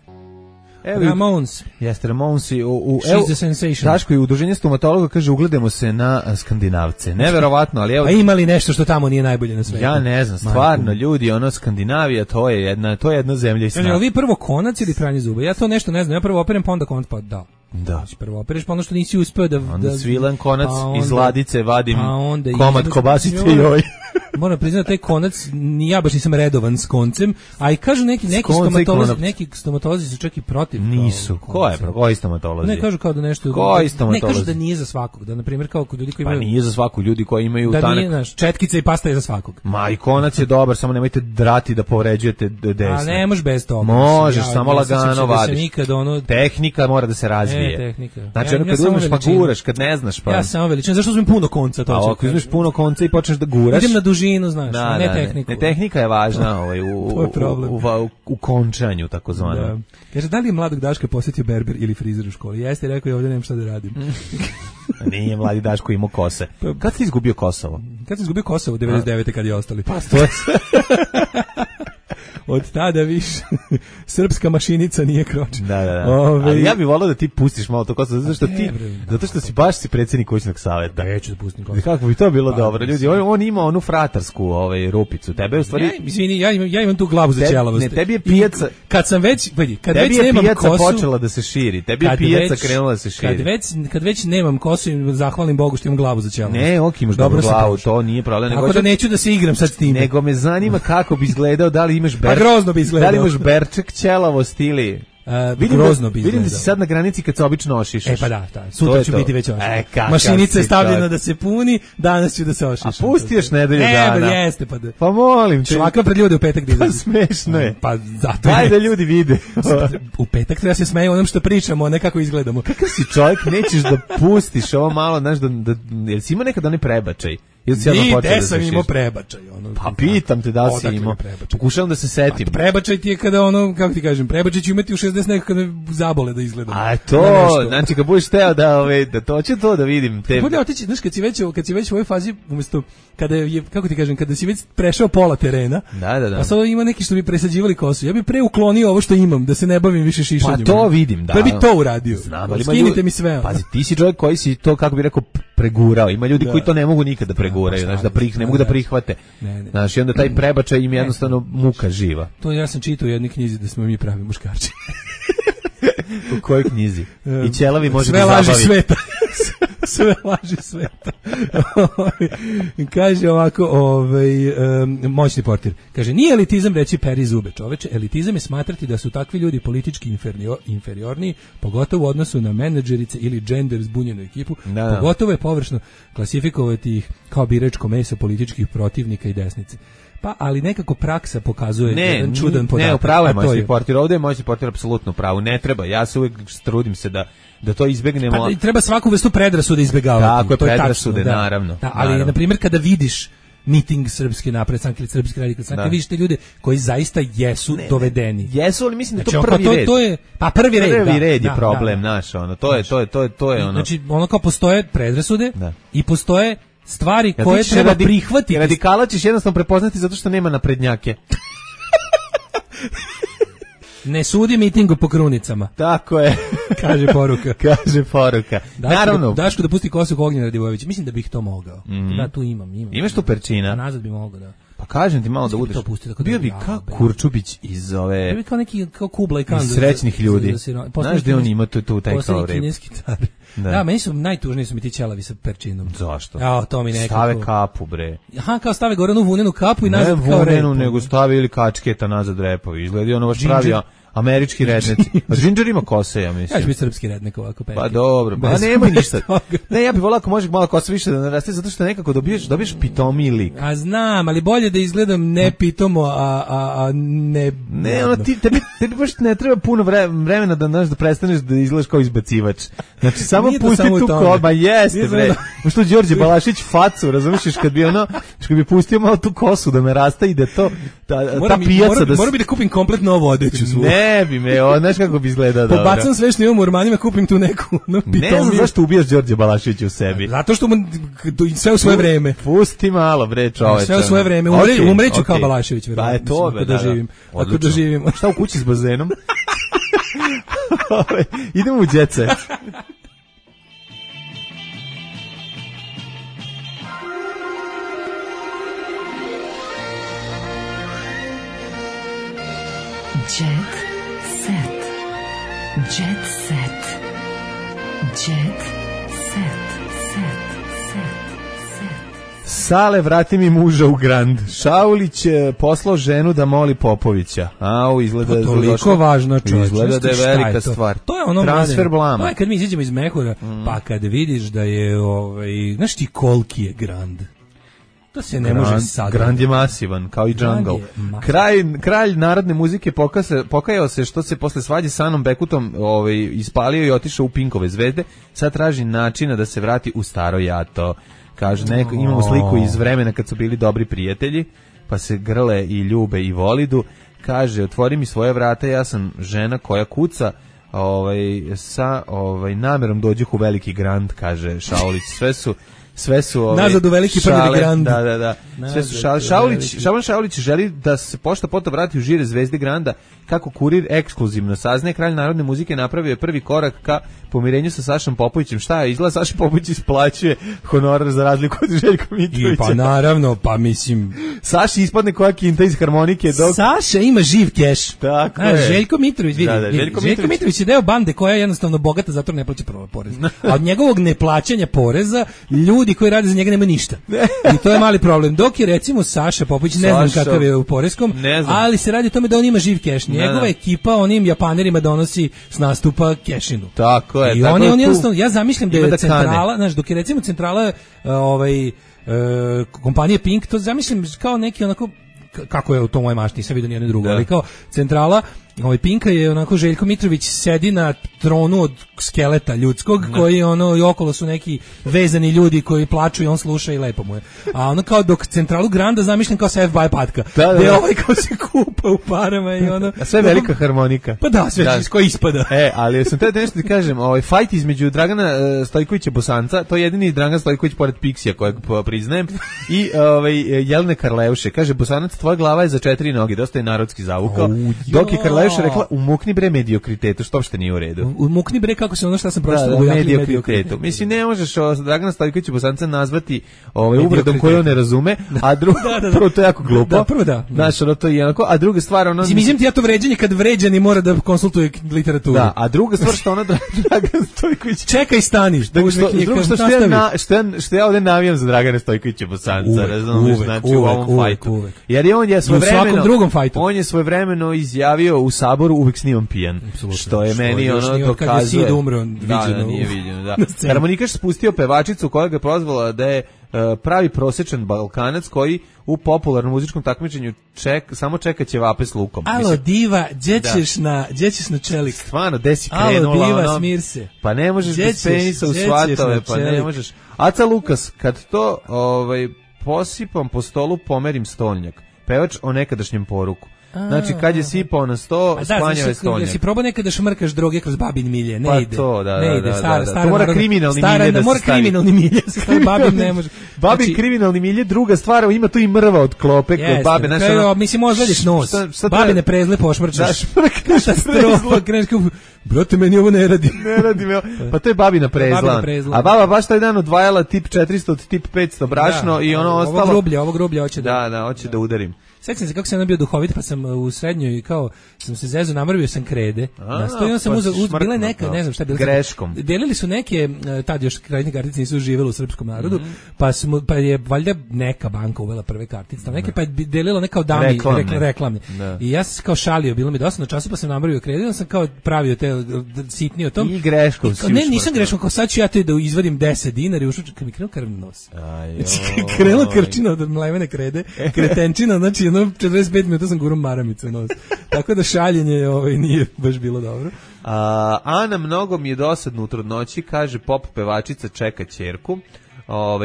Ramones. Jeste, Ramones. She's the sensation. Daško i udruženje stomatologa kaže ugledamo se na Skandinavce. Neverovatno, ali evo... A ima li nešto što tamo nije najbolje na svetu? Ja ne znam, stvarno, ljudi, Skandinavija, to je jedna zemlja i sna. Kaže, vi prvo konac ili pranje zuba? Ja to nešto ne znam, ja prvo operem, pa onda konac, pa da. Da. Prvo opereš, pa ono što nisi uspeo da... Onda svilan konac, iz ladice vadim komad kobasice joj. Moram priznati, taj konac, ja baš nisam redovan s koncem, a i kažu neki stomatolozi su čak i protiv. Nisu. Koji stomatolozi? Ne, kažu kao da nešto... Koji stomatolozi? Ne, kažu da nije za svakog. Da, na primjer, kao kod ljudi koji imaju... Pa nije za svakog, ljudi koji imaju da tanak... nije, znaš, četkica i pasta je za svakog. Ma i konac je dobar, samo nemojte drati da povređujete desne. A ne možeš bez toga. Možeš, samo lagano vadiš. Tehnika mora da se razvije. Tehnika. Znači, kad uzmeš pa guraš, kad ne znaš pa... Ja sam veličina, zašto uzmem puno konca? A ako uzmeš puno konca i počneš da guraš... Idem na dužinu, znaš, ne tehniku. Ne, tehnika je važna u končanju, takozvano. Da. Kaže, da li je mladog Daška posjetio berber ili frizer u školi? Jeste, rekao je, ovdje nemam šta da radim. Nije mladi Daško imao kose. Kad si izgubio Kosovo? Kad si izgubio Kosovo? 99. kad je ostali. Pa, to je... Od tada više srpska mašinica nije kročena. Da. Ali ja bih volao da ti pustiš malo to Kosovo, zato što si baš predsjednik kućnog saveta. Neću da pustim Kosovo. Kako bi to bilo dobro, ljudi? On ima onu fratarsku rupicu. Tebe u stvari... Izvini, ja imam tu glavu za ćelavost. Ne, tebi je pijaca... Kad sam već... Tebi je pijaca počela da se širi. Tebi je pijaca krenula da se širi. Kad već nemam kosu i zahvalim Bogu što imam glavu za ćelavost. Ne, imaš dobru glavu, to nije problem. Tako da neću da se igram sad s tim. Nego me zanima kako bi izgledao, da li imaš grozno bi izgledao. Da li imaš berček, ćelavost ili... Grozno bi izgledao. Vidim da si sad na granici kad se obično ošišaš. Pa da. Sutra ću biti već ošišan. Mašinica je stavljena da se puni, danas ću da se ošišam. A pusti još nedelju dana. Jeste, pa da. Pa molim te. Švaka pred ljude u petak da Pa smešno je. Pa zato daj da ljudi vide. U petak treba se smeju onom što pričamo, a ne kako izgledamo. Kakav si čovjek, nećeš da pustiš ovo malo, znaš, jel si imao nekad onaj prebačaj? Gde sam imao prebačaj? Pa pitam te da si imao. Pokušavam da se setim. Prebačaj ti je kada kako ti kažem, prebačaj ću imati u 60 nekako kada zabole da izgledam. A to, znači kad budeš teo da to će to da vidim. Bude otići, znaš, kad si već u ovoj fazi, umjesto, kada je, kako ti kažem, kada si već prešao pola terena, da. a sada ima neki što bi presađivali kosu, ja bih pre uklonio ovo što imam, da se ne bavim više šišanjem. Pa to vidim, da. Pa bi to uradio. Znam, ali skinite mi sve. Pazi, ti si čovjek koji si to, kako bi rekao, pregurao. Ima ljudi koji to ne mogu nikada preguraju, znači ne mogu da prihvate. Znači, onda taj prebačaj im jednostavno muka živa. To ja sam čitao u jednoj knjizi da smo mi pravi muškarči. U kojoj knjizi? I ćelavi može sve da laži sveta. Sve laži sveta. Kaže ovako, moćni portir. Kaže, nije elitizam reći peri zube, čoveče. Elitizam je smatrati da su takvi ljudi politički inferiorniji, pogotovo u odnosu na menadžerice ili gender zbunjenu ekipu. Pogotovo je površno klasifikovati ih kao biračko meso političkih protivnika i desnice. Pa, ali nekako praksa pokazuje jedan čudan podatak. Ne, upravo je moćni portir. Ovdje je moćni portir apsolutno pravo. Ne treba. Ja se uvijek trudim se da to izbegnemo. Pa, treba svaku vrstu predrasude izbegavati. Tako je, predrasude, naravno. Da, ali, na primjer, kada vidiš miting Srpske napredne stranke ili Srpske radikalne stranke, vidiš te ljude koji zaista jesu dovedeni. Jesu, ali mislim da znači, to prvi red. To je, pa prvi red je problem naš, to je ono. Znači, ono kao postoje predrasude i postoje stvari koje treba prihvatiti. Radikala ćeš jednostavno prepoznati zato što nema naprednjake. Ne sudi mitingu po krunicama. Tako je. Kaže poruka. Naravno. Daško da pusti kosu Ognjena Radivojevića. Mislim da bih to mogao. Da, tu imam. Imaš tu perčina? A nazad bi mogao, da. Pa kažem ti malo da budeš. Bio bi kao Kurčubić iz ove... Bio bi kao neki, kao Kubla i Kan. Iz srećnih ljudi. Znaš da on ima tu taj kao rep. Kineski car. Da, meni su najtužniji su mi ti ćelavi sa perčinom. Zašto? Ja, to mi nekako... Stave kapu, bre. Aha, kao stave gore onu vunenu kapu i nazad kao rep. Ne vunenu, nego stave ili kačketa nazad repovi. Izgledi ono baš pravio američki redneci. A Ginger ima kose, ja mislim. Ja ću biti srpski rednek ovako. Pa dobro, pa nemoj ništa. Ne, ja bih volao ako može malo kose više da naraste, zato što nekako dobiješ pitomi lik. A znam, ali bolje da izgledam ne pitomo, a Ne, ono, tebi baš ne treba puno vremena da prestaneš da izgledaš kao izbacivač. Znači, samo pusti tu koba, jeste, bre. Što Đorđe Balašić facu, razumiješ, kad bi pustio malo tu kosu da me rasta i da to, ta pijaca da... Moram bi da kupim kompletno novu odeću svu. Ne bi me, znaš kako bi izgledao dobro. Pobacam sve što imam u ormanima, kupim tu neku pitomiju. Ne znam zašto ubijaš Đorđe Balašića u sebi. Zato što mu sve u svoje vreme. Pusti malo, bre, čoveče. Sve u svoje vreme. Umreću kao Balašević, verovatno. Pa je to, ako doživim. Šta u kući s bazenom? Idemo u Jet Set. Jet Set. Jet Set. Jet Set. Sale, vrati mi muža u Grand. Šaulić poslao ženu da moli Popovića. Izgleda da je toliko važno, čovječe. Izgleda da je velika stvar. To je ono transfer blama. To je kad mi izađemo iz mehura, pa kad vidiš da je, znaš ti koliki je Grand. To se ne može sad. Grand je masivan, kao i Jungle. Kralj narodne muzike pokajao se što se posle svađe sa Anom Bekutom ispalio i otišao u Pinkove zvezde. Sad traži načina da se vrati u staro jato. Kaže, imamo sliku iz vremena kad su bili dobri prijatelji, pa se grle i ljube i volidu. Kaže, otvori mi svoje vrata, ja sam žena koja kuca, sa namerom dođuh u veliki Grand, kaže Šaulić. Sve su nazad u veliki prvi Grand. Da. Sve su Šaulić želi da se pošta potom vrati u žire zvezde Granda. Kako kurir ekskluzivno saznaje, kralj narodne muzike napravio je prvi korak ka pomirenju sa Sašom Popovićem. Šta je? Izgleda Saša Popović isplaćuje honorar za razliku od Željka Mitrovića. Pa naravno, pa mislim... Saši ispadne koja kinta iz harmonike. Saša ima živ keš. Tako je. Željko Mitrović, vidi. Željko Mitrović je deo bande koja je jednostavno bogata, zato ne plaća porez. A od njegovog neplaćanja poreza, ljudi koji rade za njega nema ništa. I to je mali problem. Dok je recimo Saša Popović, ne znam kakav je u poreskom, ali se radi o tome da on ima živ keš. Njegova ekipa onim Japanerima donosi s nastupa kešinu. Tako je. I on jednostavno, ja zamišljam da je centrala, znaš, dok je recimo centrala kompanije Pink, to zamišljam kao neki onako, kako je u to moje mašti, nisam vidio nijedno drugo, ali kao centrala Pinka je onako Željko Mitrović sedi na tronu od skeleta ljudskog, koji i okolo su neki vezani ljudi koji plaču i on sluša i lepo mu je. A ono kao dok centralu Granda zamišljam kao sa FBI patka. Gde kao se kupa u parama i ono. A sve velika harmonika. Pa da, sve iz koje ispada. Ali sam te nešto ti kažem, fight između Dragana Stojkovića Bosanca, to je jedini Dragan Stojković pored Pixija kojeg priznajem, i Jelene Karleuše. Kaže, Bosanac, tvoja glava je za 4 noge, dosta je narodski zavukao. Dok je Karleuša rekla, umukni bre mediokritetu, što uopšte nije u redu. Umukni bre, kako se ono šta sam pročitao, mediokritetu. Mislim, ne možeš Dragana Stojkovića Bosanca nazvati uvredom koju on ne razume, a drugo, prvo to je jako glupo. Da, prvo da. Znaš, ono to je jednako, a druga stvar, ono... Mislim ti ja to vređanje kad vređani mora da konsultuje literaturu. Da, a druga stvar što ona Dragan Stojković... Čekaj, staniš. Drugo što ja ovdje navijam za Dragana Stojkovića Bosanca, razumiješ, znači u ovom fajtu. Jer on je svojevremeno... On je svojevremeno izjavio u Saboru uvek snimam pijan. Što je meni ono dokazuje. Da, nije viđeno, da. Harmonikaš spustio pevačicu koja ga prozvala da je pravi prosječan Balkanac koji u popularnom muzičkom takmičenju samo čeka ćevape s lukom. Alo, diva, gdje ćeš na čelik? Stvarno, gde si krenula? Alo, diva, smir se. Pa ne možeš bez penisa u svatove, pa ne možeš. Aca Lukas, kad to posipam po stolu, pomerim stolnjak. Pevač o nekadašnjem poruku. Znači, kad je sipao na sto, sklanjao je stolnjak. Jesi probao nekada šmrkaš droge kroz babin milje? Ne ide. Pa to, da. To mora kriminalni milje da se mora kriminalni milje, babin ne može. Babin kriminalni milje, druga stvar, ima tu i mrva od klope kod babe. Mislim, ozvadiš nos. Babine prezle pošmrčaš. Katastrofa. Brate, meni ovo ne radi. Ne radi me. Pa to je babina prezla. A baba baš taj dan odvajala tip 400 od tip 500 brašno i ono ostalo. Ovo grublje hoće da... Da, hoće da udarim. Sećam se kako sam bio duhovit, pa sam u srednjoj kao sam se zezo namrvio sam krede. Nastojao sam bile neka, ne znam šta je bilo. Greškom. Delili su neke, tad još kreditne kartice nisu živjele u srpskom narodu, pa je valjda neka banka uvela prve kartice, neke pa je delila neka od dami reklamne. I ja sam kao šalio, bilo mi dosta na času, pa sam namrvio krede, onda sam kao pravio te sitnije o tom. I greškom si Ne, nisam greškom, kao sad ću ja te da izvadim 10 dinara i ušao kad mi krenuo krvni nos. Krenuo krčina od mlevene krede, kretenčina, znači ono 45 minuta sam gurom maramicu nos. Tako da šaljenje nije baš bilo dobro. Ana, mnogo mi je dosadno u trudnoći, kaže pop pevačica, čeka ćerku.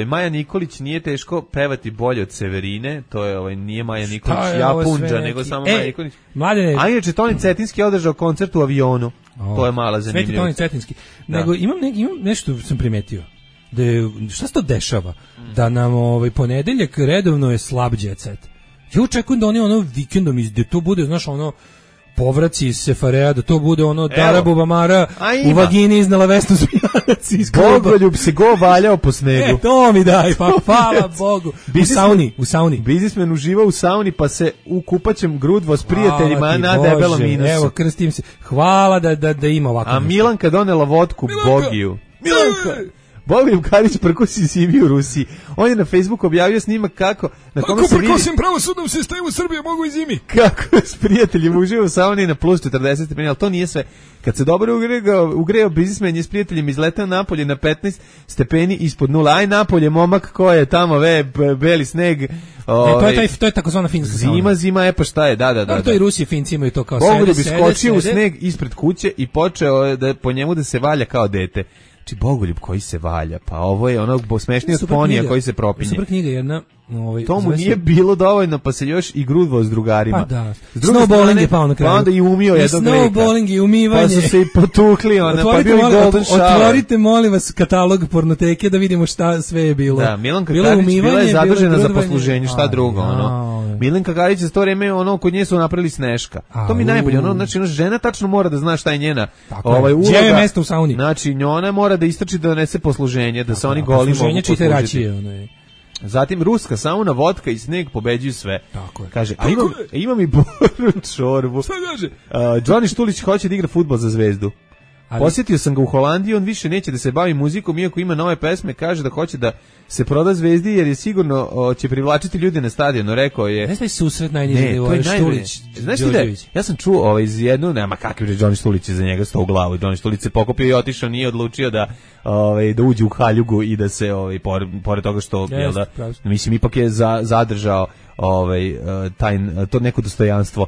Maja Nikolić, nije teško pevati bolje od Severine, to je nije Maja Nikolić Japunđa, nego samo Maja Nikolić. Mladene, a inače Toni Cetinski održao koncert u avionu. To je mala zanimljivost. Sveti Toni Cetinski. Nego imam nešto sam primetio. Da šta se to dešava? Da nam ponedeljak redovno je slab jet set. Ja očekujem da oni vikendom da to bude, znaš, povraci iz Sefarea, da to bude Darabu Bamara u vagini iznala Vesnu Zmijanac iz kluba. Bogoljub se valjao po snegu. To mi daj, pa hvala Bogu. U sauni. Biznismen uživa u sauni, pa se u kupaćem grudvo s prijateljima na debelom minusu. Evo, krstim se. Hvala da ima ovako. A Milanka donela vodku Bogiju. Milanka! Bogoljub Karić prkosi Simi u Rusiji. On je na Facebooku objavio snimak kako na kome se vidi... Ako prkosim pravosudnom sistemu Srbije, mogu i zimi. Kako s prijateljima uživa u sauni na plus 40 stepeni, ali to nije sve. Kad se dobro ugreo biznismen je s prijateljima izletao napolje na 15 stepeni ispod nula. Aj napolje, momak, ko je tamo, beli sneg. To je takozvana finska sauna. Zima, pa šta je, da. To i Rusi, Finci imaju to kao Bogoljub iskočio u sneg ispred kuće i počeo po njemu da se valja kao dete. Znači Bogoljub koji se valja, pa ovo je smešniji od ponija koji se propinje. Super knjiga jedna. To mu nije bilo dovoljno, pa se još i grudvao s drugarima. Pa da. Snowballing je pao na kraju. Pa onda i umio jednog leka. Snowballing i umivanje. Pa su se i potukli, pa bio i golden shower. Otvorite, molim vas, katalog pornoteke da vidimo šta sve je bilo. Da, Milanka Karić bila je zadužena za posluženje, šta drugo. Milanka Karić za to vreme, kod nje su napravili Sneška. To mi najbolje, znači žena tačno mora da zna šta je njena uloga. Gdje je mesto u sauni? Znači, ona mora da istrči da donese posluženje, da se oni goli mogu poslužiti. Zatim ruska sauna, vodka i sneg pobeđuju sve. Tako je. Kaže, imam i boru čorbu. Šta kaže? Johnny Štulić hoće da igra fudbal za Zvezdu. Posjetio sam ga u Holandiji, on više neće da se bavi muzikom, iako ima nove pesme, kaže da hoće da se proda Zvezdi, jer je sigurno će privlačiti ljude na stadionu, rekao je. Ne znam susret najniži nivo, Štulić, Đorđević. Ja sam čuo iz jednu, nema kakav je Johnny Štulić za njega sto u glavu, Johnny Štulić se pokopio i otišao, nije odlučio da uđe u haljugu i da se, pored toga što, mislim, ipak je zadržao to neko dostojanstvo,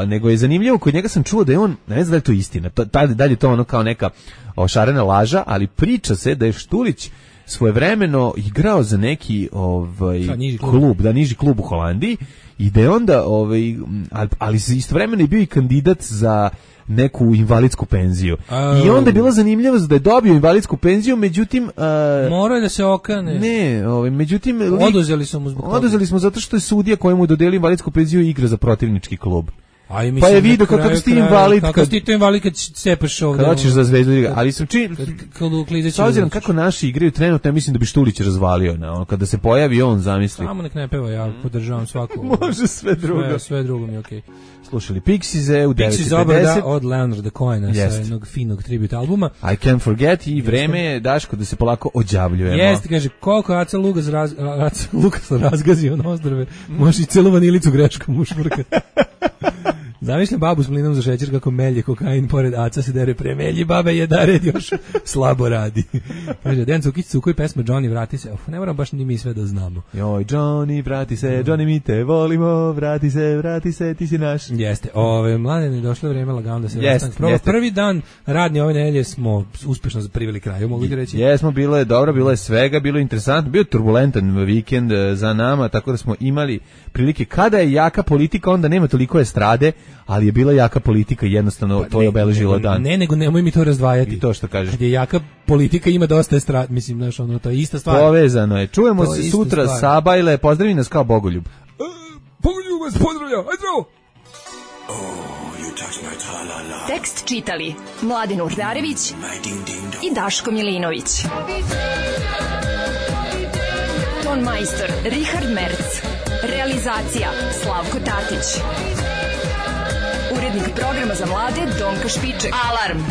nego je zanimljivo, kod njega sam čuo da je on, ne znam da je to istina, da li je to kao neka šarena laža, ali priča se da je Štulić svojevremeno igrao za neki niži klub u Holandiji i da je onda ali istovremeno je bio i kandidat za neku invalidsku penziju. I onda je bila zanimljivost da je dobio invalidsku penziju, međutim morao je da se okane. Ne, međutim oduzeli smo zato što je sudija kojemu dodelio invalidsku penziju igra za protivnički klub. Pa je vidio kako si ti invalid. Kako si ti invalid kad cepaš ovdje. Kad hoćeš za Zvezdu igra. Ali sam s obzirom kako naši igraju trenutno, ja mislim da bi Štulić razvalio. Kada se pojavi on, zamisli. Samo nek ne peva, ja podržavam svaku. Može sve drugo. Sve drugo mi je okej. Slušali Pixies u 9:50. Pixies obrada od Leonarda Cohena sa jednog finog tribute albuma. I Can't Forget i vreme je, Daško, da se polako ođavljujemo. Jeste, kaže, koliko Aca Lukas razgazio na ostrve, može i celu vanilicu greškom ušmrkati. Zamišljam babu s mlinom za šećer kako melje kokain, pored Aca se dere premelji, babe je da red još slabo radi. Kaže, Dejan Cukić Cukuj, pesma Johnny, vrati se. Ne moram baš ni mi sve da znamo. Joj, Johnny, vrati se, Johnny, mi te volimo, vrati se, ti si naš. Jeste, Mladene, došlo vreme lagano da se rastank. Prvi dan radni ove nedelje smo uspešno priveli kraju, mogu ti reći. Jesmo, bilo je dobro, bilo je svega, bilo je interesantno, bio je turbulentan vikend za nama, tako da smo imali prilike, kada je jaka politika, onda nema toliko estrade, ali je bila jaka politika, jednostavno to je obeležilo dan. Nego nemoj mi to razdvajati. I to što kažeš. Kad je jaka politika, ima dosta estrad, mislim, znaš, to je ista stvar. Povezano je. Čujemo se sutra, Sabajle, pozdravi nas kao Bogoljub. Bogoljub vas pozdravlja, ajde zdravo! Tekst čitali Mladen Urdarević i Daško Milinović. Ton majstor Richard Merc. Realizacija Slavko Tatić. Urednik programa za mlade Donka Špiček. Alarm!